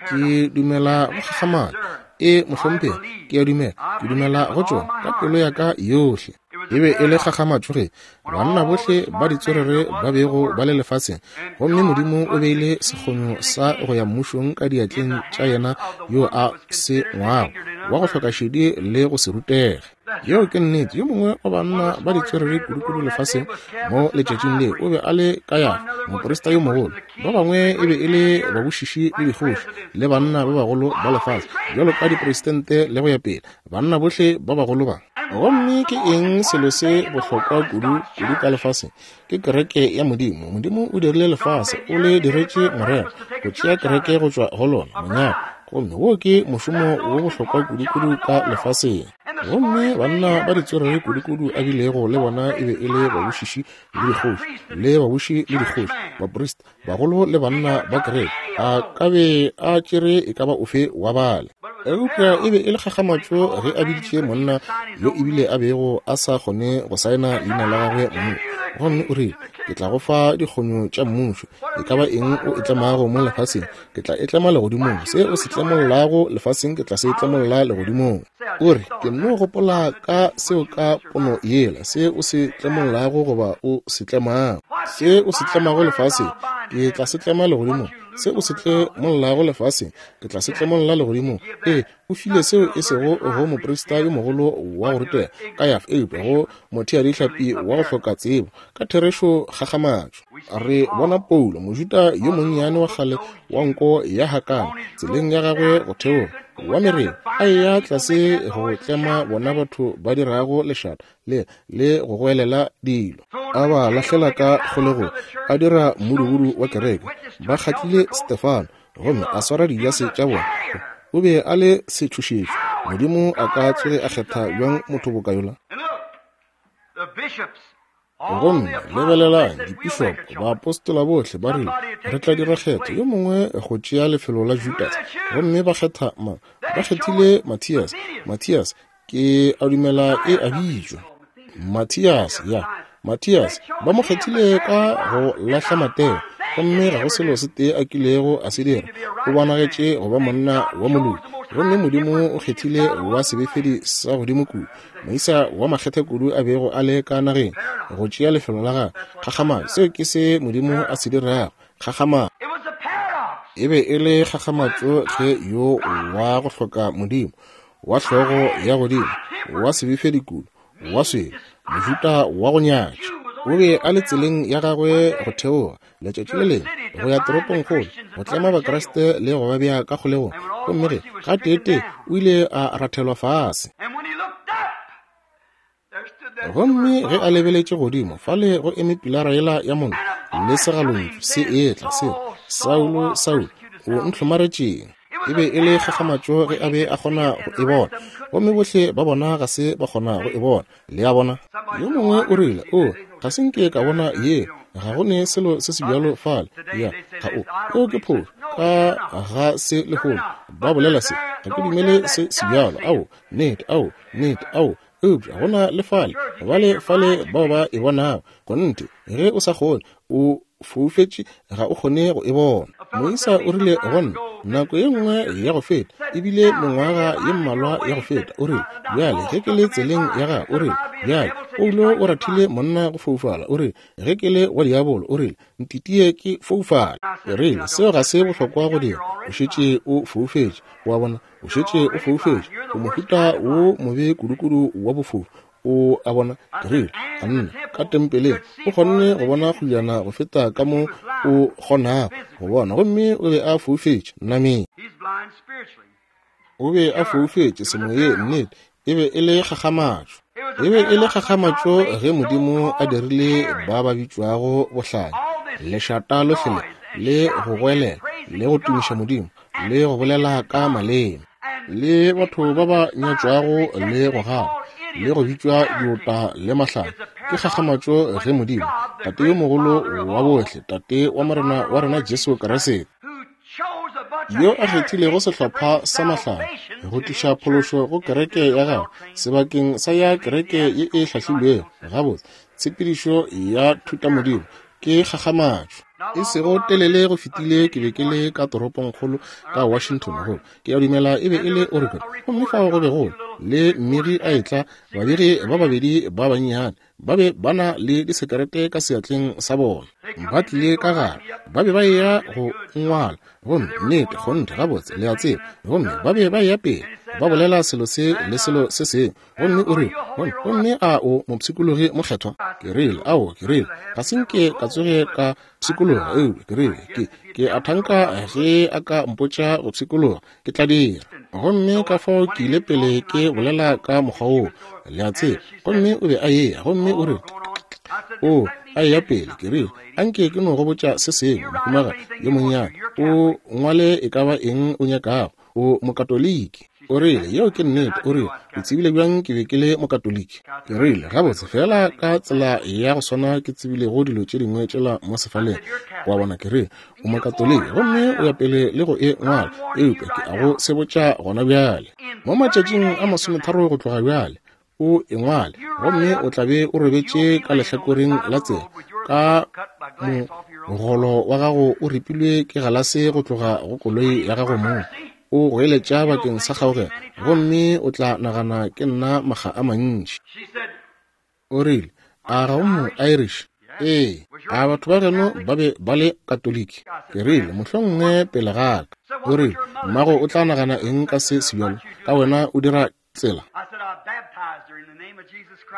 Ke dumela go kgakgamatšo. E, mohlomphegi, ke a dumela. Ke dumela go tšona ka pelo ya ka yohle. E be e le kgakgamatšo ge banna bohle ba ditswerere ba bego ba le lefaseng, gomme Modimo o beile sekgonyo sa go ya mmušong ka diatleng tša yena yo a se ngwago, wa go hloka šedi le go se rutege. Yeo ke nnete. Yo mongwe wa banna ba ditswerere kudukudu lefaseng mo letšatšing leo o be a le Kayafa, moprista yo mogolo. Ba bangwe e be e le babušiši le dikgoši le banna ba bagolo ba lefase, bjalo ka dipresidente le go ya pele, banna bohle ba bagolo ba. Gomme ke eng selo se bohlokwa kudu kudu ka lefaseng? Ke kereke ya Modimo. Modimo o dirile lefase, o le diretše morero, go tšea kereke go tšwa go lona, monyalwa. Gomme wo ke mošomo wo bohlokwa kudu-kudu ka lefaseng. Gomme banna ba ditswerere kudu-kudu a bilego le bona e be e le babušiši le dikgoši, le babuši le dikgoši, baprista. bagolo le banna ba kereke, a ka be a tšere e ka ba ofe wa bale. Eupša e be e le kgakgamatšo ge a biditše monna yo ebile a bego a sa kgone go saena leina la gagwe mong, gomme o rile, Ke tla go fa dikgonyo tša mmušo. E ka ba eng o e tlemago mo lefaseng, ke tla e tlema legodimong. Se o se tlemollago lefaseng, ke tla se tlemolla legodimong. O re, ke nno gopola ka seo ka pono yela, se o se tlemollago goba o se tlemago. Se o se tlemago lefaseng, ke tla se tlema legodimong. Se o se tlemollago lefaseng, ke tla se tlemolla legodimong. Ee, o file seo e sego go moprista yo mogolo wa go rutega, Kayafa, eupša go motheadihlapi wa go hloka tsebo. Ka therešo kgakgamatšo. Re bona Paulo, Mojuda yo monnyane wa kgale wa nko ya hakana, tseleng ya gagwe go theoga, wa mereo, a eya tlase go tlema bona batho ba dirago lešata le, le go goelela dilo, a ba lahlela ka kgolegong, a dira mmudubudu wa kereke. Ba kgatlile Stefano gomme a swara dijase tša bona. O be a le setšhošetšo. Modimo a ka tsoge a kgetha bjang motho boka yola? Gomme lebelelang, dipišopo, baapostola bohle ba rile, Re tla dira kgetho, yo mongwe go tšea lefelo la Judase. Gomme ba kgetha mang? Ba kgethile Mathias. Mathias, ke a dumela e a bitšwa. Mathias, ya. Mathias, ba mo kgethile ka go lahla Mateo, gomme ga go selo se tee a kilego a se dira. O bonagetše go ba monna wa moloki. Gomme Modimo o kgethile wa sebefedi sa godimo kudu, moisa wa makgethe kudu a bego a le ka nageng, go tšea lefelo la gagwe. Kgakgamatšo! Seo ke se Modimo a se dirago. Kgakgamatšo! E be e le kgakgamatšo ge yo wa go hloka Modimo, wa hlogo ya godimo, wa sebefedi kudu, wa swele, Mojuda wa go nyatša, o be a le tseleng ya gagwe go theoga, letšatši le lengwe, go ya toropongkgolo, go tlema Bakriste le go ba bea ka kgolegong. Gomme ge, gateetee, o ile a rathelwa fase. Gomme ge a lebeletše godimo, fale go eme pilara yela ya mollo le segalontšu se etla, se re, Saulo, Saulo, o ntlhomaretšeng? E be e le kgakgamatšo ge a be a kgona go e bona, gomme bohle ba bona ga se ba kgona go e bona. Le a bona? Yo mongwe o rile, O, ga se nke ka bona ye. Ga go ne selo se se bjalo fale. Ya, ga o. Eo ke phošo. Ka ga se lehono. Ba bolela se. Ga ke dumele se se bjalo. Ao, nnete, ao, nnete, ao. Eupša go na le fale, bale fale bao ba e bonago. Kgonthe, ge o sa kgone, o foufetše, ga o kgone go e bona. Moisa o rile go nna, nako ye nngwe ya go feta, e bile mengwaga ye mmalwa ya go feta, o rile, Bjale, ge ke le tseleng ya gago, o rile, bjale, Paulo o rathile monna go foufala, o rile, ge ke le wa diabolo, o rile, ntitie ke foufale. Ke rile, seo ga se bohlokwa go dira, o šetše o foufetše. O a bona, o šetše o foufetše, o mohuta wo mobe kudukudu wa bofofu. O a bona, ke rile, a nna ka tempeleng o kgonne go bona kgojana go feta ka mo o kgonago go bona, gomme o be a foufetše nameng. O be a foufetše semoyeng, nnete. E be e le kgakgamatšo. E be e le kgakgamatšo ge Modimo a dirile ba ba bitšwago bohlanya, lešata lohle le, le go goelela, le go tumiša Modimo, le go bolela ka maleme, le batho ba ba nyatšwago le go gana, le go bitšwa diota le mahlanya. Ke kgakgamatšo ge Modimo, Tate yo mogolo wa bohle, Tate wa Morena wa rena Jesu Kriste, yo a kgethilego sehlopha sa mahlanya go tliša phološo go kereke ya gagwe sebakeng sa ya kereke ye e hlahlilwego gabotse, tshepedišo ya thutamodimo, ke kgakgamatšo. E sego telele go fetile ke be ke le ka toropongkgolo ka Washington, go ke a dumela e be e le Oregon, gomme fao go be go le mmegi a etla, babegi ba babedi ba bannyane ba be ba na le disekerete ka seatleng sa bona, ba tlile ka gare, ba be ba eya go ngwala, gomme nnete, kgonthe, gabotse, le a tseba, gomme ba be ba eya pele ba bolela selo se le selo se sengwe. Gomme o rile, gomme, gomme a o mopshikologi mokgethwa? Ke rile, ao, ke rile, ga se nke ka tsoge ka pshikologa, eupša ke rile, ke, ke a thanka ge a ka mpotša go pshikologa, ke tla dira. Gomme ka fao ke ile pele ke bolela ka mokgwa woo, le a tseba. Gomme o be a eya, gomme o rile, o a eya pele, ke rile, a nke ke no go botša se sengwe, mohumagadi yo monnyane, o ngwale e ka ba eng o nyakago, o Mokatoliki. O rile, Yeo ke nnete. O rile, O tsebile bjang ke be ke le Mokatoliki? Ke rile, Gabotse, feela ka tsela ya go swana ke tsebilego dilo tše dingwe tšela mo sefaleng. Wa bona, ke rile, O Mokatoliki, gomme o ya pele le go e ngwala, eupša ke a go sebotša gona bjale. Mo matšatšing a masometharo go tloga bjale, o e ngwale, gomme o tla be o robetše ka lehlakoreng la tsela, ka mogolo wa gago o ripilwe ke galase go tloga go koloi ya gago mong, o goeletša bakeng sa kgaogelo, gomme o tla nagana ke nna makga a mantši. O rile, A ga o mo Irish? Ee. A batho ba geno ba be ba le Katoliki? Ke rile, Mohlomongwe pele ga ka. O rile, Mmago o tla nagana eng ka se sebjalo, ka wena o dira tsela?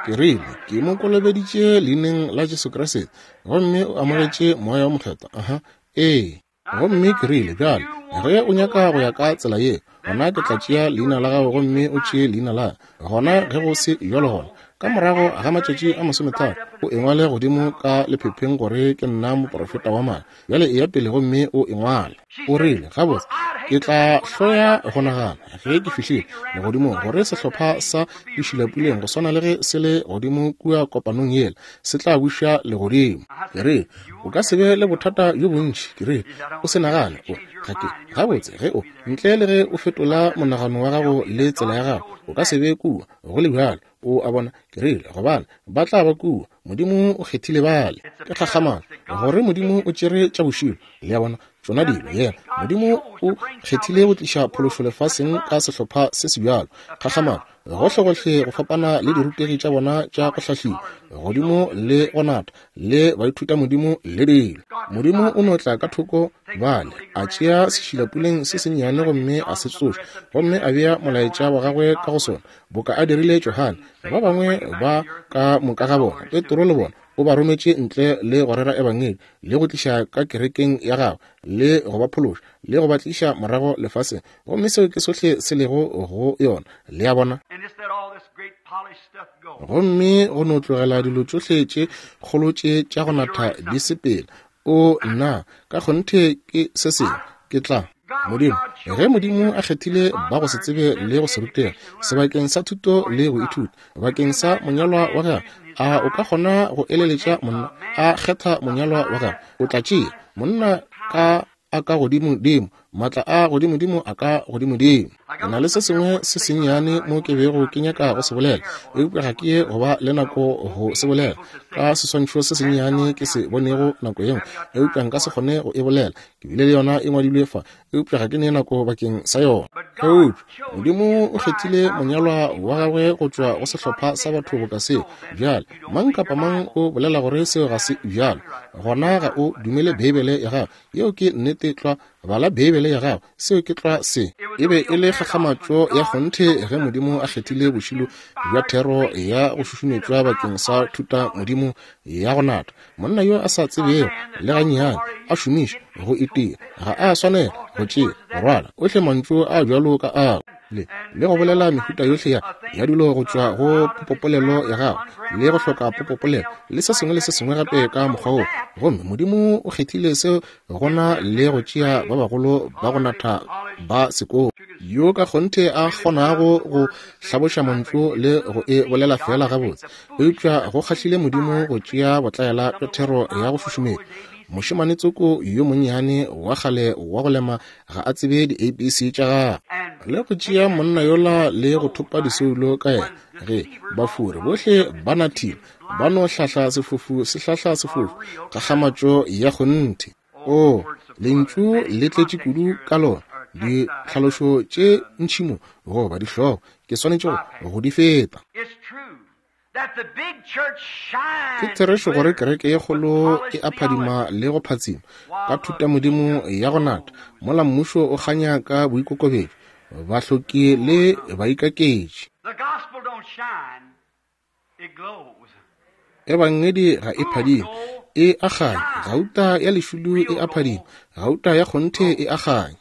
Ke rile, Ke mo kolobeditše Leineng la Jesu Kriste, gomme o amogetše Moya wo Mokgethwa. Aha. Ee. Gomme ke rile, Bjale, ge o nyaka go ya ka tsela ye, gona ke tla tšea leina la gago gomme o tšee leina la ka. Gona ge go se bjalo gona, ka morago ga matšatši a masometharo, o e ngwale godimo ka lephepheng gore ke nna moprofeta wa maaka. Bjale eya pele gomme o e ngwale. O rile, Gabotse, ke tla hloya go nagana, ge ke fihlile legodimong, gore sehlopha sa dišilapuleng go swana le ge se le godimo kua kopanong yela, se tla buša legodimo. Ke rile, O ka se be le bothata bjo bontši. Ke rile, O se nagane, o, ga ke, gabotse, ge o, ntle le ge o fetola monagano wa gago le tsela ya gago, o ka se be kua, go le bjalo. O a bona? Ke rile, Gobane, ba tla ba kua. Modimo o kgethile bale. Ke kgakgamatšo gore Modimo o tšere tša bošilo, le a bona, tšona dilo. Yena, Modimo o kgethile go tliša phološo lefaseng ka sehlopha se se bjalo. Kgakgamatšo, gohlegohle go fapana le dirutegi tša bona tša go hlahliwa godimo le go nata le baithutamodimo le dilo. Modimo o no tla ka thoko bale, a tšea sešilapuleng se sennyane gomme a se tsoša, gomme a bea molaetša wa gagwe ka go sona, boka a dirile Johane, ba bangwe ba ka moka ga bona, Petro le bona, o ba rometše ntle le go rera ebangedi, le go tliša ka kerekeng ya gagwe, le go ba phološa, le go ba tliša morago lefaseng. Gomme seo ke sohle se lego go yona, le a bona. Gomme go no tlogela dilo tšohle tše kgolo tše tša go natha di sepela. O, nna, ka kgonthe ke se sengwe. Ke tla. Modimo, ge Modimo a kgethile ba go se tsebe le go se rutege, sebakeng sa thuto le go ithuta, bakeng sa monyalwa wa gagwe, a o ka kgona go eleletša monna a kgetha monyalwa wa gagwe? O tla tšea monna ka a ka godimodimo, maatla a godimodimo a ka godimodimo. Ke na le se sengwe se sennyane mo ke bego ke nyaka go se bolela, eupša ga ke ye go ba le nako go se bolela, ka seswantšho se sennyane ke se bonego nako ye nngwe, eupša nka se kgone go e bolela. Ke bile le yona e ngwadilwe fa, eupša ga ke ne nako bakeng sa yona. Eupša Modimo o kgethile monyalwa wa gagwe go tšwa go sehlopha sa batho boka seo. Bjale, mang kapa mang o bolela gore seo ga se bjalo, gona ga o dumele Beibele ya gago. Yeo ke nnete tlwa. Bala Beibele ya gago. Seo ke tlwa se. E be e le kgakgamatšo ya kgonthe ge Modimo a kgethile bošilo bja thero ya go šušumetšwa bakeng sa thuta Modimo ya go nata. Monna yo a sa tsebego le gannyane a šomiša go itia ga a swanela go tšea go rwala ohle mantšu a bjalo ka ao le le go bolela mehuta yohle ya ya dilo go tšwa go popopolelo ya gagwe le go hloka popopolelo le se sengwe le se sengwe gape ka mokgwa wo. Gomme Modimo o kgethile seo gona le go tšea ba bagolo ba go natha ba sekolo yo ka kgonthe a kgonago go hlaboša mantšu le go e bolela feela gabotse. Eupša go kgahlile Modimo go tšea botlaela bja thero ya go šušumetša. Mošemane tsoko yo monnyane wa kgale wa go lema ga a tsebe di-ABC tša gagwe. Le go tšea monna yola le go thopa disoulo ka yena, ge bafuri bohle ba nathile, ba no hlahla sefofu se hlahla sefofu, kgakgamatšo ya kgonthe. Oo, Lentšu le tletše kudu ka lona, ditlhalošo tše ntši mo, goba dihlogo, ke swanetše go, go di feta. Ke therešo gore kereke ye kgolo e a phadima le go phatsima ka thutamodimo ya go nata, mola mmušo o kganya ka boikokobetšo, bahloki le baikaketši. Ebangedi ga e phadime, e a kganya. Gauta ya lešulu e a phadima, gauta ya kgonthe e a kganya.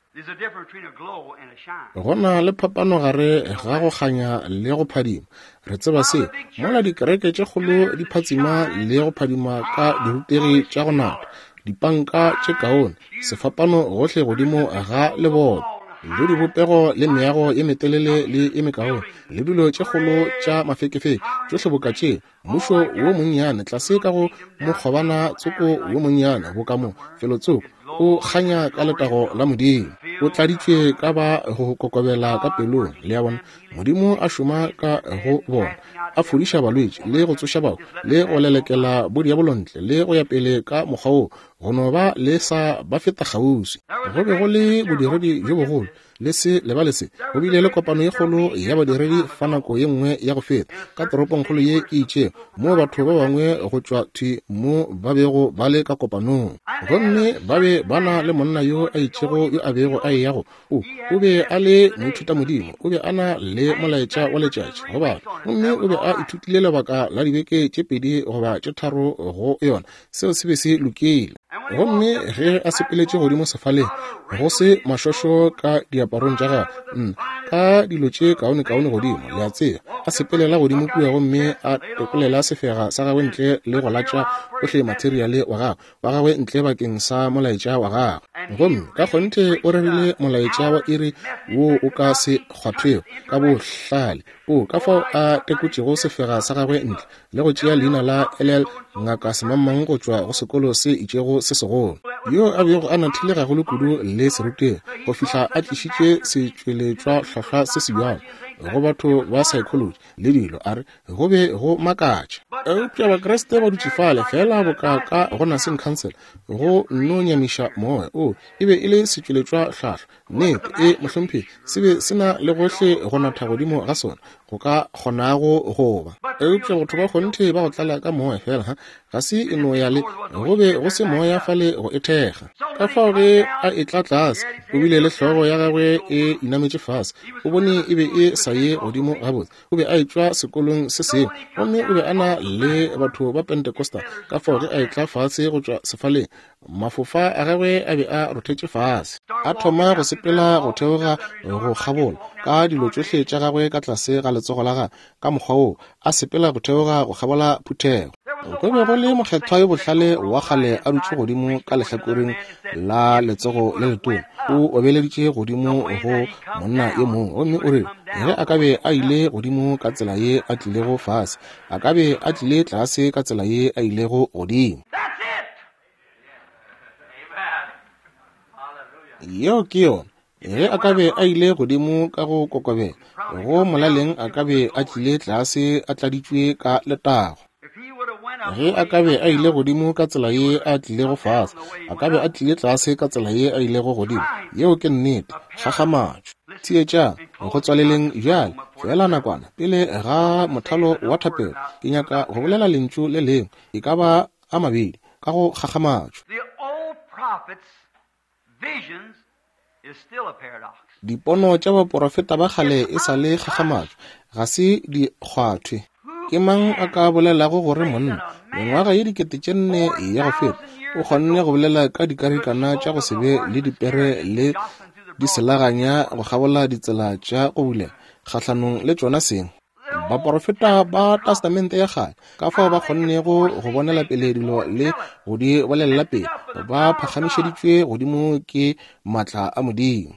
Go na le phapano gare ga go kganya le go phadima. Re tseba se mola dikereke tše kgolo di phatsima le go phadima ka dirutegi tša go nata, dipanka tše kaone, sefapano gohle godimo ga leboto. le dibopego le meago ye metelele le ye mekaone, le dilo tše kgolo tša mafekefeke, tšohle boka tše, mmušo wo monnyane tlase ka go mokgobana tsoko wo monnyane boka mo, felotsoko, o kganya ka letago la Modimo, o tladitšwe ka ba go kokobela ka pelong, le a bona, Modimo a šoma ka go bona, a fodiša balwetši le go tsoša bahu le go lelekela bodiabolo ntle le go ya pele ka mokgwa woo, go no ba le sa ba feta kgauswi. Go be go le bodiredi bjo bogolo, le se lebale se, go bile le kopano ye kgolo ya badiredi fa nako ye nngwe ya go feta, ka toropongkgolo ye e itšego, moo batho ba bangwe go tšwa thwi mo ba bego ba le ka kopanong. Gomme ba be ba na le monna yo a itšego yo a bego a eya go, o, o be a le moithutamodimo, o be a na le molaetša wa letšatši go batho, gomme o be a ithutile lebaka la dibeke tše pedi goba tše tharo go yona. Seo se be se lokile. Gomme ge a sepeletše godimo sefaleng, go se mašošo ka diaparong tša gagwe, nna, ka dilo tše kaonekaone godimo, le a tseba, a sepelela godimo kua gomme a tokolela sefega sa gagwe ntle le go latša ohle materiale wa gagwe, wa gagwe ntle bakeng sa molaetša wa gagwe. Gomme ka kgonthe o rerile molaetša wa iri wo o ka se kgwathwego ka bohlale. O ka fao a tekotšego sefega sa gagwe ntle le go tšea leina la LL Ngaka Semangmang go tšwa go sekolo se itšego se segolo, yo a bego a nathile gagolo kudu le serutegi go fihla a tlišitše setšweletšwa hlwahlwa se se bjalo go batho ba psychology le dilo, a re go be go makatša. Eupša Bakriste ba dutše fale feela boka ka go Nursing Council, go nno nyamiša moya. O, e be e le setšweletšwa hlwahlwa. Nnete, e, mohlomphegi, se be se na le gohle go natha godimo ga sona go ka kgonago go ba. Eupša batho ba kgonthe ba go tlala ka moya feela, ha, ga se e no ya le, go be go se moya fale go e thekga. Ka fao ge a etla tlase, o bile le hlogo ya gagwe e inametše fase, o bone e be e sa ye godimo gabotse. O be a etšwa sekolong se sengwe, gomme o be a na le batho ba Pentecostal. Ka fao ge a etla fase go tšwa sefaleng, mafofa a gagwe a be a rothetše fase. A thoma go sepela go theoga go kgabola, ka dilo tšohle tša gagwe ka tlase ga letsogo la gagwe, ka mokgwa woo, a sepela go theoga go kgabola phuthego. Go be go le mokgethwa yo bohlale wa kgale a dutše godimo ka lehlakoreng la letsogo le letona, o obeleditše godimo go monna yo mongwe, gomme o rile ge a ka be a ile godimo ka tsela ye a tlilego fase, a ka be a tlile tlase ka tsela ye a ilego godimo. Yeo ke yona. Ge a ka be a ile godimo ka go kokobela, go molaleng a ka be a tlile tlase a tladitšwe ka letago. Ge a ka be a ile godimo ka tsela ye a tlilego fase, a ka be a tlile tlase ka tsela ye a ilego godimo. Yeo ke nnete. Kgakgamatšo. Theetšang, go tswaleleng bjale, feela nakwana pele ga mothalo wa thapelo, ke nyaka go bolela lentšu le lengwe, e ka ba a mabedi, ka go kgakgamatšo. Dipono tša baporofeta ba kgale e sa le kgakgamatšo, ga se di kgwathwe. Ke mang a ka bolelago gore monna, mengwaga ye 4000 ya go feta, o kgonne go bolela ka dikarikana tša go se be le dipere le diselaganya go kgabola ditsela tša go bulega kgahlanong le tšona seng? Baporofeta ba Testamente ya Kgale, ka fao ba kgonnego go bonela pele dilo le go di bolelela pele, ba phagamišeditšwe godimo ke maatla a Modimo.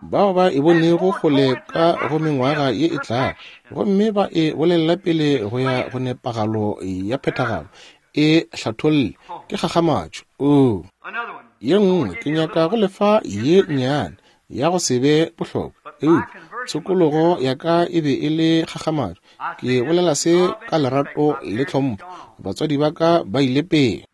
Bao ba e bonego kgole ka go mengwaga ye e tlago, gomme ba e bolelela pele go ya go nepagalo ya phethagalo, e hlatholle, ke kgakgamatšo. Oo. Ye nngwe, ke nyaka go lefa ye nnyane ya go se be bohlokwa, eupša tshokologo ya ka e be e le kgakgamatšo. Ke bolela se ka lerato le tlhompho. Batswadi ba ka ba ile pele.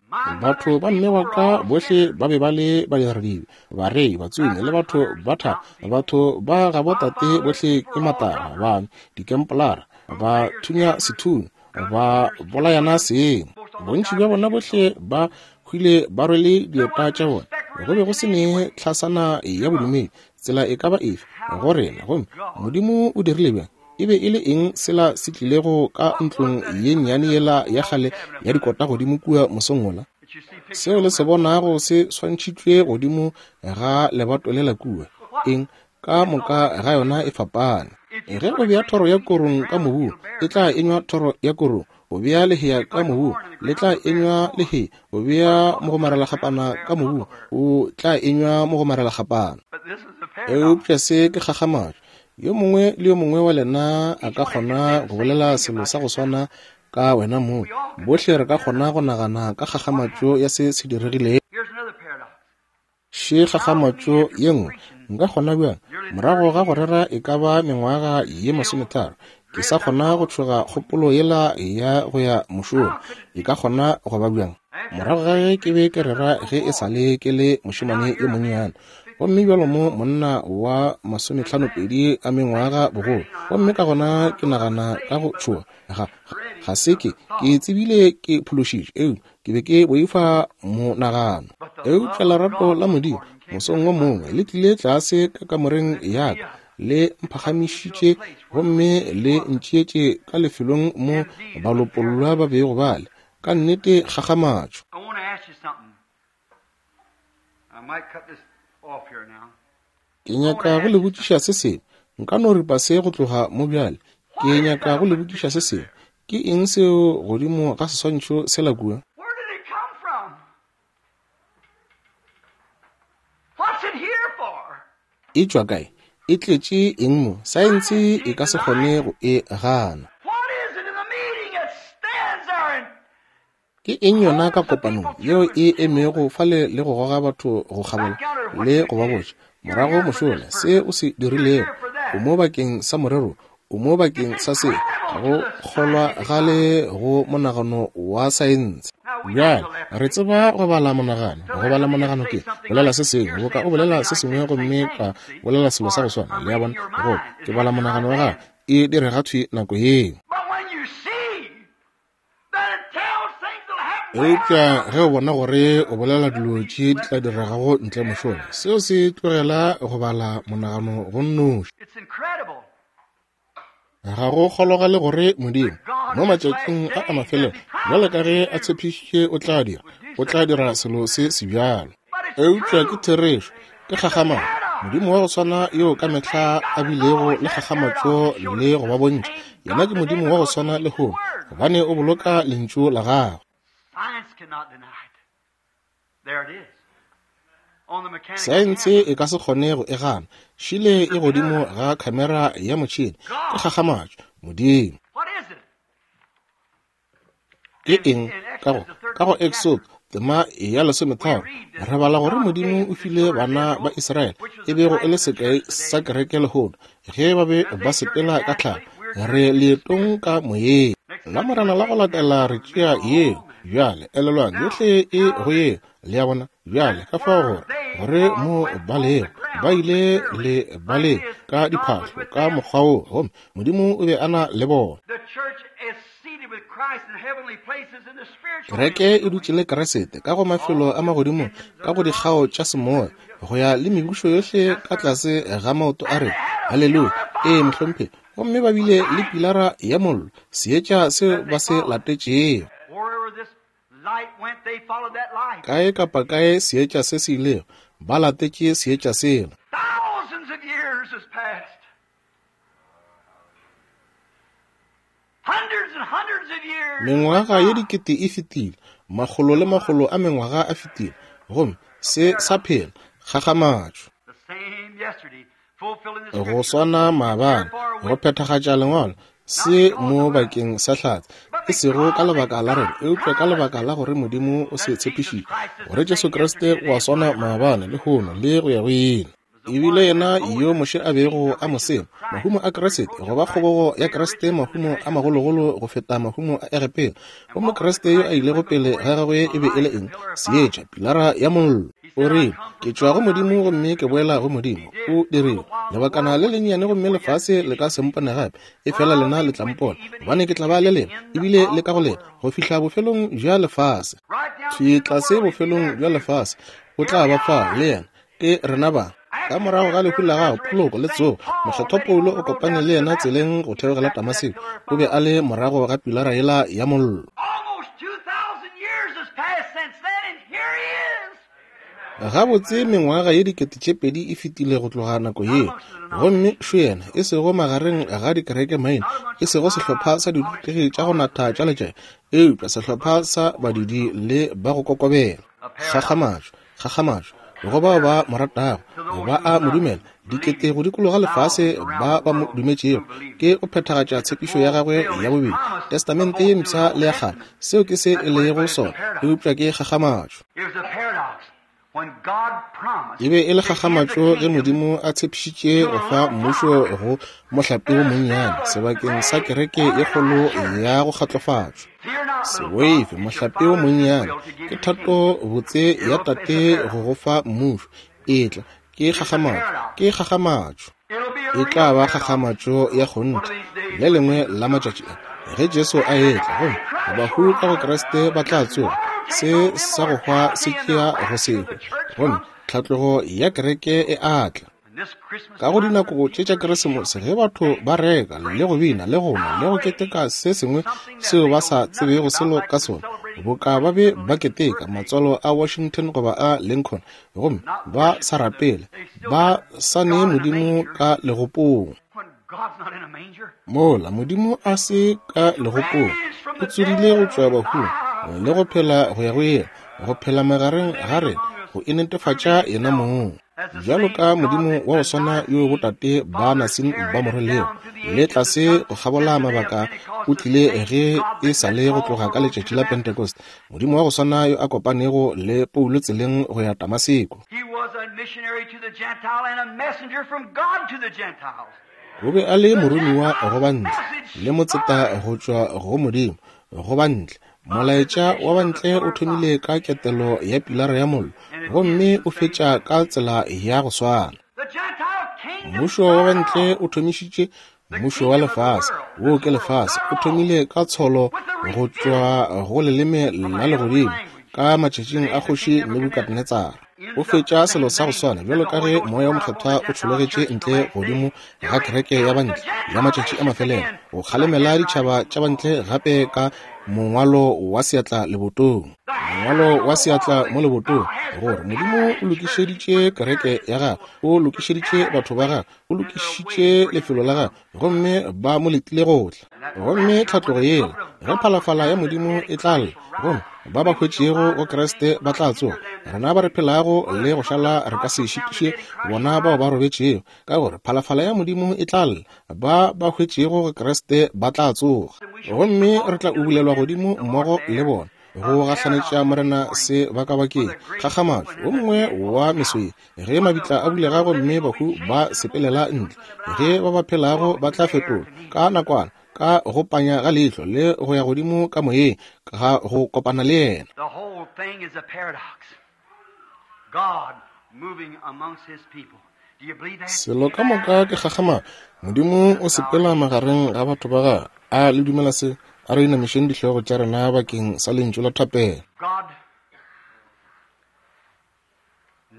Batho ba mme wa ka bohle ba be ba le badiradibe, barei, batsomi le batho ba thaba. Batho ba gabo tate bohle ke matagwa, ba dikempolara, ba thunya sethunya, ba bolayana seng. Bontši bja bona bohle ba hwile ba rwele dieta tša bona. Go be go se ne tlhasana ya bodumedi, tsela e ka ba efe, go rena. Gomme Modimo o dirile bjang? E be e le eng sela se tlilego ka ntlong ye nnyane yela ya kgale ya dikota godimo kua mosong wola? Seo le se bonago se swantšhitšwe godimo ga lebato lela kua. Eng? Ka moka ga yona e fapane. Ge o bea thoro ya korong ka mobung, e tla enywa thoro ya korong. O bea lehea ka mobung, le tla enywa lehea. O bea mogomarelakgapana ka mobung, o tla enywa mogomarelakgapana. Eupša se ke kgakgamatšo. Yo mongwe le yo mongwe wa lena a ka kgona go bolela selo sa go swana ka wena mong. Bohle re ka kgona go nagana ka kgakgamatšo ya se se diregilego. Še kgakgamatšo ye nngwe. Nka kgona bjang, morago ga go rera e ka ba mengwaga ye 30, ke sa kgona go tšhoga kgopolo yela ya go ya mošomo? E ka kgona go ba bjang? Morago ga ge ke be ke rera ge e sa le ke le mošemane yo monnyane, gomme bjalo mo monna wa 52 a mengwaga bogolo, gomme ka gona ke nagana ka go tšhoga. Ga se ke tsebile ke phološitšwe, eupša ke be ke boifa monagano. Eupša lerato la Modimo mosong wo mongwe le tlile tlase ka kamoreng ya ka, le mphagamišitše gomme le ntšeetše ka lefelong mo balopollwa ba bego ba le. Ka nnete kgakgamatšo. Ke nyaka go le botšiša se sengwe. Nka no ripa se go tloga mo bjale. Ke nyaka go le botšiša se sengwe. Ke eng seo godimo ga seswantšho sela kua? E tšwa kae? E tletše eng mo? Saense e ka se kgone go e gana. Ke eng yona ka kopanong yeo e emego fale le go goga batho go kgabola le go ba botša morago mošola se o se dirilego? O mo bakeng sa morero, o mo bakeng sa se, ga go kgolwa gale go monagano wa saense. Bjale re tseba go bala monagano. Go bala monagano ke bolela se sengwe boka o bolela se sengwe gomme ka bolela selo sa go swana. Le a bona? Go ke bala monagano wa gago, e direga thwi nako yeo. Eupša ge o bona gore o bolela dilo tše di tla diregago ntle mošola, seo se tlogela go bala monagano go nnoši. Ga go kgologale gore Modimo mo matšatšing a a mafelelo, bjalo ka ge a tshepišitše o tla dira, o tla dira selo se sebjalo. Eupša ke therešo, ke kgakgamatšo. Modimo wa go swana yo ka mehla a bilego le kgakgamatšo le go ba bontšha, yena ke Modimo wa go swana lehono, gobane o boloka lentšu la gagwe. Saense e ka se kgone go e gana. Šile e godimo ga khamera ya motšhene. Ke kgakgamatšo. Modimo. Ke eng? Ka go Exodo tema ya 13 re bala gore Modimo o file bana ba Israele, e bego e le sekai sa kereke lehono, ge ba be ba sepela ka tlhago. Re leetong ka moyeng. La Morena la go latela re tšea yeo. Bjale elelwang, yohle e go yeo. Le a bona? Bjale ka fao gore gore mo ba lego, ba ile le ba le ka diphahlo ka mokgwa wo, gomme Modimo o be a na le bona. Kereke e dutše le Kriste ka go mafelo a magodimong, ka go dikgao tša semoya, go ya le mebušo yohle ka tlase ga maoto a rena. Haleluya! Ee, mohlomphegi. Gomme ba bile le pilara ya mollo, seetša seo ba se latetšego. Kae kapa kae seetša se se ilego, ba latetše seetša sela. Mengwaga ye dikete e fetile, makgolo le makgolo a mengwaga a fetile, gomme se sa phela. Kgakgamatšo. Go swana maabane, go phethagatša Lengwalo, se mo bakeng sa hlatse, e sego ka lebaka la rena, eupša ka lebaka la gore Modimo o se tshepišitše, gore Jesu Kriste o a swana maabane, lehono, le go ya go ile. Ebile yena yo Moshe a bego a mo sema, mahumo a Kriste, goba kgobogo ya Kriste, mahumo a magologolo go feta mahumo a Egepeta. Gomme Kriste yo a ilego pele ga gagwe e be e le eng? Seetša, pilara ya mollo. O rile, Ke tšwa go Modimo gomme ke boela go Modimo. O dirile lebakana le lennyane gomme lefase le ka se mpone gape, efela lena le tla mpona, gobane ke tla ba le lena, ebile le ka go lena, go fihla bofelong bja lefase. Thwi tlase bofelong bja lefase, o tla ba fa le yena. Ke rena ba. Ka morago ga lehu la gagwe, poloko le tsogo, Mokgethwa Paulo o kopane le yena tseleng go theogela Damaseko. O be a le morago ga pilara yela ya mollo. Gabotse mengwaga ye 2000 e fetile go tloga nako yeo, gomme šo yena, e sego magareng ga dikereke maina, e sego sehlopha sa dirutegi tša go natha tša letšatši, eupša sehlopha sa badudi le ba go kokobela. Kgakgamatšo, kgakgamatšo go bao ba mo ratago, ba a mo dumela, dikete go dikologa lefase ba ba mo dumetšego, ke go phethagatša tshepišo ya gagwe ya bobedi, Testamente ye Mpsha le ya Kgale. Seo ke se e lego sona, eupša ke kgakgamatšo. E be e le kgakgamatšo ge Modimo a tshepišitše go fa mmušo go mohlape wo monnyane sebakeng sa kereke ye kgolo ya go kgatlofatšwa. Se boife, mohlape wo monnyane, ke thato botse ya Tate go go fa mmušo. Etla, ke kgakgamatšo, ke kgakgamatšo. E tla ba kgakgamatšo ya kgonthe le lengwe la matšatši a ge Jesu a etla, gomme bahu ka go Kriste ba tla tsoga, se sa go hwa se tšea go se hwe, gomme tlhatlogo ya kereke e a tla. Ka go dinako tše tša Keresemose, ge batho ba reka le go bina le go nwa le go keteka se sengwe seo ba sa tsebego selo ka sona, boka ba be ba keteka matswalo a Washington goba a Lincoln, gomme ba sa rapele, ba sa nee Modimo ka legopong. Mola Modimo a se ka legopong, o tsogile go tšwa bahung le go phela go ya go ile, go phela magareng ga rena, go inetefatša yena mong bjalo ka Modimo wa go swana yo botate ba Nasine ba mo rwelego le tlase go kgabola mabaka, o tlile ge e sa le go tloga ka letšatši la Pentecost, Modimo wa go swana yo a kopanego le Paulo tseleng go ya Damaseko. O be a le moromiwa go bantle le motseta go tšwa go Modimo go bantle. Molaetša wa bantle o thomile ka ketelo ya pilara ya mollo gomme o fetša ka tsela ya go swana. Mmušo wa bantle o thomišitše mmušo wa lefase, wo ke lefase, o thomile ka tsholo go tšwa go leleme la legodimo ka matšatšing a kgoši Nebukadnetsara. O fetša selo sa go swana bjalo ka ge Moya wo Mokgethwa o tšhologetše ntle godimo ga kereke ya bantle ya matšatši a mafelelo, go kgalemela ditšhaba tša bantle gape ka mongwalo wa seatla lebotong. Mongwalo wa seatla mo lebotong, gore Modimo o lokišeditše kereke ya gagwe, o lokišeditše batho ba gagwe, o lokišitše lefelo la gagwe, gomme ba mo letile go tla. Gomme tlhatlogo yela, ge phalafala ya Modimo e tla lla, gomme ba ba hwetšego go Kriste ba tla tsoga, rena ba re phelago le go šala re ka se šitiše bona bao ba robetšego, ka gore phalafala ya Modimo e tla lla, ba ba hwetšego go Kriste ba tla tsoga, gomme re tla ubulelwa godimo mmogo le bona go gahlanetša Morena se bakabakeng. Kgakgamatšo, o mongwe wa meso ye, ge mabitla a bulega gomme bahu ba sepelela ntle, ge ba ba phelago ba tla fetolwa ka nakwana, ka go panya ga leihlo le go ya godimo ka moyeng, ga go kopana le yena. The whole thing is a paradox. God moving amongst his people. Do you believe that? Selo ka moka ke kgakgamatšo. Modimo o sepela magareng ga batho ba gagwe. A le dumela se? A re inamišeng dihlogo tša rena bakeng sa lentšu la thapelo. God,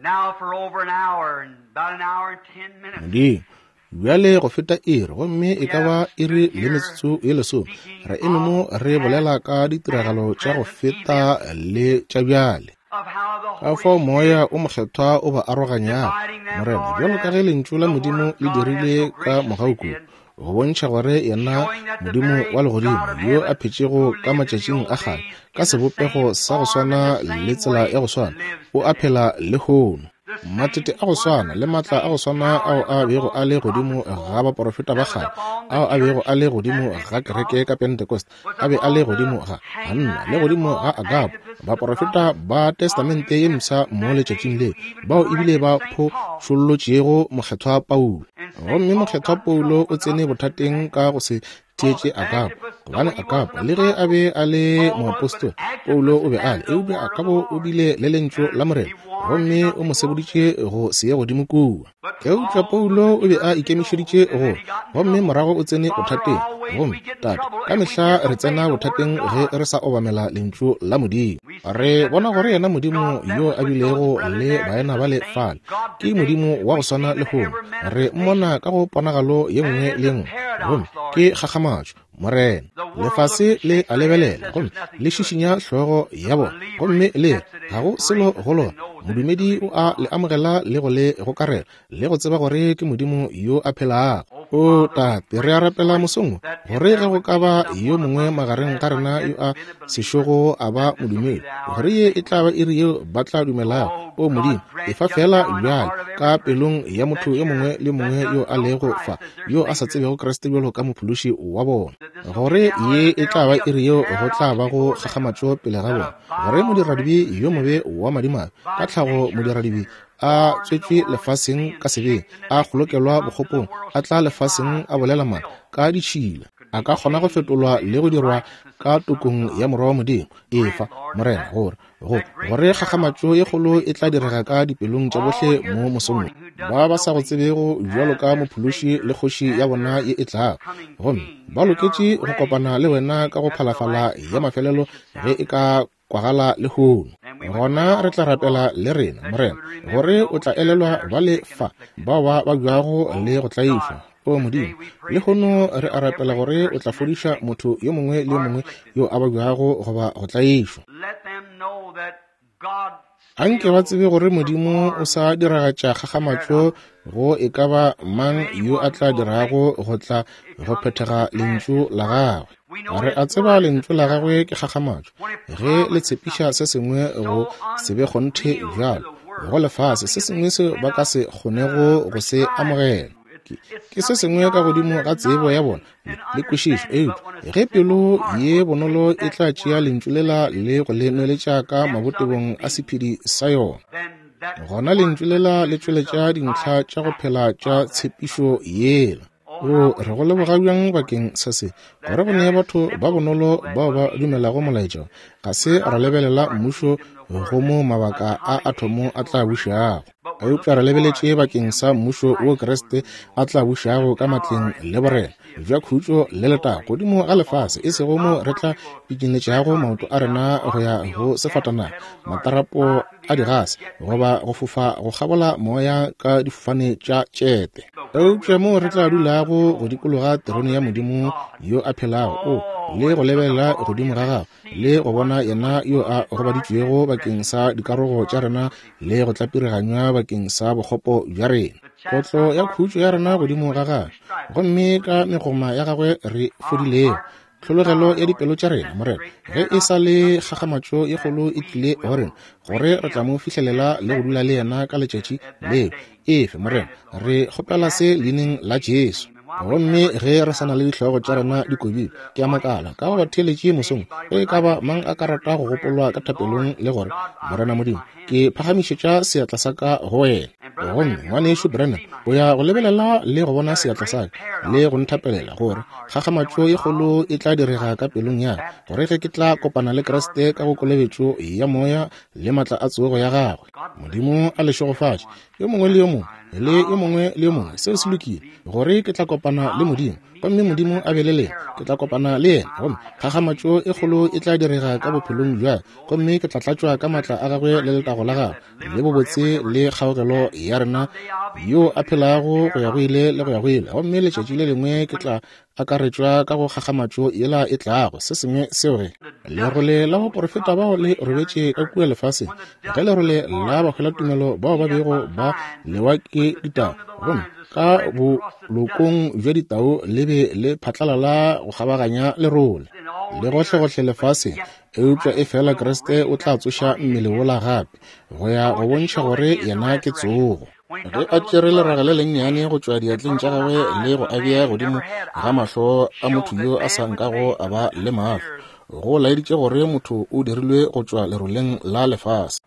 now for over an hour and about an hour and 10 minutes, Modimo, bjale go feta iri, gomme e ka ba iri le metsotso ye lesome, re eme mo re bolela ka ditiragalo tša go feta le tša bjale, of how the ka Holy fao Moya Spirit o Mokgethwa o ba aroganyago, dividing them, Morena, Lord, bjalo ka as ge Lentšu la the Word Modimo of le God has dirile so ka graciously mogau kudu, did, go bontšha gore yena showing that the Modimo very wa legodimo God of yo a heaven phetšego who ka lived in the matšatšing old a kgale days ka in the sebopego same sa go form and swana the le same tsela way ya go swana lives o a today. phela lehono. The Matete same a go swana wonders, le the matla a go same swana power ao that a was bego upon a le the godimo prophets of ga old, baporofeta ba that was kgale, upon the ao a bego church a le at godimo ga kereke Pentecost, ka Pentecost, was a be a le upon the godimo ga Hannah Hanna le and godimo ga upon Agabo, Antipas, the baporofeta prophets ba of the Testamente New ye Mpsha Testament mo that day letšatšing who le, even bao ebile corrected ba St. Paul. phošollotšego Mokgethwa Paulo. And St. Gomme Paul Mokgethwa got in Paulo trouble o for tsene not listening to bothateng that. ka go se For theetše Agabo, Antipas, though gobane he was Agabo, an le ge a apostle, be a le Paul was, but moapostola, Paulo Antipas o be a had le, the eupša word of the Agabo o Lord, bile le lentšu la and Morena, he warned him gomme not o to mo go up seboditše there. go se ye godimo kua. But Eupša Paul Paulo took o be the a purpose to go, ikemišeditše and go, then he got in gomme trouble. morago o tsene Father, bothateng. always Gomme we get in Tate, trouble ka if we mehla re disobey tsena the word of bothateng ge God. re sa obamela lentšu la Modimo. We see Re that the bona gore very yena Modimo God that yo was a with those bilego brethren le there is baena the ba le same fale God ke today. Modimo wa go We see swana him in lehono. every Re mmona manifestation. ka go ponagalo ye And nngwe it le is ye a nngwe, gomme paradox, Lord. ke kgakgamatšo, Morena. The world Lefase looks and le shakes a their head and lebelela says gomme there's nothing le to it. šišinya hlogo The ya bona, believer gomme le re, accepts it ga and go selo embraces go it lona. and knows Modumedi o a le amogela le go le gokarela, le go tseba gore ke Modimo yo a phelago. O Tate, re a rapela mosong wo, gore ge go ka ba yo mongwe magareng ga rena yo a sešogo a ba modumedi, gore ye e tla ba iri yeo ba tla dumelago. O Modimo, efa feela bjale ka pelong ya motho yo mongwe le mongwe yo a lego fa, yo a sa tsebego Kriste bjalo ka Mophološi wa bona, gore ye e tla ba iri yeo go tla ba go kgakgamatšo pele ga bona, gore modiradibe yo mobe wa madimabe, ka tlhago modiradibe, a tswetšwe lefaseng ka sebeng, a kgolokelwa bokgopong, a tla lefaseng a bolela maaka ka ditšhila, a ka kgona go fetolwa le go dirwa ka tokong ya Morwa wa Modimo. Efa, Morena, gore go gore kgakgamatšo ye kgolo e tla direga ka dipelong tša bohle mo mosong wo, ba ba sa go tsebego bjalo ka Mophološi le Kgoši ya bona ye e tlago, gomme ba loketše go kopana le wena ka go phalafala ya mafelelo ge e ka kwagala lehono. Gona re tla rapela le rena, Morena, gore o tla elelwa ba le fa bao ba babjago le go tlaišwa. O Modimo, lehono re a rapela gore o tla fodiša motho yo mongwe le yo mongwe yo a babjago goba go tlaišwa. Anke ba tsebe gore Modimo o sa diragatša kgakgamatšo go e ka ba mang yo a tla dirago go tla go phethega lentšu la gagwe. Re a tseba lentšu la gagwe ke kgakgamatšo ge le tshepiša se sengwe go se be kgonthe bjalo go lefase, se sengwe seo ba ka se kgonego go se amogela. Ke se sengwe ka godimo ga tsebo ya bona le kwešišo, eupša ge pelo ye bonolo e tla tšea lentšu lela le go le nweletša ka mabotebong a sephedi sa yona, gona lentšu lela le tšweletša dintlha tša go phela tša tshepišo yela. O re go leboga bjang bakeng sa se, gore go nee batho ba bonolo bao ba dumelago molaetša. Ga se ra lebelela mmušo go mo mabaka a athomo a tla bušago, eupša re lebeletše bakeng sa mmušo wo Kriste a tla bušago ka matleng le borena bja khutšo le letago godimo ga lefase, e sego mo re tla pikinetšago maoto a rena go ya go sefatanaga, matarapo a digase, goba go fofa go kgabola moya ka difofane tša tšete, eupša moo re tla dulago go dikologa terone ya Modimo yo a phelago, o le go lebelela godimo ga gagwe le go bona yena yo a gobaditšwego bakeng sa dikarogo tša rena le go tlapiriganywa bakeng sa bokgopo bja rena, kotlo ya khutšo ya rena godimo ga gagwe, gomme ka megoma ya gagwe re fodilego. Tlhologelo ya dipelo tša rena, Morena, ge e sa le kgakgamatšo ye kgolo e tlile go rena, gore re tla mo fihlelela le go dula le yena ka letšatši leo. Efe, Morena, re kgopela se leineng la Jesu. Gomme ge re sa na le dihlogo tša rena di kobile, ke a makala ka go batheeletše mosong, ge e ka ba mang a ka rata go gopolwa ka thapelong le gore, Morena Modimo, ke phagamišetša seatla sa ka go wena. Gomme ngwanešu Branham o ya go lebelela le go bona seatla sa ka le go nthapelela, gore kgakgamatšo ye kgolo e tla direga ka pelong ya ka, gore ge ke tla kopana le Kriste ka go kolobetšo ya Moya le matla a tsogo ya gagwe. Modimo a le šegofatše, yo mongwe le yo mongwe le yo mongwe le yo mongwe. Seo se lokile, gore ke tla kopana le Modimo, gomme Modimo a be le lena. Ke tla kopana le yena, gomme kgakgamatšo e kgolo e tla direga ka bophelong bja ka, gomme ke tla tlatšwa ka matla a gagwe le letago la gagwe le bobotse le kgaogelo ya rena yo a phelago go ya go ile le go ya go ile. Gomme letšatši le lengwe ke tla akaretšwa ka go kgakgamatšo yela e tlago, se sengwe seo ge lerole la baporofeta bao le robetše ka kua lefaseng, ge lerole la bahwelatumelo bao ba bego ba lewa ke ditau, gomme ka bolokong bja ditau le be le phatlalala go kgabaganya lerole le gohlegohle lefaseng, eupša efela Kriste o tla tsoša mmele wola gape go ya go bontšha gore yena ke tsogo. Ge a tšere leraga le lennyane go tšwa diatleng tša gagwe le go a bea godimo ga mahlo a motho yo a sa nkago a ba le mahlo, go laeditše gore motho o dirilwe go tšwa leroleng la lefase.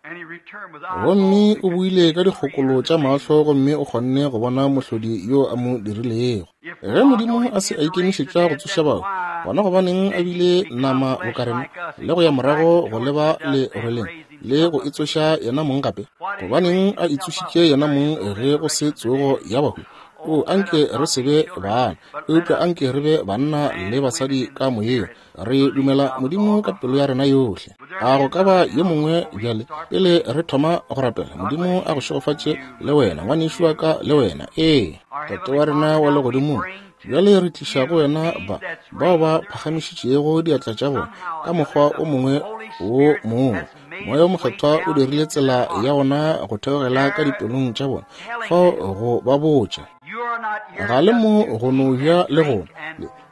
Gomme o buile ka dikgokolo tša mahlo gomme o kgonne go bona mohlodi yo a mo dirilego. Ge Modimo a se a ikemišetša go tsoša bahu, gona gobaneng a bile nama boka rena le go ya morago go leba leroleng le go itsoša yena mong gape? Gobaneng a itsošitše yena mong ge go se tsogo ya bahu? O, anke re se be bana, eupša anke re be banna le basadi ka moyeng. Re dumela Modimo ka pelo ya rena yohle. A go ka ba yo mongwe bjale pele re thoma go rapela? Modimo a go šegofatše le wena, ngwanešu wa ka, le wena. Ee, Tate wa rena wa legodimong, bjale re tliša go wena ba bao ba phagamišitšego diatla tša bona ka mokgwa o mongwe wo mongwe. Moya wo Mokgethwa o dirile tsela ya wona go theogela ka dipelong tša bona, fao go ba botša. Ga le mo go no ja le go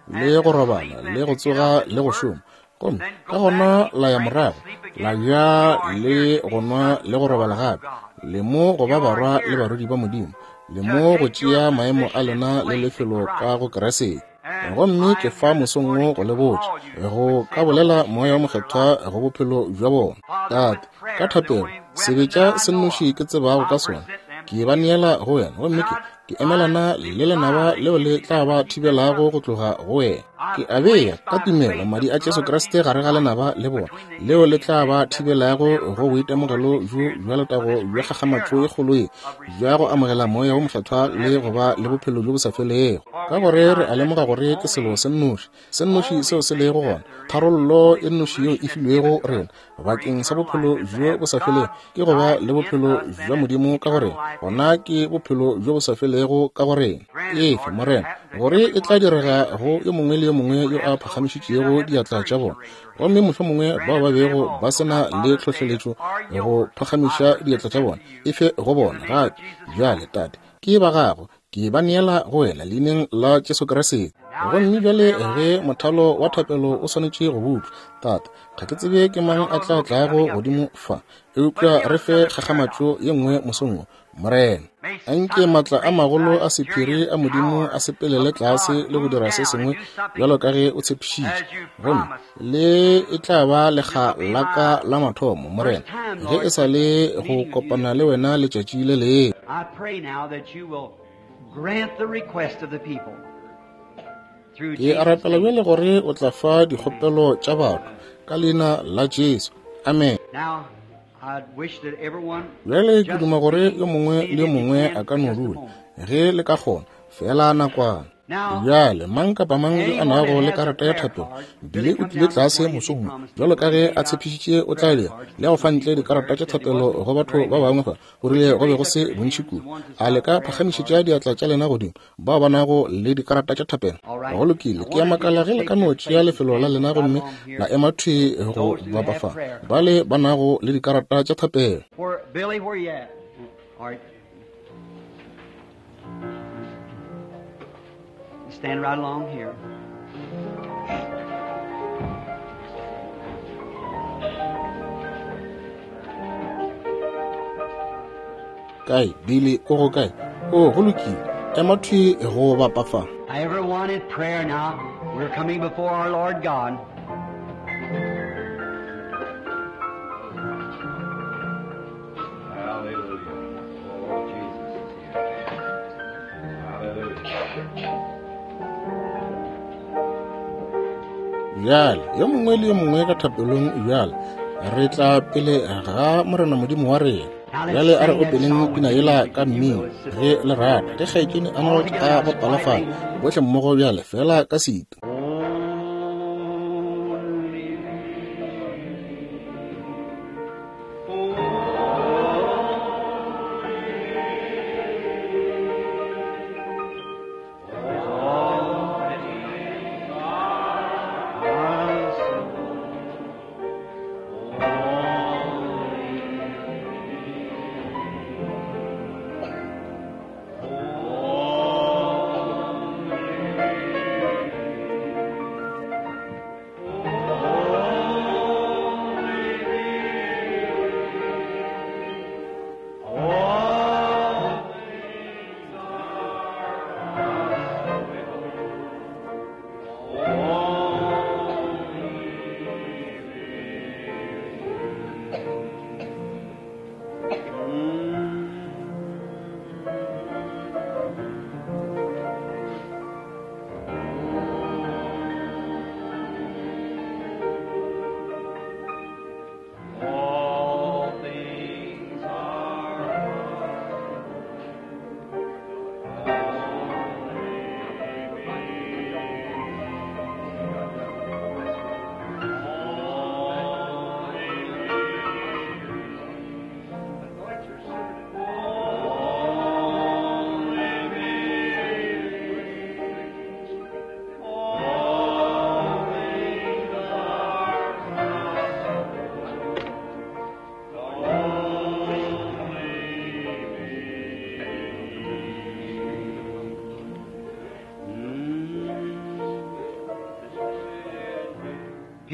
nwa, le go robala, le go tsoga le go šoma, gomme ka gona la ya morago la ja le go nwa le go robala gape. Le mo go ba barwa le barwedi ba Modimo, le mo go tšea maemo a lena le lefelo ka go Kriste. Gomme ke fa mosong wo go le botša, go ka bolela Moya wo Mokgethwa go bophelo bja bona. Tate, ka thapelo, sebetša se nnoši ke tsebago ka sona, ke ba neela go wena, gomme ke emelana le lenaba leo le tla ba thibelago go tloga go wena. Ke a bea ka tumelo madi a Jesu Kriste gare ga lenaba le bona, leo le tla ba thibelago go boitemogelo bjo bja letago bja kgakgamatšo e kgolo ye, bja go amogela Moya wo Mokgethwa le go ba le bophelo bjo bo sa felego. Ka gore re a lemoga gore ke selo se nnoši, se nnoši seo se lego gona, tharollo e nnoši yeo e filwego rena bakeng sa bophelo bjo bo sa felego, ke go ba le bophelo bja Modimo ka go rena. Gona ke bophelo bjo bo sa felego ka go rena. Efe, Morena, gore e tla direga go yo mongwe le yo mongwe yo a phagamišitšego diatla tša bona, gomme mohlomongwe bao ba bego ba se na le tlhohleletšo go phagamiša diatla tša bona, efe go bona gape. Bjale, Tate, ke ba Gago, ke ba neela go wena leineng la Jesu Kriste. Gomme bjale ge mothalo wa thapelo o swanetše go butlwa, Tate, ga ke tsebe ke mang a tla tlago godimo fa, eupša re fe kgakgamatšo ye nngwe mosong wo, Morena. Anke maatla a magolo a sephiri a Modimo a sepelele tlase le go dira se sengwe bjalo ka ge o tshepišitše. Gomme le e tla ba lekga la ka la mathomo, Morena, ge e sa le go kopana le wena letšatši le lengwe. I pray now that you will grant the request of the people. Through Ke a Jesus' rapela name. bjale gore o tla fa dikgopelo tša batho ka leina la Jesu. Amen. Now, I'd wish that everyone Bjale ke just duma gore be yo mongwe le seated yo if you mongwe can a for ka no just a dula moment. ge le ka kgona, fela nakwana. Now, Bjale mang kapa mang yo a anyone nago that le has a karata ya prayer thapelo, card, Billy Billy o come tlile down this tlase morning as he mosong wo, promised bjalo ka he ge would a hand out tshepišitše o tla prayer dira, cards le to go fa some ntle people there. dikarata tša Said there thapelo wasn't go batho very ba many. bangwe fa, o Would rile you go be raise go up se your bontši hands, the kudu. ones that's A le got ka prayer phagamišetša cards? diatla tša lena godimo, bao ba nago le dikarata tša thapelo? All right. Go lokile, I ke a wonder if you makala just ge le take ka no your tšea place and lefelo la stand lena right gomme along la here. ema thwi go Those who bapa have fa, prayer ba cards. le ba nago le dikarata tša thapelo. Where, Billy, where you at? All right. Stand right along here. Kae, Billy, o go kae? O, go lokile. Ema thwi go bapa fa. Now, everyone in prayer now. We're coming before our Lord God. Hallelujah. Oh, Jesus is here. Hallelujah. Bjale, yo mongwe le yo mongwe ka thapelong bjale, re tla pele ga Morena Modimo wa rena. Now let's Bjale a re sing that opeleng song with pina the yela music ka if you mmino will. It's ge le rata, ge kgaetšedi all Arnold together a now, just bapala fa, quietly. bohle mmogo bjale fela ka setu. Only, only.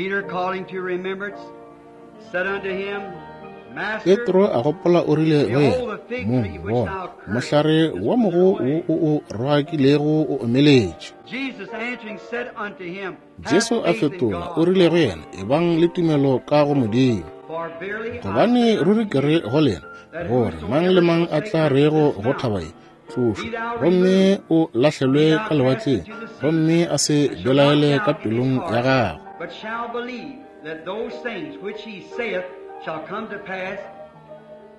Peter calling to remembrance said unto him, Master, Petro a gopola o rile go yena, Mong, bona, mohlare wa mogo wo o o roakilego o omeletše. Jesus answering said unto him, Have Jesu a faith in fetola God. o rile go yena, Ebang le tumelo ka go Modimo. For verily I Gobane say ruri unto ke re you, go lena, gore mang le mang a tla rego go thaba ye, tlošwa, gomme o lahlelwe ka lewatleng, gomme a se belaele ka pelong ya gagwe. but shall believe that those things which he saith shall come to pass,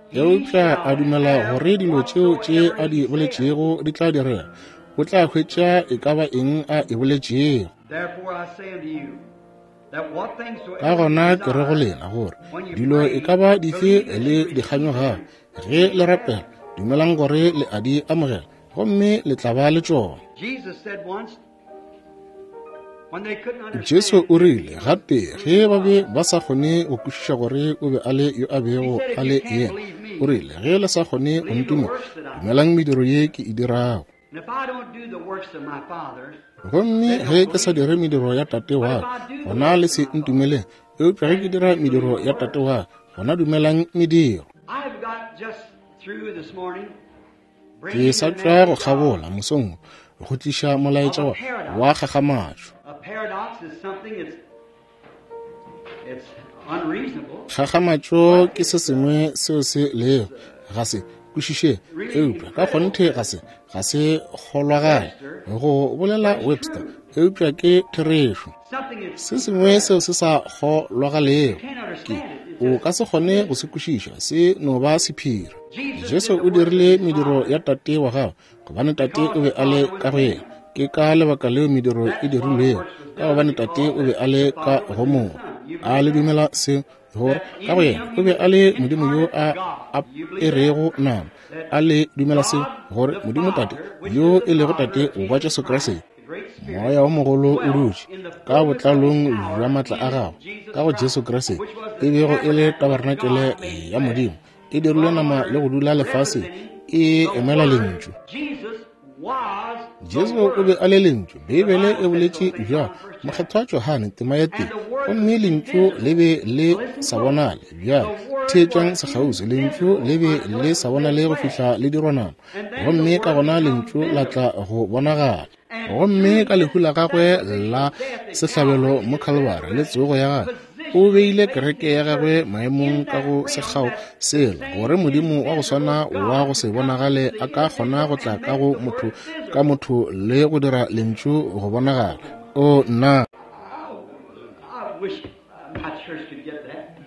he Eupša shall a dumela have gore dilo tšeo tše a whatsoever di he saith. boletšego di tla direga, o tla hwetša e ka ba eng a e boletšego. Therefore I say unto you, that what things Ka soever you gona ke re go desire, lena gore when you dilo e pray, ka ba dife believe that le you di receive kganyogago, them, ge le rapela, dumelang gore le a di amogela, gomme le tla ba le tšona. Jesus said once, when they couldn't Jesu understand o rile gape ge ba be ba sa kgone go kwešiša gore o be a le yo a bego a le yena, o rile ge le sa kgone go ntumela, dumelang mediro ye ke e dirago. And if I don't do the works of my Father, Gomme ge ke sa dire mediro ya tate wa ka, gona le se ntumeleng, eupša ge ke dira mediro ya tate wa ka, gona dumelang mediro. I've got just through this morning Ke bringing sa the tšwa go message of kgabola mosong wo, go tliša molaetša wa wa kgakgamatšo. a paradox is something that's it's unreasonable. Kgakgamatšo ke se sengwe seo se lego ga se kwešiše, eupša ka kgonthe ga se ga se kgolwagale go bolela Webster, eupša ke therešo. Something that's Se sengwe seo se sa kgolwagalego can't ke understand it. It's o just ka se kgone go se kwešiša, se no ba sephiri. Jesus Jesu did the o works of dirile his mediro Father ya tate wa gagwe, gobane tate because o be the a le Father ka was go in yena. him. Ke ka lebaka leo mediro e That's why the dirilwego, works was ka done gobane tate because o be a the le ka Father go was in the Morwa. Son. You A believe le that? dumela seo gore That ka go in yena him o he be was a le Modimo yo incarnate a God. You believe that? aperego nama. That A le dumela seo God gore the Modimo Tate Father, which yo is e the lego Father Tate of wa Jesus Jesu Christ, Kriste, the great Spirit, Moya o mogolo o dwelt dutše in the ka fullness of his botlalong power bja maatla a in gagwe Jesus ka go Christ, Jesu Kriste, which was e the bego e le tabernacle of tabarenakele God made ya flesh, Modimo, e dirilwe nama le go dula lefaseng, representing e the emela Word. lentšu. Jesus was the Jesu o be Word. a le lentšu. The Beibele Bible e said so, boletše St. bjalo, John, first chapter. Mokgethwa Johane tema ya And tee, the Word gomme was lentšu le invisible. be le Listen sa close. bonale. Bjale The Word theetšang was sekgauswi, lentšu invisible le be until le it sa was made bonale go flesh. fihla le dirwa nama, And then the gomme ka Word gona become lentšu la visible. tla go bonagala. And Gomme through ka his lehu la gagwe sacrificial la death at sehlabelo Calvary mo and his Khalibari le resurrection, tsogo ya gagwe, o positioned beile his kereke ya church gagwe in maemong ka that go realm, sekgao that sela, same gore Modimo wa go invisible swana wa God go se could come bonagale to a the ka kgona individual go tla and ka make go the motho Word ka visible. motho le go dira lentšu go bonagala. O nna Oh, I wish my church could get that.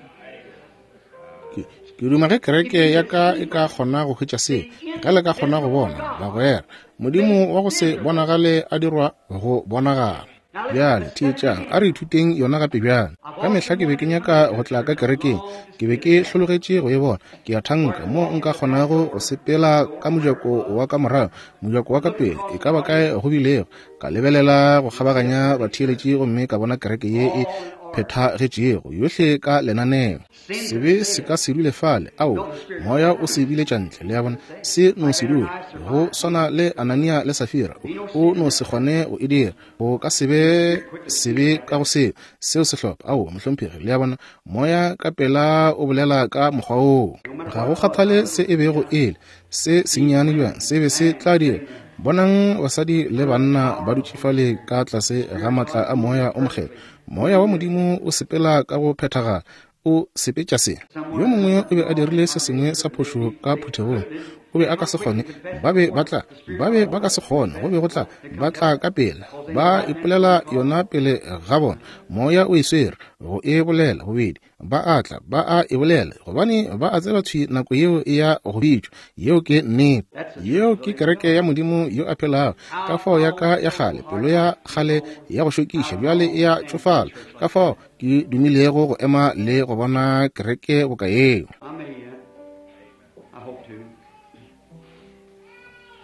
ke ke duma ge If kereke you ya could ka see e ka kgona go hwetša seo, the ge le ka kgona go invisible bona God bagwera Modimo made wa go se visible. bonagale a dirwa go bonagala. Now let's, Bjale let's study it theetšang, a again. re ithuteng yona gape bjale. I've Ka mehla often ke be wanted ke to come nyaka into go a tla ka church. I've kerekeng, longed to ke see be a ke church hlologetše go e bona. Ke a where I thanka could mo walk in nka the back kgonago door go sepela ka mojako wa ka morago, mojako wa ka and look pele, across e the ka ba kae audience go bilego, ka lebelela go and see a kgabaganya perfect church, batheeletši gomme ka bona kereke ye e all in order. phethagetšego yohle ka lenaneo. Sin Sebe se ka themselves. se dule fale, No, ao the Spirit moya cast o out. se biletša ntle, le a bona, Say, se no like se dule. Ananias Go survived. swana le Anania le Safira, Be no o sin in no that. se kgone go e dira, go ka se be Spirit quickly sebe sees ka go that. seo seo sehlopha. Ao mohlomphegi, le a bona, moya ka pela o bolela ka mokgwa woo. No matter Ga what go it was, kgathale I se little e bego child. e le se sennyane bjang, se be se Man tla dira. sitting there Bonang basadi le under the banna power ba of the dutše Holy fale Spirit. ka tlase ga Spirit maatla God a moving moya o mokgethwa. perfectly Moya wa through them. Modimo o sepela ka go phethagala, o sepetša se. Yo Someone done mongwe o something be a wrong in dirile the se sengwe congregation, sa couldn't phošo they, ka they phuthegong, couldn't, o be they a ka come se quick kgone, to confess ba be before ba tla, the Spirit ba be called ba ka them se kgone, go to be go tla, confess, ba tla ka pela, because they knew ba right then and ipolela there called. yona pele ga bona. Moya o e swere go e bolela bobedi, ba a tla, ba a e bolela, gobane ba a tseba thwi nako yeo e ya go bitšwa. Yeo ke nnete. That's the church Yeo of the ke living kereke God. ya Modimo yo a phelago. Ka How fao ya I ka want ya so kgale, pelo hard ya not to kgale know ya go šokiša how bjale long e ya to stand in a tšofala. church Ka like fao that. ke dumilego go ema le go bona kereke boka yeo. I may yet. I hope to.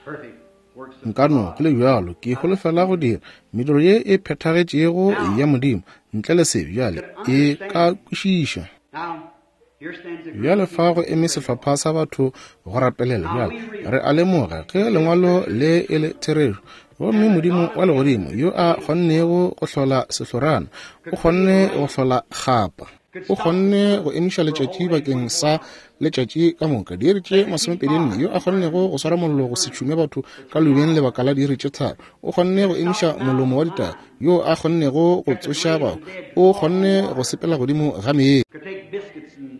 Perfect works of Nka no God. go le bjalo, ke holofela go dira mediro ye e phethagetšego ya Now, Modimo ntle le sebe bjale could e ka understand. kwešiša. Now, here stands a group Bjale of fa people go to eme pray for. sehlopha sa batho go rapelela. Now Bjale we re a realize lemoga ge this lengwalo scripture le e le therešo Gomme Modimo wa Legodimo, yo a kgonnego go hlola sehlorana, o kgonne go hlola kgapa, o kgonne go emiša letšatši bakeng sa letšatši ka moka, diiri tše 24, yo a kgonnego go swara mollo go se tšhume batho ka leubeng lebaka la diiri tše 3, o kgonne go emiša molomo wa ditau, yo a kgonnego go tsoša bahu, o kgonne go sepela godimo ga meetse,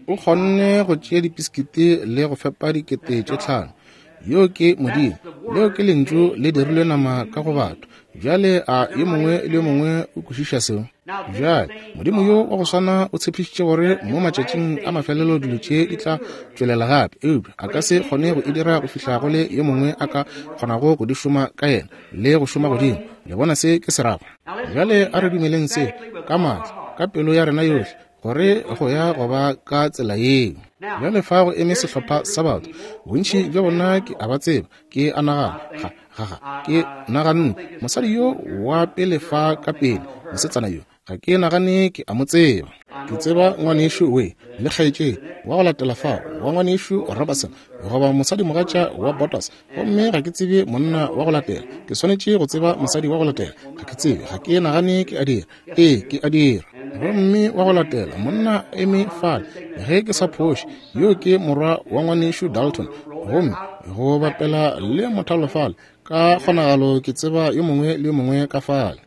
o kgonne go tšea dipiskiti le go fepa 5,000. Yo ke Modimo. Leo ke Lentšu le dirilwe nama ka go batho. Bjale a yo mongwe le yo mongwe o kwešiša seo? Bjale Modimo yo wa go swana o tshepišitše gore mo matšatšing a mafelelo dilo tše di tla tšwelela gape, eupša a ka se kgone go e dira go fihla go le yo mongwe a ka kgonago go di šoma ka yena le go šoma godimo. Le bona se ke se rago? Bjale a re dumeleng se ka maatla, ka pelo ya rena yohle, gore go ya go ba ka tsela yeo. Bjale fa go eme sehlopha sa batho, bontši bja bona ke a ba tseba, ke a nagana, ga, ga, ga, ke naganne, mosadi yo wa pele fa ka pele, mosetsana yo, ga ke nagane ke a mo tseba. Ke tseba ngwanešu we le kgaetšedi wa go latela fao, wa ngwanešu Robertson, goba mosadimogatša wa Bottas, gomme ga ke tsebe monna wa go latela. Ke swanetše go tseba mosadi wa go latela. Ga ke tsebe, ga ke nagane ke a dira. Ee, ke a dira. Gomme wa go latela, monna eme fale, ge ke sa phoše, yo ke morwa wa ngwanešu Dalton, gomme go bapela le mothalo fale, ka kgonagalo ke tseba yo mongwe le yo mongwe ka fale.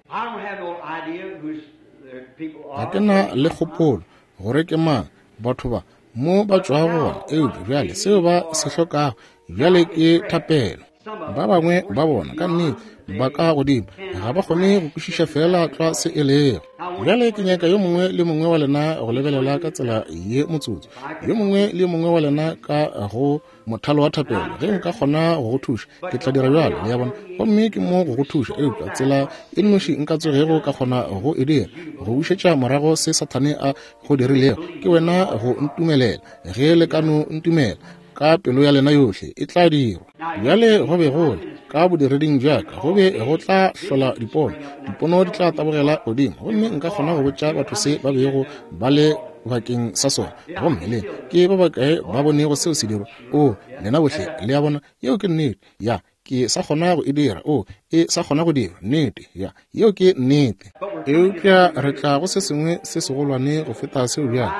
Ga ke na le kgopolo gore ke mang batho ba mo ba tšwago gona, eupša bjale seo ba se hlokago bjale ke thapelo. Ba bangwe ba bona ka nnete ba ka godimo ga ba kgone go kwešiša feela tlwa se e lego. Bjale ke nyaka yo mongwe le mongwe wa lena go lebelela ka tsela ye motsotso, yo mongwe le yo mongwe wa lena ka go mothalo wa thapelo. Ge nka kgona go go thuša, ke tla dira bjalo, le ya bona, gomme ke mo go go thuša. Eupša tsela e nnoši nka tsogego ka kgona go e dira, go bušetša morago se Sathane a go dirilego, ke wena go ntumelela. Ge le ka no ntumela ka pelo ya lena yohle, e tla dirwa. Bjale go be go le ka bodireding bjaka, go be go tla hlola dipono, dipono di tla tabogela godimo, gomme nka kgona go botša batho se ba bego ba le bakeng sa sona. Gomme le ke ba bakae ba bonego seo se dirwa? O, lena bohle le a bona, yeo ke nnete. Ya, ke sa kgona go e dira. O, e sa kgona go dira. Nnete, ya, yeo ke nnete. Eupša re tla go se sengwe se segolwane go feta seo bjale.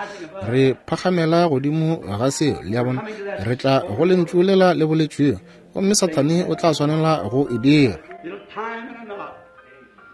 Re phagamela godimo ga seo, le a bona. Re tla go lentšu lela le boletšwego, gomme Sathane o tla swanela go e dira.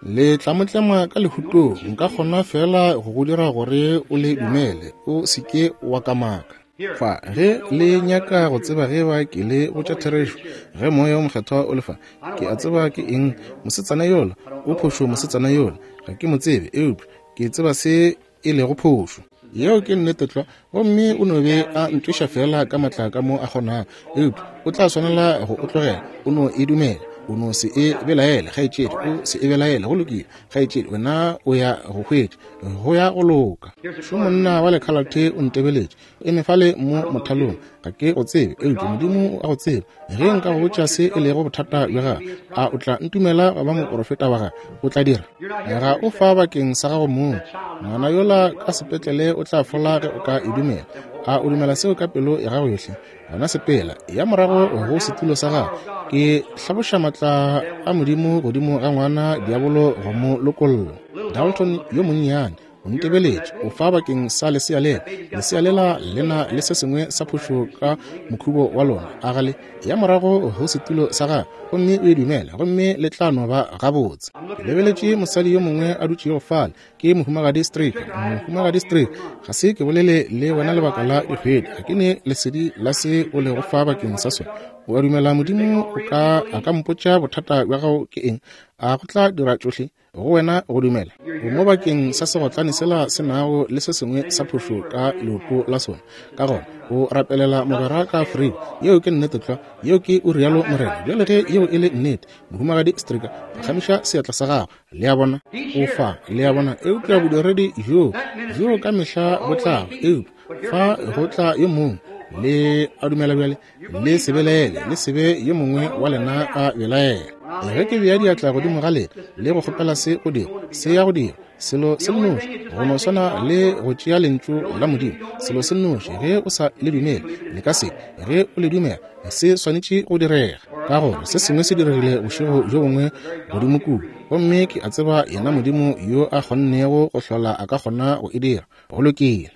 Le tla mo tlema ka lehutong. Nka kgona fela go go dira gore o le dumele, o se ke wa kamaka. Fa, ge le nyaka go tseba ge ba ke le botša therešo, ge Moya o Mokgethwa o le fa, ke a tseba ke eng. Mosetsana yola o phošo, mosetsana yola ga ke mo tsebe, eupša ke tseba se e lego phošo. Yeo ke nnete tlwa. Gomme o no be a ntweša fela ka matla ka mo a kgonago, eupša o tla swanela go o tlogela. O no e dumela, o no se e belaele, kgaetšedi, o se e belaele. Go lokile, kgaetšedi, wena o ya go hwetša, go ya go loka. Šo monna wa lekhalathe o ntebeletše, eme fale mo mothalong. Ga ke go tsebe, eupša Modimo o a go tseba. Ge nka go botša se e lego bothata bja gago, a o tla ntumela go ba moporofeta wa gagwe? O tla dira. Ga o fa bakeng sa gago mong. Ngwana yola ka sepetlele o tla fola ge o ka e dumela. A o dumela seo ka pelo ya gago yohle? Gona sepela, ya morago go setulo sa gago. Ke hlaboša matla a Modimo godimo ga ngwana diabolo go mo lokolla. Dalton yo monnyane o ntebeletše, o fa bakeng sa lesea lela. Lesea lela le na le se sengwe sa phošo ka mokhubo wa lona. A ga le? Ya morago go setulo sa gago, gomme o e dumela, gomme le tla no ba gabotse. Ke lebeletše mosadi yo mongwe a dutšego fale, ke Mohumagadi Stricker. Mohumagadi Stricker, ga se ke bolele le wena lebaka la dikgwedi, ga ke ne lesedi la se o lego fa bakeng sa sona. O a dumela Modimo o ka, a ka mpotša bothata bja gago ke eng? A go tla dira tšohle go wena go dumela? O mo bakeng sa segotlane sela se nago le se sengwe sa phošo ka leoto la sona. Ka gona o rapelela mogwera ka Afrika. Yeo ke nnete tlwa. Yeo ke o rialo Morena. Bjale ge yeo e le nnete, Mohumagadi Stricker, phagamiša seatla sa gago. Le a bona, o fa, le a bona. Eupša bodiredi bjo, bjo ka mehla bo tlago, eupša fa go tla yo mongwe. Le a dumela bjale? Le se belaele, le se be yo mongwe wa lena a belaela. Ge ke bea diatla godimo ga lena le go kgopela se go dira, se ya go dira. Selo se nnoši, go no swana le go tšea Lentšu la Modimo, selo se nnoši, ge o sa le dumele, le ka se. Ge o le dumela, se swanetše go direga, ka gore se sengwe se diregile bošego bjo bongwe godimo kua, gomme ke a tseba yena Modimo yo a kgonnego go hlola a ka kgona go e dira. Go lokile.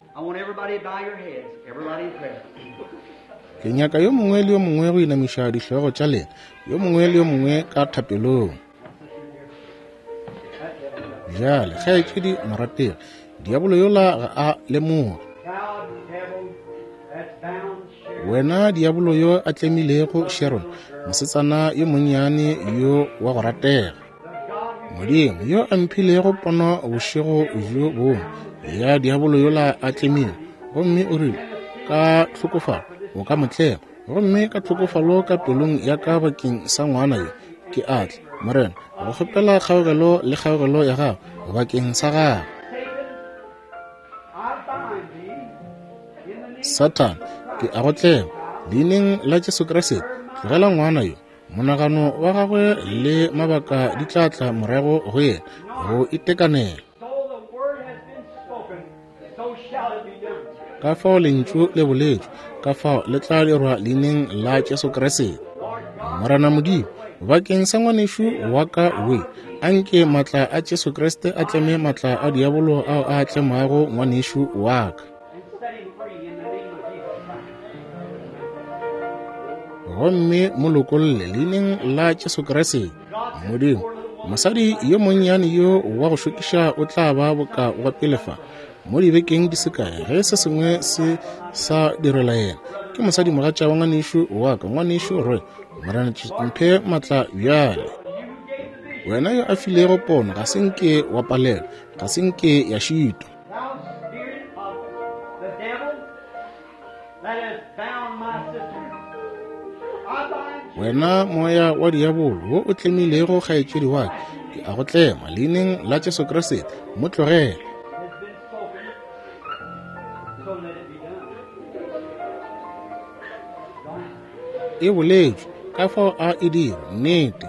Ke nyaka yo mongwe le yo mongwe go inamiša dihlogo tša lena, yo mongwe le yo mongwe ka thapelong. Bjale, kgaetšedi morategi, diabolo yola ga a lemoge. Wena diabolo yo a tlemilego Sharon, mosetsana yo monnyane yo wa go ratega. Modimo yo a mphilego pono bošego bjo bongwe ya diabolo yola a tlemile, gomme o rile, ka tlhokofalo o ka mo tlema, gomme ka tlhokofalo ka pelong ya ka bakeng sa ngwana yo, ke a tla, Morena, go kgopela kgaogelo le kgaogelo ya gago bakeng sa gago. Sathane, ke a go tlema, leineng la Jesu Kriste, tlogela ngwana yo. Monagano wa gagwe le mabaka di tla tla morago go yena go itekanela. Ka fao lentšu le boletšwe, ka fao le tla dirwa leineng la Jesu Kriste. Morena Modimo, bakeng sa ngwanešu wa ka we, anke matla a Jesu Kriste a tleme matla a diabolo ao a tlemago ngwanešu wa ka. Gomme mo lokolle leineng la Jesu Kriste. Modimo, mosadi yo monnyane yo wa go šokiša o tla ba boka wa pele fa mo dibekeng di se kae, ge se sengwe se sa direla yena. Ke mosadi mogatša wa ngwanešu wa ka, ngwanešu Roy. Morena, mphe matla bjale. Wena yo a filego pono, ga se nke wa palelwa, ga se nke ya šitwa. Wena moya wa diabolo wo o tlemilego kgaetšedi wa ka, ke a go tlema leineng la Jesu Kriste, mo tlogele. E boletšwe, ka fao a e dira, nnete.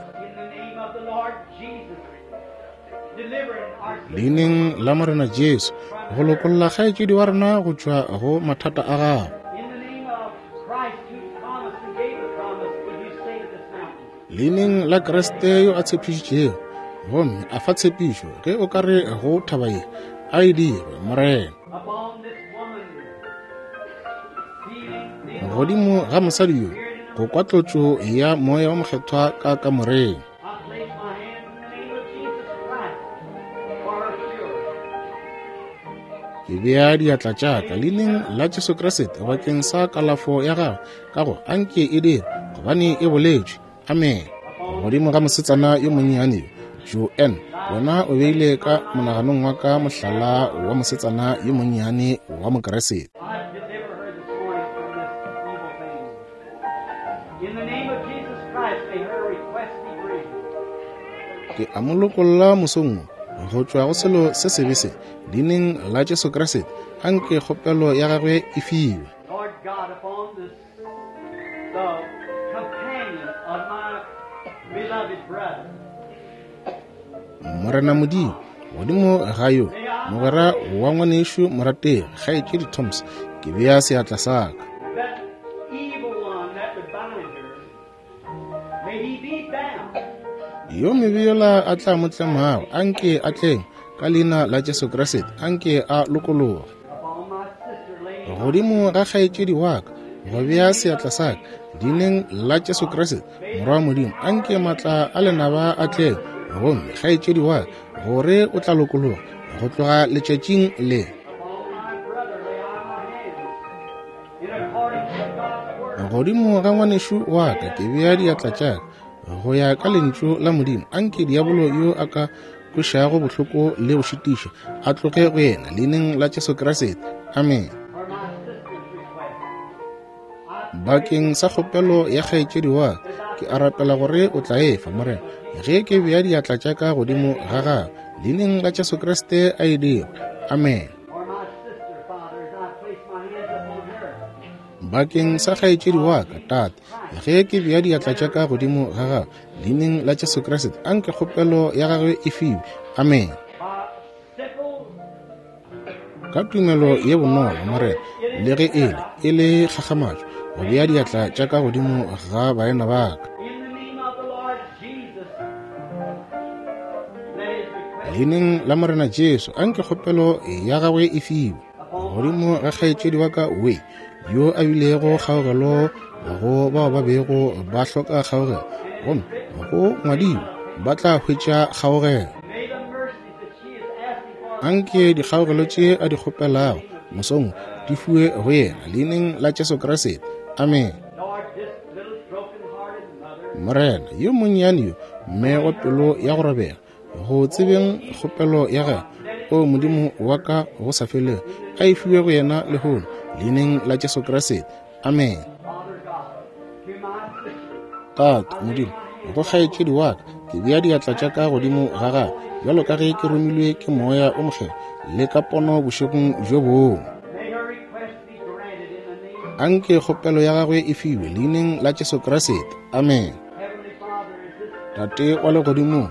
Leineng la Morena Jesu, go lokolla kgaetšedi wa rena go tšwa go mathata a gago. Leineng la Kriste yo a tshepišitšego gomme a fa tshepišo, ge o ka re go thaba ye, a e dirwe, Morena. Godimo ga mosadi yo, go kwa tlotšo ya Moya wa Mokgethwa ka kamoreng. Ke bea diatla tša ka leineng la Jesu Kriste bakeng sa kalafo ya gagwe, ka go anke e dire, gobane e boletšwe. Amen. Godimo ga mosetsana yo monnyane yo, Joanne, wena o beile ka monaganong wa ka mohlala wa mosetsana yo monnyane wa Mokriste. Ke a mo lokolla mosong wo go tšwa go selo se sebe se, leineng la Jesu Kriste, anke kgopelo ya gagwe e fiwe. Morena Modimo, godimo ga yo mogwera wa ngwanešu morategi kgaetšedi Thomas, ke bea seatla sa ka. Yo mebe yola a tla mo tlemago, anke a tleng ka leina la Jesu Kriste, anke a lokologe. Godimo ga kgaetšedi wa ka, go bea seatla sa ka, leineng la Jesu Kriste, Morwa wa Modimo, anke matla a lenaba a tleng, gomme kgaetšedi wa ka, gore o tla lokologa go tloga letšatšing le. Godimo ga ngwanešu wa ka ke bea diatla tša ka, go ya ka lentšu la Modimo, anke diabolo yo a ka kwešago bohloko le go šitiša a tloge go yena, leineng la Jesu Kriste. Amen. Bakeng sa kgopelo ya kgaetšedi wa ka, ke a rapela gore o tla e fa, Morena, ge ke bea diatla tša ka godimo ga gagwe, leineng la Jesu Kriste a e dire. Amen. Bakeng sa kgaetšedi wa ka, Tate, ge ke bea diatla tša ka godimo ga gagwe, leineng la Jesu Kriste, anke kgopelo ya gagwe e fiwe. Amen. Ka tumelo ye bonolo, Morena, le ge e le, e le kgakgamatšo, go bea diatla tša ka godimo ga baena ba ka. Leineng la Morena Jesu, anke kgopelo ya gagwe e fiwe. Godimo ga kgaetšedi wa ka we, yo a bilego kgaogelo go bao ba bego ba hloka kgaogelo, gomme go ngwadilwe, ba tla hwetša kgaogelo. Anke dikgaogelo tše a di kgopelago mosong di fiwe go yena, leineng la Jesu Kriste. Amen. Morena, yo monnyane yo, mme wa pelo ya go robega, go tsebeng kgopelo ya gagwe, o Modimo wa ka go sa felego, a e fiwe go yena lehono, leineng la Jesu Kriste. Amen. Tate Modimo, go kgaetšedi wa ka, ke bea diatla tša ka godimo ga gagwe, bjalo ka ge ke romilwe ke Moya o Mokgethwa le ka pono bošegong bjo bongwe. Anke kgopelo ya gagwe e fiwe leineng la Jesu Kriste. Amen. Tate wa legodimong,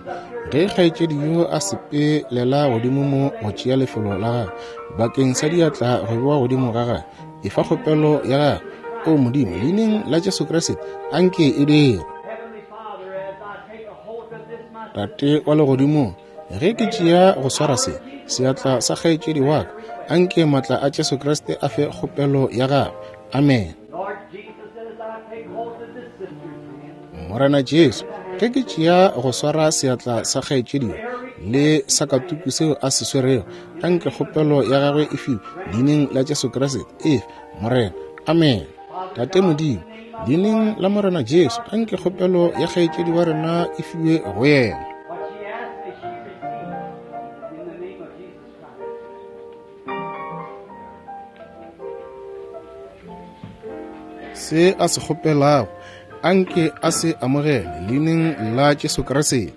ge kgaetšedi yo a sepelela godimo mo go tšea lefelo la gagwe bakeng sa diatla go bewa godimo ga gagwe, efa kgopelo ya gagwe, o Modimo, leineng la Jesu Kriste, anke e dire. Tate wa legodimong, ge ke tšea go swara se seatla sa kgaetšedi wa ka, anke maatla a Jesu Kriste a fe kgopelo ya gagwe. Amen. Morena Jesu, ge ke tšea go swara seatla sa kgaetšedi le sa katuku seo a se swerego, anke kgopelo ya gagwe e fiwe leineng la Jesu Kriste. Efe, Morena. Amen. Tate Modimo, leineng la Morena Jesu, anke kgopelo ya kgaetšedi wa rena e fiwe go yena. Se a se kgopelago, anke a se amogele leineng la Jesu Kriste.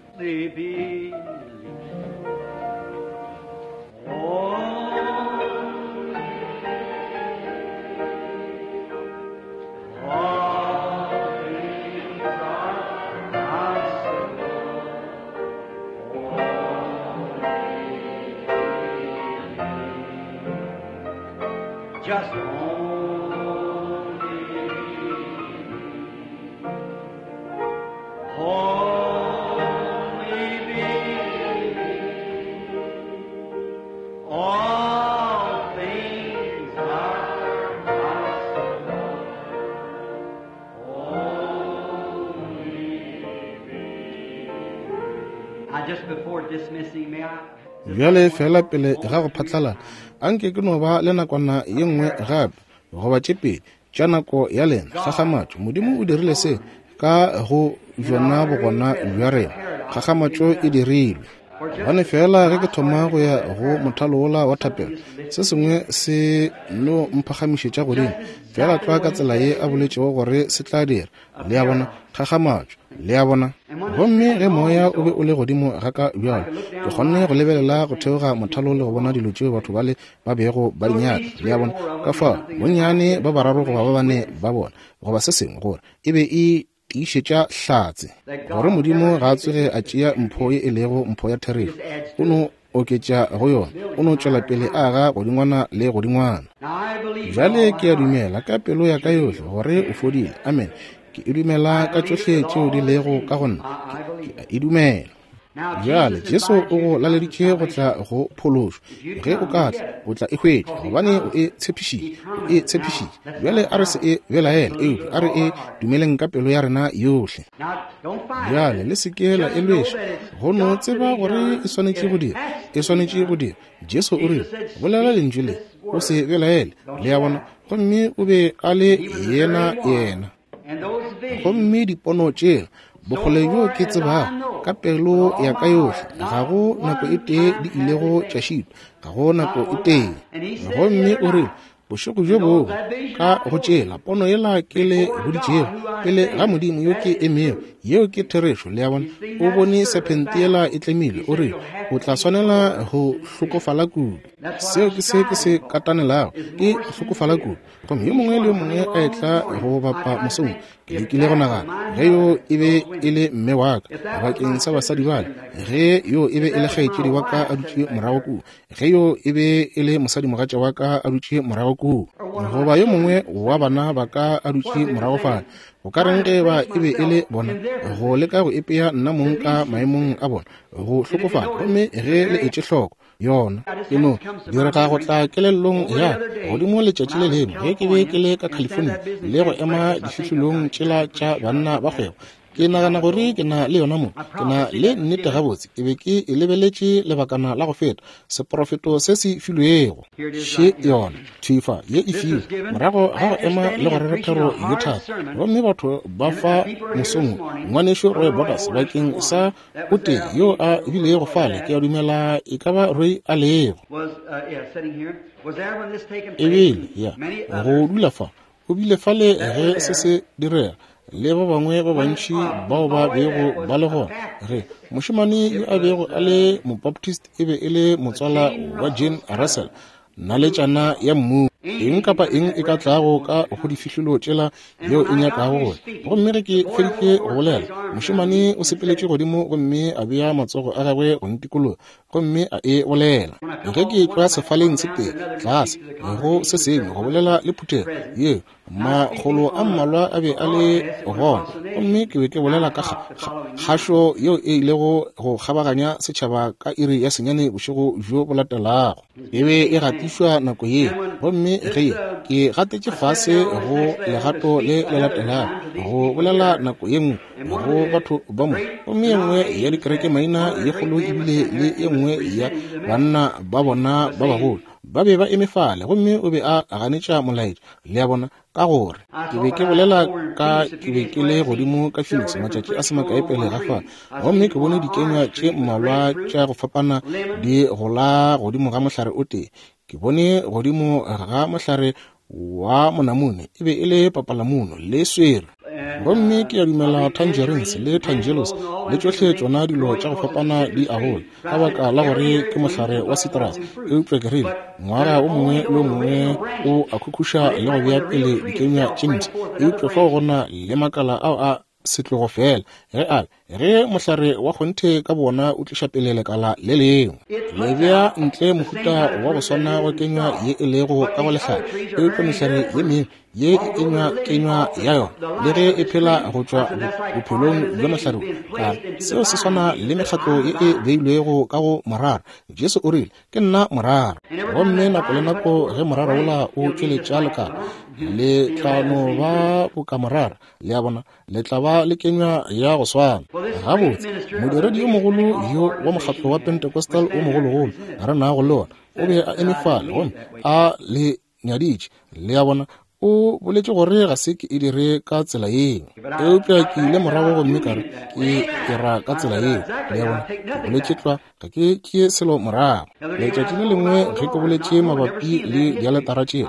Just only believe all things are possible. Only believe. I just before dismissing, may I? Bjale fela pele ga go phatlalala, anke ke no ba le nakwana ye nngwe gape goba tše pedi tša nako ya lena. Kgakgamatšo, Modimo o dirile se ka go bjona bogona bja rena. Kgakgamatšo e dirilwe. Gobane fela ge ke thoma go ya go mothalo wola wa thapelo, se sengwe se no mphagamišetša godimo, fela tlwa ka tsela ye a boletšego gore se tla dira. Le a bona? Kgakgamatšo. Le a bona? Gomme ge moya o be o le godimo ga ka bjalo, ke kgonne go lebelela go theoga mothalo le go bona dilo tšeo batho bale ba bego ba di nyaka. Le a bona? Ka fao, bonnyane ba bararo goba ba bane ba bona, goba se sengwe, gore e be e tiišetša hlatse gore Modimo ga a tsoge a tšea mpho ye e lego mpho ya therešo, o no oketša go yona, o no tšwela pele a aga godingwana le godingwana. Bjale ke a dumela ka pelo ya ka yohle gore o fodile. Amen. Ke e dumela ka tšohle tšeo di lego ka go nna. Ke a e dumela. Bjale Jesu o go laleditše go tla go phološo. Ge o ka tla, o tla e hwetša, gobane o e tshepišitše. O e tshepišitše. Bjale a re se e belaele, eupša a re e dumeleng ka pelo ya rena yohle. Bjale le se ke la e lweša, go no tseba gore e swanetše go dira. E swanetše go dira. Jesu o rile, bolela lentšu le, o se belaele. Le a bona? Gomme o be a le yena yena. Gomme dipono tšela, bokgole bjo ke tsebago ka pelo ya ka yohle, ga go nako e tee di ilego tša šitwa, ga go nako e tee. Gomme o rile, Bošego bjo bongwe, ka go tšela pono yela ke le boditšego, pele ga Modimo yo ke emego, yeo ke therešo, le a bona, o bone sephente yela e tlemilwe, o rile, O tla swanela go hlokofala kudu. Seo ke se ke se katanelago, ke go hlokofala kudu. Gomme yo mongwe le yo mongwe a etla go bapa mosong, ke lekile go nagana, ge yo e be e le mme wa ka, bakeng sa basadi bale, ge yo e be e le kgaetšedi wa ka a dutše morago kua, ge yo e be e le mosadimogatša wa ka a dutše morago kua, goba yo mongwe wa bana ba ka a dutše morago fale, go ka reng ge ba e be e le bona, go leka go ipea nna mong ka maemong a bona, go hlokofala. Gomme ge le etše hloko yona e no direga go tla kelellong ya godimo letšatši le lengwe ge ke be ke le ka California le go ema difihlolong tšela tša banna ba kgwebo. Ke nagana gore ke na le yona mo. Ke na le nnete gabotse. Ke be ke e lebeletše lebakana la go feta, seprofeto se se filwego. Še yona, thwi fa, ye e filwe, morago ga go ema le go rera thero ye thata. Gomme batho ba fa mosong wo, Ngwanešu Roy Borders, bakeng sa o tee yo a bilego fale, ke a dumela e ka ba Roy a lego. Ebile, ya, go dula fa, O bile fale ge se se direga, le ba bangwe ba bantši bao ba bego ba le gona. Ge mošemane yo a bego a le Mobaptist e be e le motswala wa Jane Russell, naletšana ya mmu, eng kapa eng e ka tlago ka go difihlolo tšela yeo e nyakago gore. Gomme ge ke feditše go bolela, mošemane o sepeletše godimo gomme a bea matsogo a gagwe go ntikologa, gomme a e bolela. Ge ke etšwa sefaleng se tee tlase go se sengwe go bolela le phuthego yeo, makgolo a mmalwa a be a le gona, gomme ke be ke bolela ka kgašo yeo e ilego go kgabaganya setšhaba ka iri ya senyane bošego bjo bo latelago. E be e gatišwa nako yeo, gomme ge ke gatetše fase go legato le le latelago go bolela nako ye nngwe go batho ba mo, gomme ye nngwe ya dikerekemaina ye kgolo ebile le ye nngwe ya banna ba bona ba bagolo ba be ba eme fale, gomme o be a ganetša molaetša, le a bona, ka gore ke be ke bolela ka, ke be ke le godimo ka Phoenix matšatši a se makae pele ga fa, gomme ke bone dikenywa tše mmalwa tša go fapana di gola godimo ga mohlare o tee. Ke bone godimo ga mohlare wa monamune e be e le papalamuno le swere, gomme ke a dumela tangerines le tangelos le tšohle tšona dilo tša go fapana di a gola ka baka la gore ke mohlare wa citrus. Eupša ke rile, ngwaga o mongwe le o mongwe o a khukhuša le go bea pele dikenywa tše mpsha, eupša fao go na le makala ao a setlogo feela ge a ge mohlare wa kgonthe ka bona o tliša pele lekala le lengwe, le bea ntle mohuta wa go swana wa kenywa ye e lego ka go lehlare, eupša mehlare ye mengwe ye e enywa kenywa ya yona le ge e phela go tšwa bophelong bja mohlare wo. Ka seo se swana le mekgatlo ye e beilwego ka go morara. Jesu o rile, Ke nna morara. Gomme nako le nako ge morara wola o tšweletša lekala, le tla no ba boka morara, le a bona, le tla ba le kenywa ya go swana. Gabotse, modiredi yo mogolo yo wa mokgatlo wa Pentecostal o mogologolo re nago le ona, o be a eme fale gomme a le nyaditše, le a bona, o boletše gore ga se ke e dire ka tsela yeo. Eupša ke ile morago gomme ka re, Ke e ra ka tsela yeo, le a bona, ke boletše tlwa, ga ke tšee selo morago. Letšatši le lengwe ge ke boletše mabapi le dialetara tšeo,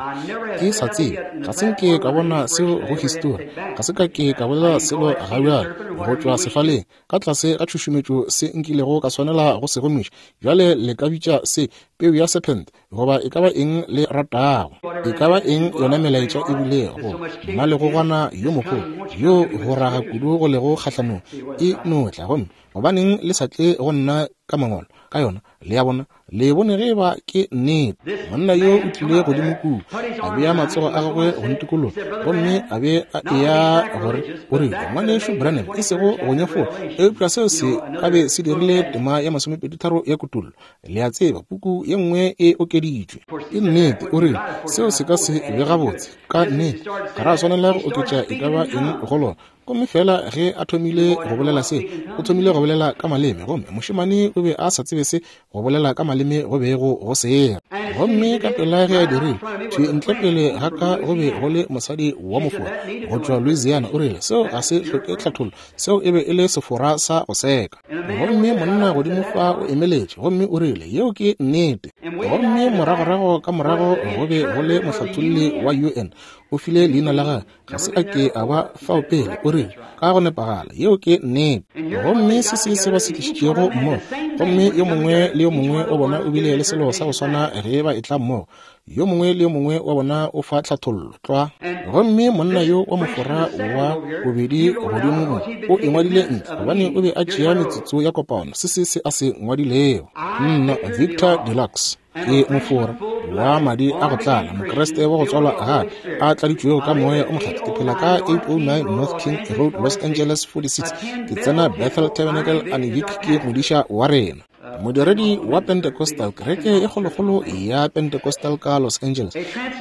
ke sa tsebe, ga se nke ka bona seo go histori, ga se ka ke ka bolela selo ga bjale go tšwa sefaleng, ka tlase ga tšhušumetšo se nkilego ka swanela go se gomiša. Bjale le ka bitša se peu ya sephente, goba e ka ba eng le ratago, e ka ba eng yona melaetša e bilego, mmalegogwana yo mogolo yo go raga kudu go lego kgahlanong e no tla, gomme gobaneng le sa tle go nna ka mangwalo ka yona? Le a bona, le bone ge eba ke nnete. Monna yo o tlile godimo kua, a bea matsogo a gagwe go ntikologa, gomme a be a eya gore o rile, Ngwanešu Branham, e sego go nyefola, eupša seo se ka be se dirile tema ya masomepeditharo ya Kutollo. Le a tseba, puku ye nngwe e okeditšwe. Ke nnete, o rile, seo se ka se be gabotse. Ka nnete, ga ra swanela go oketša e ka ba eng go lona. Gomme feela ge a thomile go bolela se, o thomile go bolela ka maleme, gomme mošemane o be a sa tsebe se go bolela ka maleme go bego go se. Gomme ka pela ge a dirile, thwi ntle pele ga ka go be go le mosadi wa Mofora go tšwa Louisiana, o rile, Seo ga se hloke tlhathollo, seo e be e le Sefora sa go seka. Gomme monna godimo fa o emeletše, gomme o rile, Yeo ke nnete. Gomme moragorago ka morago go be go le mohlatholli wa UN, o file leina la gagwe, ga se a ke a ba fao pele, o rile, Ka go nepagala, yeo ke nnete. Gomme se se se ba se tlišitšego mmogo, gomme yo mongwe le yo mongwe wa bona o bile le selo sa go swana ge ba etla mmogo. Yo mongwe le yo mongwe wa bona o fa tlhathollo tlwa. Gomme monna yo wa Mofora wa bobedi godimo mo o e ngwadile ntle, gobane o be a tšea metsotso ya kopano, se se se a se ngwadilego. Nna, Victor Deluxe. Ke Mofora wa madi a go tlala, Mokriste wa go tswalwa gape, a tladitšwego ka Moya o Mokgethwa. Ke phela ka 809 North King Road, Los Angeles 46. Ke tsena Bethel Tabernacle, Anivik ke modiša wa rena. Modiredi wa Pentecostal, kereke e kgolokgolo ya Pentecostal ka Los Angeles.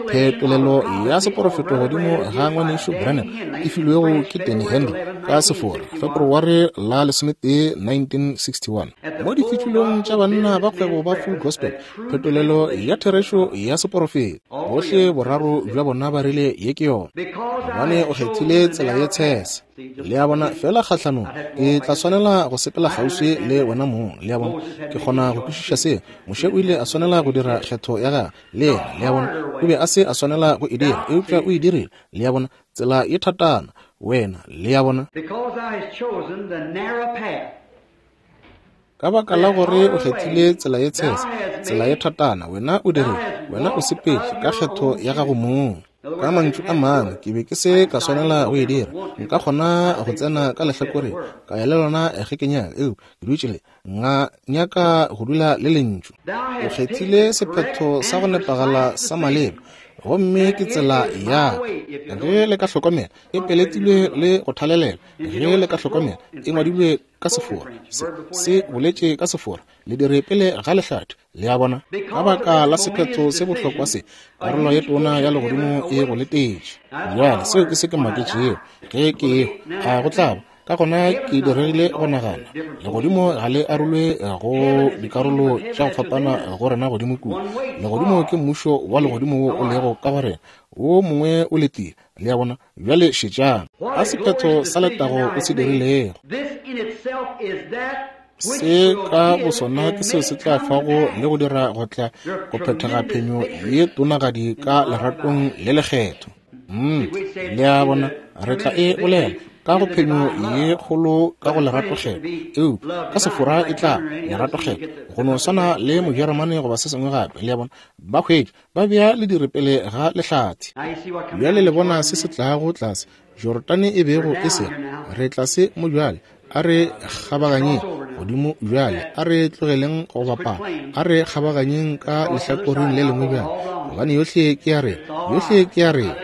Phetolelo ya seporofeto godimo ga ngwanešu Branham e filwego ke Danny Henry ka Sefora, Febroware la 11, 1961. Mo difitšulong tša banna ba kgwebo ba Full Gospel, phetolelo ya therešo ya seporofeto, bohle boraro bja bona ba rile ye ke yona, gobane o kgethile tsela ye tshese. Le a bona, feela kgahlanong, ke tla swanela go sepela kgauswi le wena mong. Le a bona, ke kgona go kwešiša seo. Moshe o ile a swanela go dira kgetho ya gagwe, le yena. Le a bona, o be a se a swanela go e dira, eupša o e dirile. Le a bona, tsela ye thatana, wena. Le a bona? Ka baka la gore o kgethile tsela ye tshese, tsela ye thatana, wena o dirile, wena o sepetše ka kgetho ya gago mong. Ka mantšu a mangwe, ke be ke se ka swanela go e dira. Nka kgona go tsena ka lehlakoreng, ka ya le lona ge ke nyaka, eupša ke dutše le, nga nyaka go dula le Lentšu. O kgethile sephetho sa go nepagala sa maleba, gomme ke tsela ya ka. Ge le ka hlokomela, e peletilwe le go thalelelwa. Ge le ka hlokomela, e ngwadilwe ka Sefora. Se, se boletše ka Sefora, le dire pele ga lehlathi. Le a bona? Ka baka la sephetho se bohlokwa se, karolo ye tona ya legodimo e go letetše. Bjale, seo ke se ke maketšego ge ke ehwa. A go tla ba? Ka gona ke diregile go nagana, legodimo ga le arolwe go dikarolo tša go fapana go rena godimo kua. Legodimo ke mmušo wa legodimo wo o lego ka go rena, wo mongwe o letile. Le a bona? Bjale šetšang. A sephetho sa letago o se dirilego. Se ka bosona ke seo se tla fago le go dira go tla go phethega phenyo ye tonagadi ka leratong le lekgetho. Mm, le a bona, re tla e bolela ka go phenyo ye kgolo ka go leratokgetho, eupša ka Sefora e tla leratokgetho, go no swana le Mojeremane goba se sengwe gape. Le a bona, ba hwetša ba bea lediri pele ga lehlathi. Bjale le bona se se tlago tlase Jorodane e bego e se re tlase mo bjale. A re kgabaganyeng godimo bjale, a re tlogeleng go bapala, a re kgabaganyeng ka lehlakoreng le lengwe bjale, gobane yohle ke ya rena, yohle ke ya rena.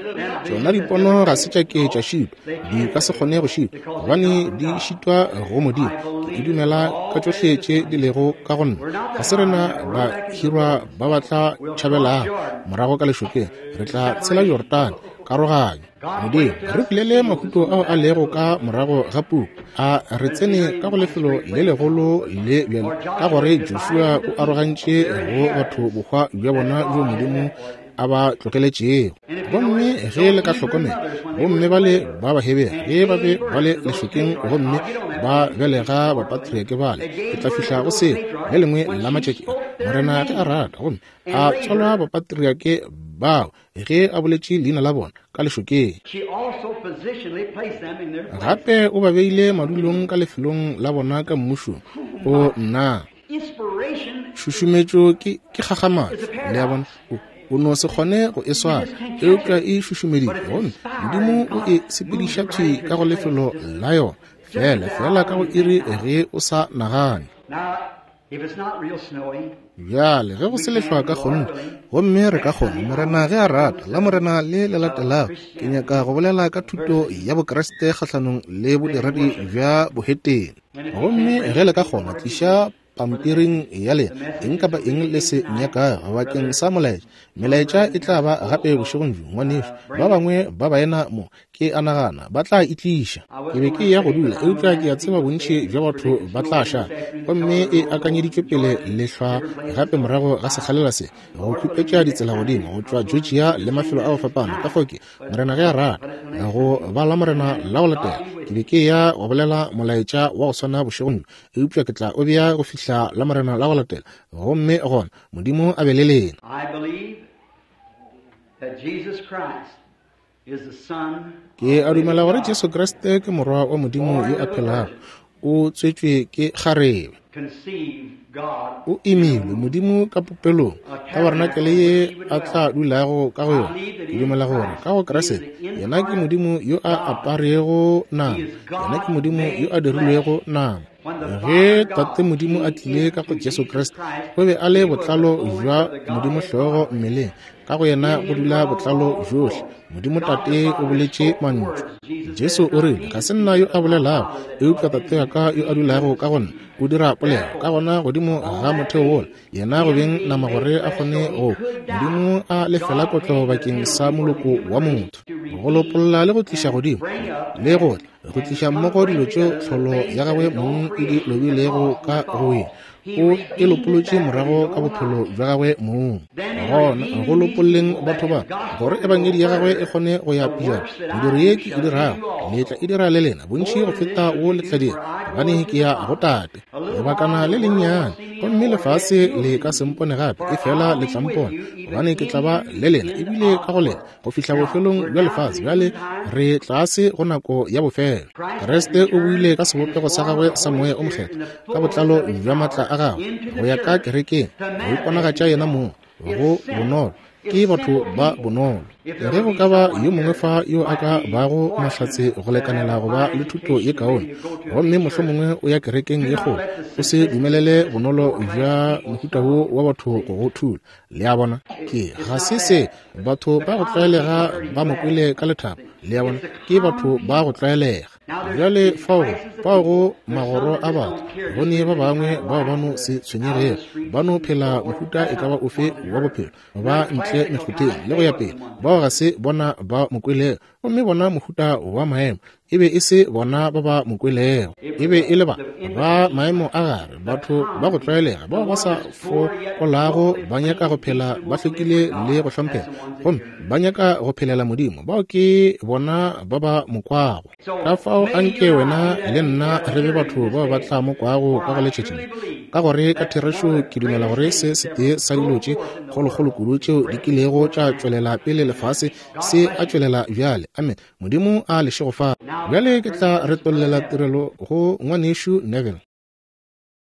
Tšona dipono ga se tša ke tša šitwa, di ka se kgone go šitwa, gobane di šitwa go Modimo. Ke e dumela ka tšohle tše di lego ka go nna. Ga se rena ba hirwa ba ba tla tšhabelago morago ka lešokeng, re tla tshela Jorodane, karoganyo. Modimo, re bulele mahuto ao a lego ka morago ga puku, a re tsene ka go lefelo le legolo le bjalo ka gore Joshua o arogantše go batho bohwa bja bona bjo Modimo a ba tlogeletšego. Gomme ge le ka hlokomela, bomme bale ba Bahebere ge ba be ba le lešokeng gomme ba belega bapatriake bale, ke tla fihla go seo le lengwe la matšatši a, Morena ge a rata, gomme a tswalwa bapatriake bao ge a boletše leina la bona ka lešokeng. Gape o ba beile madulong ka lefelong la bona ka mmušong. O nna. Šušumetšo ke, ke kgakgamatšo. Le a bona? O, o no se kgone go e swara, eupša e šušumeditšwe, gomme Modimo o e sepediša thwi ka go lefelo la yona, feela, feela ka go iri ge o sa nagane. Bjale, ge go se lehlwa ka kgonthe, gomme re ka kgona, Morena ge a rata, la Morena le le latelago, ke nyaka go bolela ka thuto ya Bokriste kgahlanong le bodiredi bja bohetene. Gomme ge le ka kgona, tliša pampiring ya lena eng kapa eng le se nyakago bakeng sa molaetša. Melaetša e tla ba gape bošegong bjo, ngwanešu. Ba bangwe ba baena mo, ke a nagana, ba tla e tliša. Ke be ke eya go dula, eupša ke a tseba bontši bja batho ba tla šala. Gomme e akanyeditšwe pele lehlwa gape morago ga sekgalela se, go khupetša ditsela godimo go tšwa Georgia le mafelo a go fapana. Ka fao ke, Morena ge a rata, go ba Lamorena la go latela, ke be ke eya go bolela molaetša wa go swana bošegong bjo, eupša ke tla o bea go fihla Lamorena la go latela. Gomme gona, Modimo a be le lena. Ke a dumela gore Jesu Kriste ke Morwa wa Modimo yo a phelago, o tswetšwe ke kgarebe. O imilwe Modimo ka popelong, tabarenakele ye a tla dulago ka go yona. Ke dumela gore ka go Kriste, yena ke Modimo yo a aparego nama, yena ke Modimo yo a dirilwego nama. Ge Tate Modimo a tlile ka go Jesu Kriste, o be a le botlalo bja Modimo hlogo mmeleng. Ka go yena go dula botlalo bjohle. Modimo Tate o boletše mantšu. Jesu o rile, Ga se nna yo a bolelago, eupša Tate wa ka yo a dulago ka go nna o dira polelo. Ka gona godimo ga motheo wola, yena go beng nama gore a kgone go, Modimo a lefela kotlo bakeng sa moloko wa motho, go lopolla le go tliša godimo le go tla go tliša mmogo dilo tšeo tlholo ya gagwe mong e di lobilego ka go ye, o e lopolotše morago ka bophelo bja gagwe mong. Gona go lopolleng batho ba, gore ebangedi ya gagwe e kgone go ya pejana, mediro ye ke e dirago le tla e dira le lena, bontši go feta wo le tla dira, gobane ke ya go Tate. Lebakana le lennyane, gomme lefase le ka se mpone gape, efela le tla mpona, gobane ke tla ba le lena, ebile ka go lena, go fihla bofelong bja lefase. Bjale re tlase go nako ya bofelo. Kriste o buile ka sebopego sa gagwe sa Moya o Mokgethwa, ka botlalo bja maatla a gagwe, go ya ka kerekeng, go iponagatša yena mong go bonolo. Ke batho ba bonolo. Ge go ka ba yo mongwe fa yo a ka bago mahlatse go lekanela go ba le thuto ye kaone, gomme mohlomongwe o ya kerekeng ye kgolo, o se dumelele bonolo bja mohuta wo wa batho go go thula. Le a bona? Ke ga se se batho ba go tlwaelega ba mo kwele ka lethabo. Le a bona? Ke batho ba go tlwaelega. Bjale fao go, fao go magoro a batho, go ne ba bangwe bao ba no se tshwenyegego, ba no phela mohuta e ka ba ofe wa bophelo, ba ntle mekgotheng le go ya pele. Bao ga se bona ba mo kwelego. Gomme bona mohuta wa maemo e be e se bona ba ba mo kwelego, e be e le ba ba maemo a gare, batho ba go tlwaelega bao ba sa fokolago, ba nyaka go phela ba hlwekile le go hlomphega, gomme ba nyaka go phelela Modimo. Bao ke bona ba ba mo kwago. Ka fao anke wena le nna re be batho bao ba tla mo kwago ka go letšatši le, ka gore ka therešo ke dumela gore se setee sa dilo tše kgolokgolo kudu tšeo di kilego tša tšwelela pele lefase se a tšwelela bjale. Amen. Modimo a le šegofatše. Bjale ke tla retollela tirelo go Ngwanešu Neville.